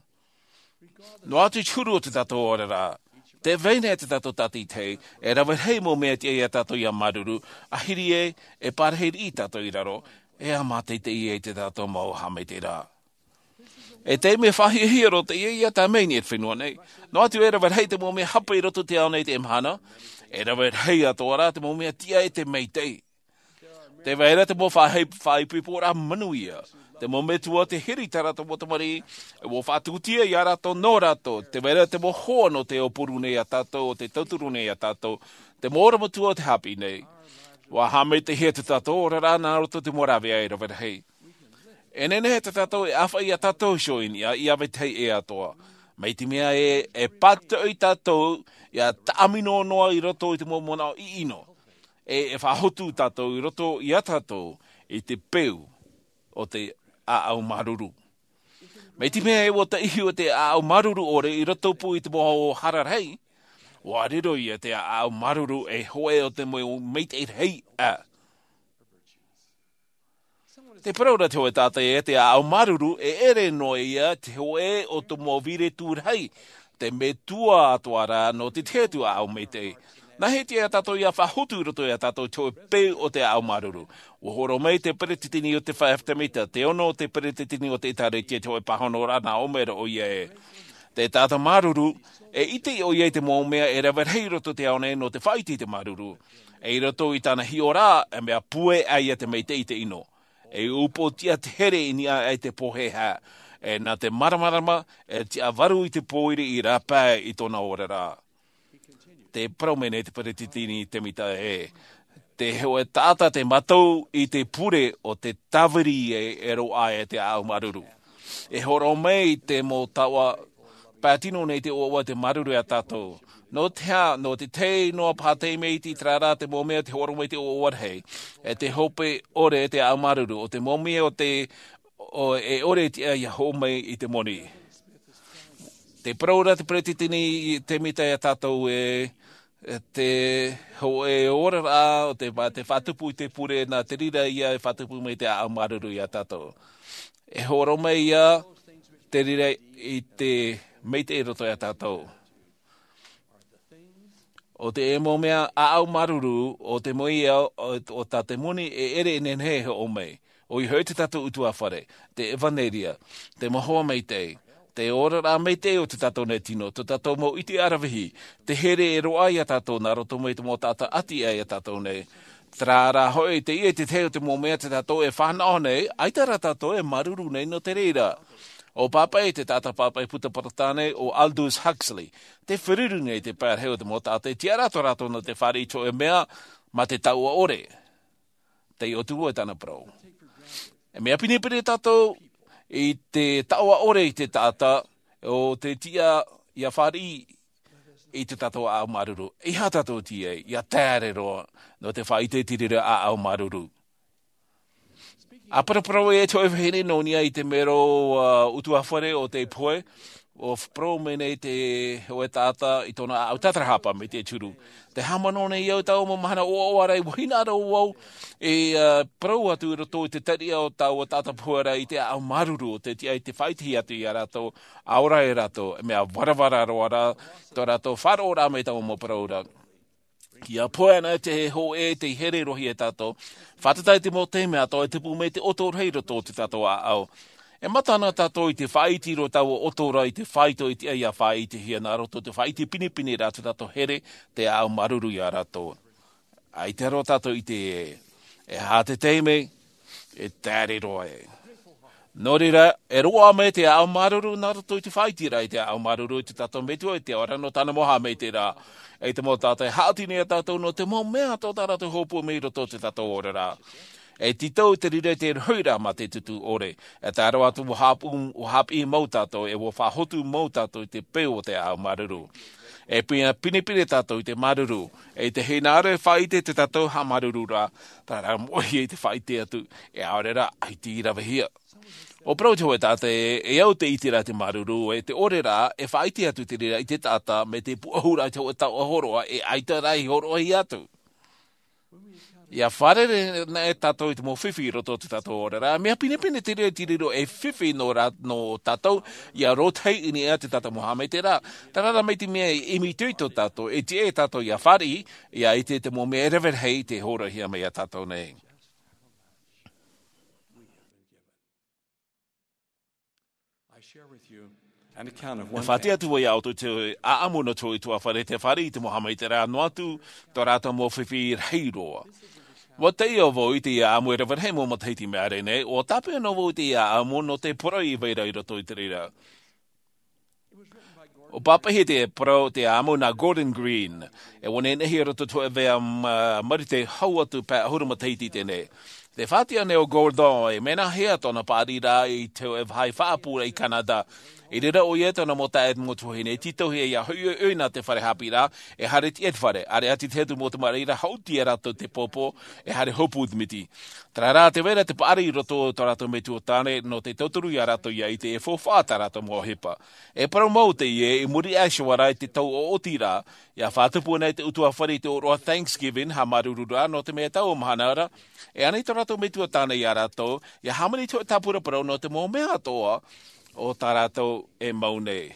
Noa atu i te huru o tā tātou oraraʻa, tē vai nei te tātou tātaʻitahi, e rave rahi mau mea e tiʻa ia tātou ia māuruuru, ʻahiri ē, e parahi riʻi tātou i raro, e ʻā mātaʻitaʻi ai tā tātou mau haʻamaitaʻiraʻa. E taime faʻahiahia roa teie ia tae mai i niʻa i te fenua nei. Noa atu e rave rahi te mau mea hape i roto i te ao nei i teie mahana, e rave rahi atoʻa rā te mau mea tiʻa e te maitaʻi. Tē vai ra te mau faʻahi-, faʻaipoiporaʻa manuia, te mau metua tē hiri i tā rātou mau tamariʻi, e ua faʻatūtia ia rātou nō rātou, tē vai ra te mau hoa nō te aupuru nei ia tātou, ʻo tē tauturu nei ia tātou, te mau ʻorometua o te haʻapiʻi nei. Ua haʻamaitaʻihia tā tātou oraraʻa nā roto i te mau rāveʻa e rave rahi. E nehenehe tā tātou e ʻāfaʻi iā tātou iho i niʻa i ʻāvae tahi ʻē atoʻa. Mai te mea ē, e pātoʻi tātou ia taʻamino noa i roto i te mau manaʻo ʻiʻino. E, e faʻahotu tātou i roto iā tātou i te peu o te ʻāʻau māuruuru. Mai te mea ē, ua taʻihi o te ʻāʻau māuruuru ʻore i roto pū i te mau hara rahi, ua riro ia te ʻāʻau māuruuru ei hōʻē o te mau maitaʻi rahi. Tē parau ra te hōʻē taʻata ē, te ʻāʻau māuruuru e ʻere noa ia te hōʻē o te mau vīrutu rahi, te metua atoʻa rā nō te tahi atu ʻāʻau maitaʻi. Nā hea atu ia tātou ia faʻahotu i roto iā tātou te hōʻē peu o te ʻāʻau māuruuru? Ua hōroʻa mai te peretiteni o te Five Temita, te ono o te peretiteni o te ʻĒtārētia, te hōʻē pāhonoraʻa nā ʻō mai ra ʻoia ē, te taʻata māuruuru, e ʻite ʻoia i te mau mea e rave rahi i roto i te ao nei nō te faʻaʻite i te māuruuru. E i roto i tāna hiʻoraʻa, e mea puʻe ʻā ia te maitaʻi i te ʻino. E upoʻotiʻa te here i niʻa i te pōhēhā. E nā te māramarama, e tiʻa varu i te pōiri i rāpae i tōna oraraʻa. Tē parau mai nei te peretiteni Temita ē, te hōʻē taʻata tē mātau i te pure o te tāviri e, e roaʻa e te ʻāʻau māuruuru. E hōroʻa mai te mau taoʻa, pae tino nei te ʻoaʻoa te māuruuru iā tātou. Nō te aha, nō te tahi noa paha taime i terā rā te mau mea tē hōroʻa mai te ʻoaʻoa rahi. E te hope ʻore te ʻāʻau māuruuru, o te mau mea o te, o, e ʻore tiʻa ia hoʻo mai i te moni. Tē parau ra te peretiteni Temita iā tātou ē, e te hōʻē oraraʻa o te, te faʻatupu i te pure, nā te reira ia e faʻatupu mai te ʻāʻau māuruuru iā tātou. E hōroʻa mai ia te reira i te maitaʻi i roto iā tātou. O te mau mea ʻāʻau māuruuru, o te mau ia o, o tā te moni e ʻere e nehenehe e hoʻo mai. ʻOia hoʻi tā tātou ʻutuāfare, te ʻevanelia, te mau hoa maitaʻi, te oraraʻa maitaʻi o tā tātou nei tino, tā tātou mau ʻite aravihi, te here e roaʻa iā tātou nā roto mai te mau taʻata ʻati aʻe iā tātou nei. Terā rā hoʻi, teie te tahi o te mau mea tā tātou e fānaʻo nei, ʻaita rā tātou e māuruuru nei nō te reira. ʻO pāpaʻi, te taʻata pāpaʻi puta Porotāne, ʻo Aldous Huxley, tē feruri nei te pae rahi o te mau taʻata e tiʻa ra tō rātou nō te fāriʻi i te hōʻē mea, mā te taoʻa ʻore. Tei ʻō atu vau e tāna parau. E mea pinepine tātou i te taoʻa ʻore i te taʻata, ʻo te tiʻa ia fāriʻi i tā tātou ʻāʻau māuruuru. ʻEiaha tātou e tīaʻi, ia taere roa, nō te faʻaʻite i te reira ʻāʻau māuruuru. ʻA paraparau e te hōʻē vahine nō niʻa i te mero, ā, ʻutuāfare o te pohe, ʻua parau mai nei te hōʻē taʻata i tōna ʻāʻau tātarahapa mai te turu. Tē haʻamanaʻo nei au i taua mau mahana ʻoaʻoa ra, ʻua hinaʻaro vau e, ā, parau atu i roto i te tariʻa o taua taʻata pohe ra i te ʻāʻau māuruuru, ʻo te tiʻa i te faʻaʻitehia atu iā rātou, ʻaore rā rātou, e mea varavara roa rā, tō rātou faʻaroʻoraʻa mai taua mau parau ra. Ia pohe ana te hōʻē, tē here roa ia tātou. Fātata i te mau taime atoʻa e tupu mai te ʻoto rahi i roto i tā tātou ʻāʻau. E mata ana tātou i te faʻaʻite i roto i taua ʻoto ra i te faito i te, ia faʻaʻitehia nā roto i te faʻaʻite pinepine ra tā tātou here, te ʻāʻau māuruuru iā rātou. ʻAita roa tātou i ʻite ē, e aha te taime, e taere roa ē. Nō reira, e roaʻa mai te ʻāʻau māuruuru nā roto i te faʻaʻiteraʻa i te ʻāʻau māuruuru i tā tātou Metua i te ao ra nō tāna mau haʻamaitaʻiraʻa. E te mau taʻata e haʻati nei iā tātou nō te mau mea tō tā rātou hopoiʻa mai i roto i tā tātou oraraʻa. E tītau te reira i te rohiraʻa mā te tūtū ʻore. E tae roa atu ʻua haʻapaʻo, ʻua haʻapiʻi mau tātou, e ʻua faʻahotu mau tātou i te peu o te ʻāʻau māuruuru. E pine, pinepine tātou i te māuruuru. E te hinaʻaro e faʻaʻite i tā tātou haʻamāuruururaʻa, terā rā moʻehia i te faʻaʻite atu, e ʻaore rā, ʻaita i ravehia. ʻUa parau te hōʻē taʻata ē, e au te ʻiteraʻa i te māuruuru, e te ʻore rā, e faʻaʻite atu te reira i te taʻata, mai te pūʻohuraʻa i te hōʻē taoʻa hōroʻa, e ʻaita rā i hōroʻahia atu. Ia fārerei anaʻe tātou i te mau fifi i roto i tā tātou oraraʻa, mea pinepine te reira i te riro ei fifi nō rā, nō tātou, ia rōtahi i niʻa i tā tātou mau haʻamaitaʻiraʻa. Terā rā mai te mea e ʻimitoito tātou, e tiʻa tātou ia fāriʻi, ia ʻite i te mau mea e rave rahi tē hōroʻahia mai iā tātou nei. I share with you an account of E one faʻaʻite atu vau iā ʻoutou te ʻāʻamu nō te ʻutuāfare tē fāriʻi i te mau haʻamaitaʻiraʻa noa atu tō rātou mau fifi rahi roa. ʻUa taiʻo vau i teie ʻāʻamu e rave rahi mau matahiti mai ʻāreʻa nei, ʻua tāpeʻa noa vau i teie ʻāʻamu nō te poroʻi i vai ra i roto i te reira. ʻO pāpaʻihia te parau te ʻamu nā Gordon Green. E ua nehenehe i roto i te hōʻē vaʻa, ma-, marite hau atu pae ʻahuru matahiti i teie nei. Te faʻatiʻa nei o Gordon, e mea hea tōna paʻari ra i te hōʻē vāhi faʻaʻapu i Canada. I reira ʻoia tōna mau taeaʻe mau tuahine, e tītauhia ia hoʻi ʻoia nā te fare haʻapiʻiraʻa, e haere atu i te fare, ʻāreʻa atu i te hotu mau tamariʻi ra, haʻuti ia rātou te pōpō, e haere hopu i te miti. Terā rā, tē vai ra te paʻari i roto i tō rātou metua tāne, nō te tauturu ia rātou ʻia ʻite e faufaʻa tā rātou mau ʻohipa. E parau mau teie, i muri aʻe iho ā ra i te tau ʻoʻoti ra, ʻia faʻatupu nei te ʻutuāfare i te ʻōroʻa Thanksgiving, haʻamāuruuru ra, nō te mea taua mahana ra, e ani tō rātou metua tāne ia rātou, ʻia hāmani i te hōʻē tāpura parau nō te mau mea atoʻa o tā rātou e mau nei.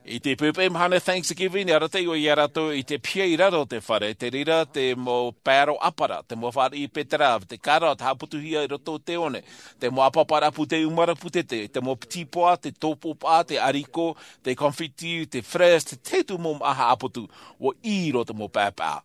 I te poʻipoʻi mahana Thanksgiving, ʻia arataʻi ʻoia ia rātou i te piha i raro o te fare, te reira te mau paero ʻāpara, te mau fāriʻi beterave, te carrot haʻaputuhia i roto i te one, te mau ʻāpaparaʻa pūtē ʻumara pūtete, te mau piti poa, te tōpōpaʻa, te ariko, te confetti, te fraise, te, te hotu mau māʻa haʻaputu, ʻua ʻī roa te mau paepae.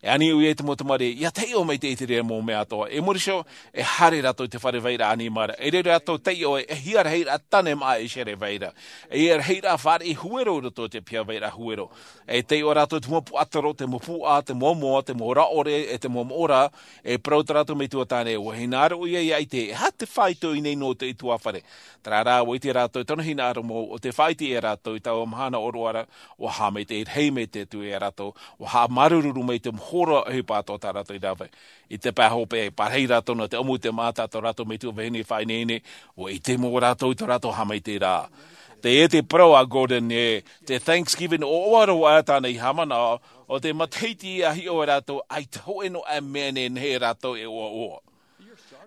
E ani ʻoia i te mau tamariʻi, ʻia taiʻo maitaʻi i te reira mau mea atoʻa. I muri iho, e haere rātou i te fare vairaʻa ʻanimara. E riro rātou taiʻo e hia rahiraʻa tāne māʻa e ʻere vaira. E hia rahiraʻa fāriʻi huero i roto i te piha vairaʻa huero. E taiʻo rātou i te mau puaʻatoro, te mau puaʻa, te mau moa, te mau rāʻore, e te mau moʻa ra. E parau tā rātou metua tāne, ʻua hinaʻaro ʻoia ʻia ʻite, e aha te faito i niʻa i te ʻutuāfare. Terā rā, ʻua ʻite rātou i tōna hinaʻaro mau, ʻo tē faʻaʻite ia rātou i taua mahana ʻōroʻa ra, ʻua haʻamaitaʻi rahi mai te Atua ia rātou, ʻua haʻamāuruuru mai te hōroʻa ʻohipa atoʻa tā rātou i rave. I te pae hopeʻa, e pārahi rātou nō te ʻamu i te māʻa tā tō rātou metua vahine faʻaineine, ʻua ʻite mau rātou i tō rātou haʻamaitaʻiraʻa. Teie te parau a Gordon ē, te Thanksgiving ʻoaʻoa roa aʻe tāna i haʻamanaʻo, ʻo te matahiti ʻia hiʻo ai rātou, ʻaita hōʻē noa aʻe mea nehenehe rātou e ʻoaʻoa.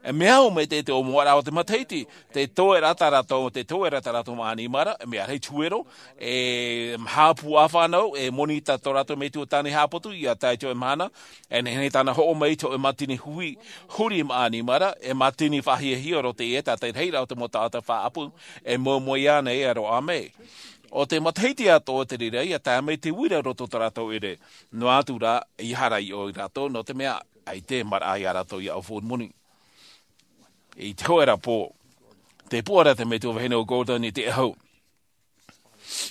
E mea au mai te, te ʻōmuaraʻa o te matahiti, tē toe ra tā rātou, tē toe ra tā rātou māʻa ʻanimara, e mea rahi te huero, e maha pū ʻāfānau, e moni tā tō rātou metua tāne haʻaputu, ʻia tae i te hōʻē mahana, e nehenehe tāna hoʻo mai i te hōʻē mātini huhi, huri māʻa ʻanimara, e mātini faʻahiahia roa teie, tātaʻi rahiraʻa o te mau taʻata faʻaʻapu, e moemoeā nei e roaʻa mai. ʻO te matahiti atoʻa te reira, ʻia tae mai te uira i roto i tō rātou ʻere. Noa atu rā, ʻia haere i ʻō ia rātou, nō te mea, ʻaita e maraʻa ia rātou ʻia ʻaufau moni. I te hōʻē ra pō, tē puʻa ra te metua vahine o Gordon i te ʻahu.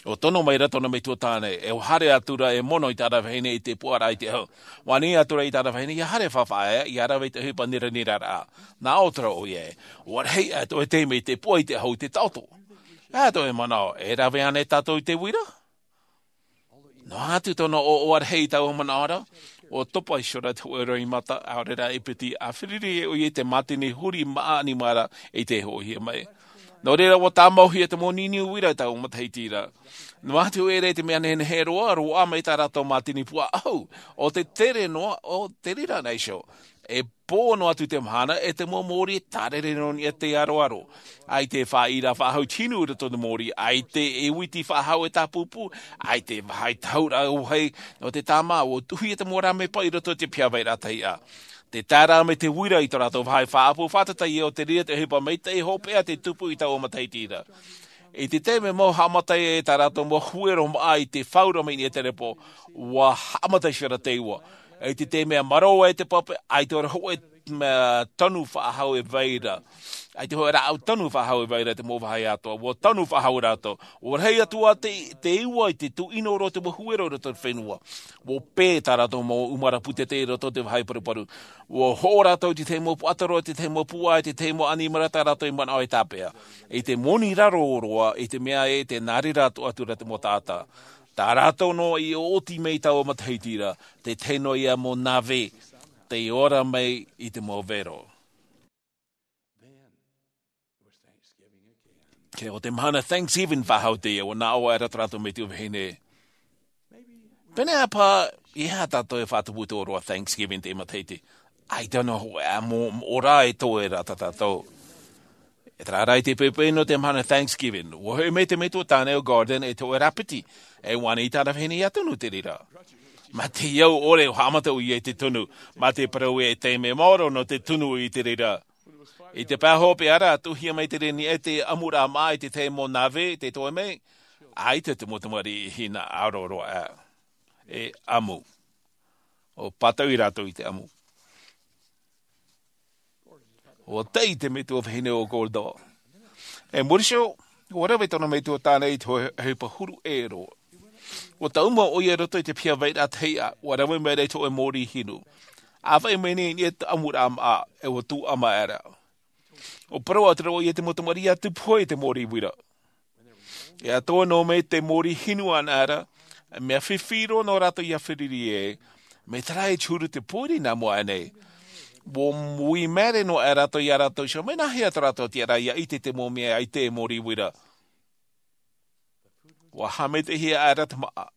ʻUa tono mai ra tōna metua tāne, e ʻua haere atu ra e mono i tāna vahine i te puʻaraʻa i te ʻahu. ʻUa ani atu ra i tāna vahine, ʻia haere fāfaʻa ē, ʻia rave i te ʻohipa niraniraʻa. Nā ʻō atu ra ʻoia ē, ʻua rahi aʻe tō ʻoe taime i te puʻa i te ʻahu i te taʻoto. ʻAita ʻoe e manaʻo, e rave ānei tātou i te uira? Noa atu tōna ʻoaʻoa rahi i taua manaʻo ra, ʻua topa iho ra te hōʻē roimata, ʻaore rā e piti, ʻa fāriʻi ʻoia i te mātini huri māʻa ʻanimara i te hoʻohia mai. Nō reira, ʻua tāmauhia te mau niuniu uira i taua matahiti ra. Noa atu ē, i te mea nehenehe roa, roaʻa mai tā rātou mātini puʻa ʻahu, ʻo te tere noa, ʻo te reira nei iho. E pō noa atu te mahana, e te mau mōrī e tārere noa i niʻa i te aroaro. ʻAita e faʻaʻī ra faʻahou te hinu i roto i te mōrī, ʻaita e uiti faʻahou e tāpūpū, ʻaita e vāhi tahuraʻa vāhi nō te tāmā, ʻua tuʻuhia te mau rāmē paʻi i roto i te piha vairaʻa tahi ā. Tē tae ra mai te uira i tō rātou vāhi faʻaʻapu, fātata ïa ʻo te reira te ʻohipa maitaʻi hopeʻa tei tupu i taua matahiti ra. I te taime mau haʻamata ai tā rātou mau huero māʻa i te fāura mai i niʻa i te repo, ʻua haʻamata iho ra te iʻoa. I te taime e marō ai te pape, ʻaita ʻoia hoʻi te mea tanu faʻahou e vai ra. ʻAita hoʻi rāʻau tanu faʻahou e vai ra te mau vāhi atoʻa. ʻUa tanu faʻahou rātou. ʻUa rahi atu ā te, te iʻoa i te tuʻino roa te mau huero i roto i te fenua. ʻUa pē tā rātou mau ʻumara pūtete i roto i te vāhi paruparu. ʻUa hoʻo rātou i te tahi mau puaʻatoro, i te tahi mau puʻa, i te tahi mau ʻanimara tā rātou i manaʻo e tāpeʻa. I te moni raro roa, i te mea ē, tē nā reira atoʻa atu ra te mau taʻata. Tā rātou noa i ʻōti mai i taua matahiti ra, te tahi noa ïa mau nave, tei ora mai i te mau vero. Kē, ʻo te mahana Thanksgiving faʻahou teie, ʻua nā ʻō aʻera tō rātou metua vahine. Pēneiaʻe paha, ʻeiaha tātou e faʻatupu i te ʻōroʻa Thanksgiving i teie matahiti. ʻAita noa hoʻi ā, mo, mo ora e toe ra tā tātou. E terā rā i te poʻipoʻi nō te mahana Thanksgiving. ʻUa hoʻi mai te metua tāne o Gordon e toe ra piti. E ʻua ani i tāna vahine ʻia tunu i te reira. Mā te au ʻore ʻua haʻamata ʻoia i te tunu. Mā te parau ē e taime maoro nō te tunu i te reira. I te pae hopeʻa ra, tuʻuhia mai te reira i te ʻamuraʻa māʻa i te tahi mau nave, tē toe mai, ʻaita te mau tamariʻi hinaʻaro roa ā. E ʻamu. ʻUa pātauʻi rātou i te ʻamu. ʻUa tae te metua vahine o Gordon. I muri iho, ʻUa rave tōna metua tāne i te hō-, ʻohipa huru ʻē roa. ʻUa taʻuma ʻoia i roto i te piha vairaʻa tahi ʻā, ʻua rave mai ra i te hōʻē mōrī hinu. ʻĀfaʻi mai nei i niʻa i te ʻamuraʻa maʻa, e ʻua tūʻama aʻera. ʻUa parau atu ra ʻoia i te mau tamariʻi ʻia tupu hoʻi i te mōrī uira. E atoʻa noa mai te mōrī hinu anaʻe ra, mea fifi roa nō rātou ʻia feruri ē, mai te reira i te huru te pōiri nā mua aʻe nei. ʻUa ui māere noa aʻe rātou ia rātou iho, mai nāhea tō rātou tiʻaraʻa ʻia ʻite i te mau mea ʻaita e mōrī uira. ʻUa haʻamaitaʻihia aʻera te maʻa,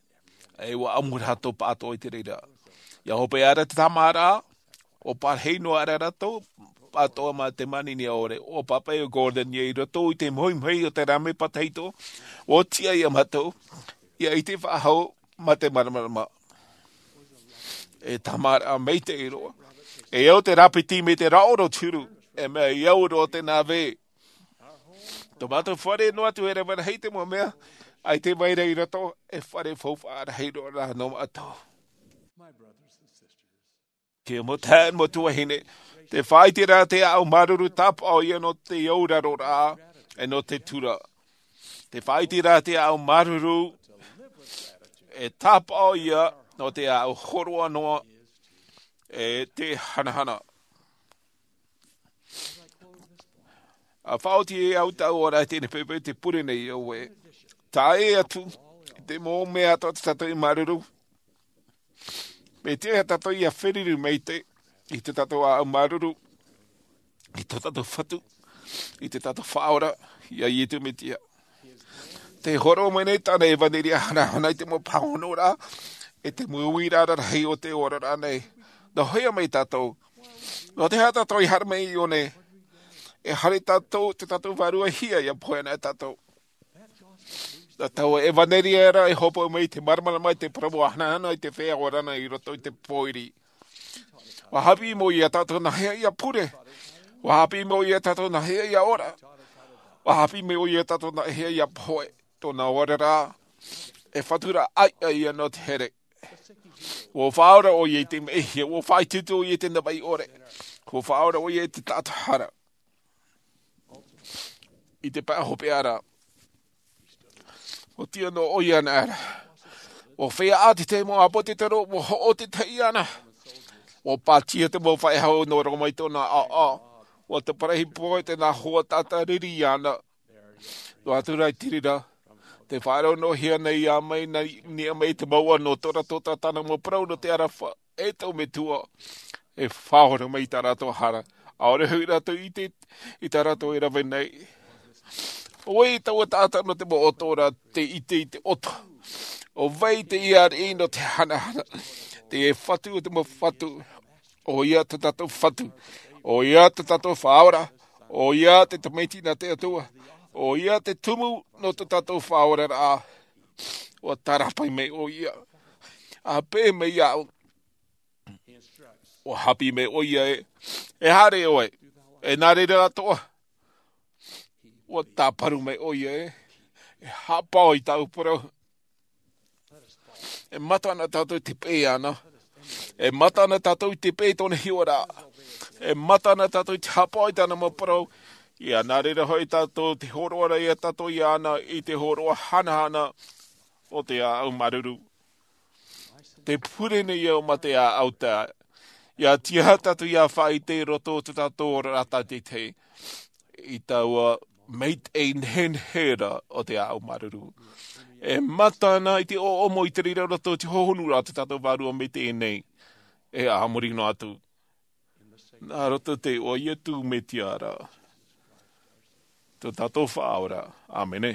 e ʻua ʻamu rātou pāʻatoʻa i te reira. ʻIa hope aʻera te tāmāraʻa, ʻua parahi noa aʻera rātou, pāʻatoʻa mā te manini ʻore, ʻua pāpaʻi ʻo Gordon ia i roto i te mohimohi o te rāmapa tahito, ʻua tiʻa ia mātou, ʻia ʻite faʻahou mā te māramarama. E tāmāraʻa maitaʻi roa. E au te rāpiti mai te rāʻau o te huru, e mea i au roa te nāvē. Tō mātou fare noa atu e rave rahi te mau mea, ʻaita e vai ra i roto, e fare faufaʻa rahi roa rā nō mātou. Te mau taeaʻe, mau tuahine, tē faʻaʻite ra te ʻāʻau māuruuru tāpaʻo ïa nō te auraro ra, e nō te tura. Tē faʻaʻite ra te ʻāʻau māuruuru, e tāpaʻo ïa nō te ʻāʻau hōroʻa noa, e te hanahana. ʻA faʻaoti e au tāʻu ora i teie nei poʻipoʻi, te pure nei ʻoe. Tae atu i te mau mea atoʻa tā tātou i māuruuru. Mea tiʻa ia tātou ʻia feruri maitaʻi i tō tātou ʻāʻau māuruuru, i tō tātou Fatu, i tō tātou Faʻaora, ia Iesu Mesia. Tē hōroʻa mai nei tāna ʻevaneria hanahana i te mau pāhonoraʻa, e te mau uiraʻa rarahi o te oraraʻa nei. Nō hea mai tātou? Nō te aha tātou i haere mai i ʻō nei? E haere tātou, tō tātou vārua hia ʻia pohe ana tātou. Nā taua ʻevaneria ra e hōpoi mai i te māramarama, i te parau hanahana, i te feiā ora na i roto i te pōiri. ʻUa haʻapiʻi mai ʻoia ia tātou nā hea ʻia pure. ʻUa haʻapiʻi mai ʻoia ia tātou nā hea ʻia ora. ʻUa haʻapiʻi mai ʻoia ia tātou nā hea ʻia pohe. Tōna oraraʻa, e Fatu ra ʻaita ïa nō te here. ʻUa faʻaora ʻoia i te mehia, ʻua faʻaitoito ʻoia i te navaʻi ʻore. ʻUa faʻaora ʻoia i te taʻata hara. I te pae hopeʻa ra, ʻua tiʻa noa ʻoia anaʻe ra. ʻUa feiā ʻātete te mau ʻāpōsetolo, ʻua hoʻo te tahi iāna. ʻUa pātia te mau faʻehau nō roto mai i tōna ʻāʻau. ʻUa taparahi pohe te nā hoa taʻata riri iāna. Noa atu rā i te reira, tē faʻaroʻo noa hia nei ā mai, nā, niʻa mai te mouʻa nō tō rātou taʻata, nā mau parau nō te aroha, e tō Metua, e faʻaora mai i tā rātou hara. ʻAore hoʻi rātou i ʻite i tā rātou e rave nei. ʻO vai taua taʻata nō te mau ʻoto ra, tē ʻite i te ʻoto? ʻO vai te ʻia ariʻi nō te hanahana? Te Fatu o te mau fatu. ʻOia tō tātou Fatu. ʻOia tō tātou Faʻaora. ʻOia te Tamaiti nā te Atua. ʻOia te Tumu nō tō tātou faʻaoraraʻa. ʻUa tārapae mai ʻoia. ʻA pēʻe mai iāʻu. ʻUa haʻapiʻi mai ʻoia ē, e haere ʻoe, e nā reira atoʻa. ʻUa tāparu mai ʻoia ē, e haʻapaʻo i tāʻu parau. E mata na tātou i te peʻe iāna. E mata na tātou i te peʻe i tōna hiʻoraʻa. E mata na tātou i te haʻapaʻo i tāna mau parau. ʻIa nā reira hoʻi tātou te hōroʻa ra ia tātou iāna i te hōroʻa hanahana o te ʻāʻau māuruuru. Te pure nei au mā te ʻāʻau tā, ʻia tiʻa tātou ʻia faʻaʻite i roto i tō tātou oraraʻa tātaʻitahi, i taua maitaʻi nehenehe ra o te ʻāʻau māuruuru. E mata na i te ʻoʻomo i te reira roto i te hohonu ra tō tātou Vārua Maitaʻi nei, e a muri noa atu. Nā roto i te iʻoa o Iesu Mesia ra, tō tātou Faʻaora. ʻĀmene.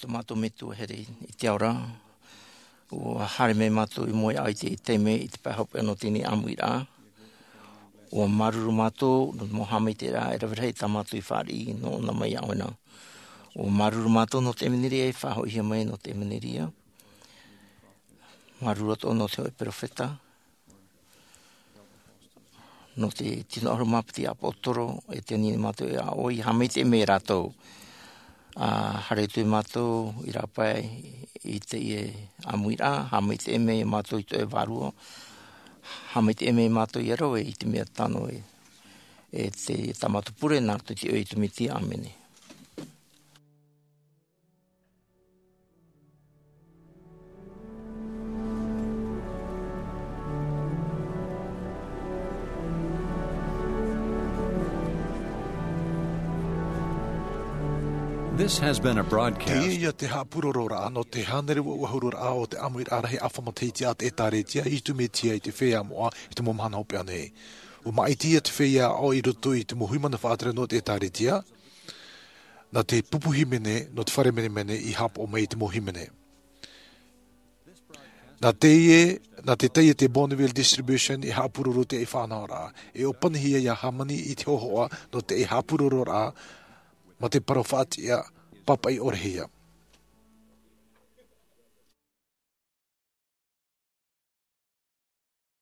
Tō mātou Metua here i te ao ra, ua haere mai mātou i mua i te taime i te pae hopeʻa nō teie ʻāmuiraʻa. Ua māuruuru mātou nō te mau haʻamaitaʻiraʻa e rave rahi tā mātou i fāriʻi nō ʻōna mai iā ʻoe na. Ua māuruuru mātou nō te ʻevanelia e faʻahoʻihia mai nō te ʻevanelia. Māuruuru atoʻa nō te hōʻē peropheta, nō te tino ʻahuru mā piti ʻāpōsetolo, e tei niʻa nei mātou iā ʻoe, haʻamaitaʻi mai rātou. ʻA haere atu mātou i rāpae i teie ʻāmuiraʻa, haʻamaitaʻi mai mātou i tō ʻoe vārua, haʻamaitaʻi mai mātou iā rāua i te mea tano e, e te, tā mātou pure, nā roto i te iʻoa o Iesu Mesia, ʻāmene. This has been a broadcast. Teie ia te haʻapurororaʻa nō te hānere uaʻuahururaʻa o te ʻāmuiraʻa rahi ʻāfa matahiti a te ʻĒtārētia a Iesu Mesia i te Feiā Moʻa i te mau mahana hopeʻa nei. ʻUa māʻitihia te feiā aʻo i roto i te mau hui mana faʻatere nō te ʻĒtārētia, nā te pupu hīmene nō te fare menemene i haʻapaʻo mai i te mau hīmene. Nā teie, nā te taiete Bonneville Distribution i haʻapuroro teie faʻanahoraʻa, e ʻōpanihia iā hāmani i te hōhoʻa nō teie haʻapurororaʻa mā te parau faʻatiʻa, pāpaʻi ʻore hia.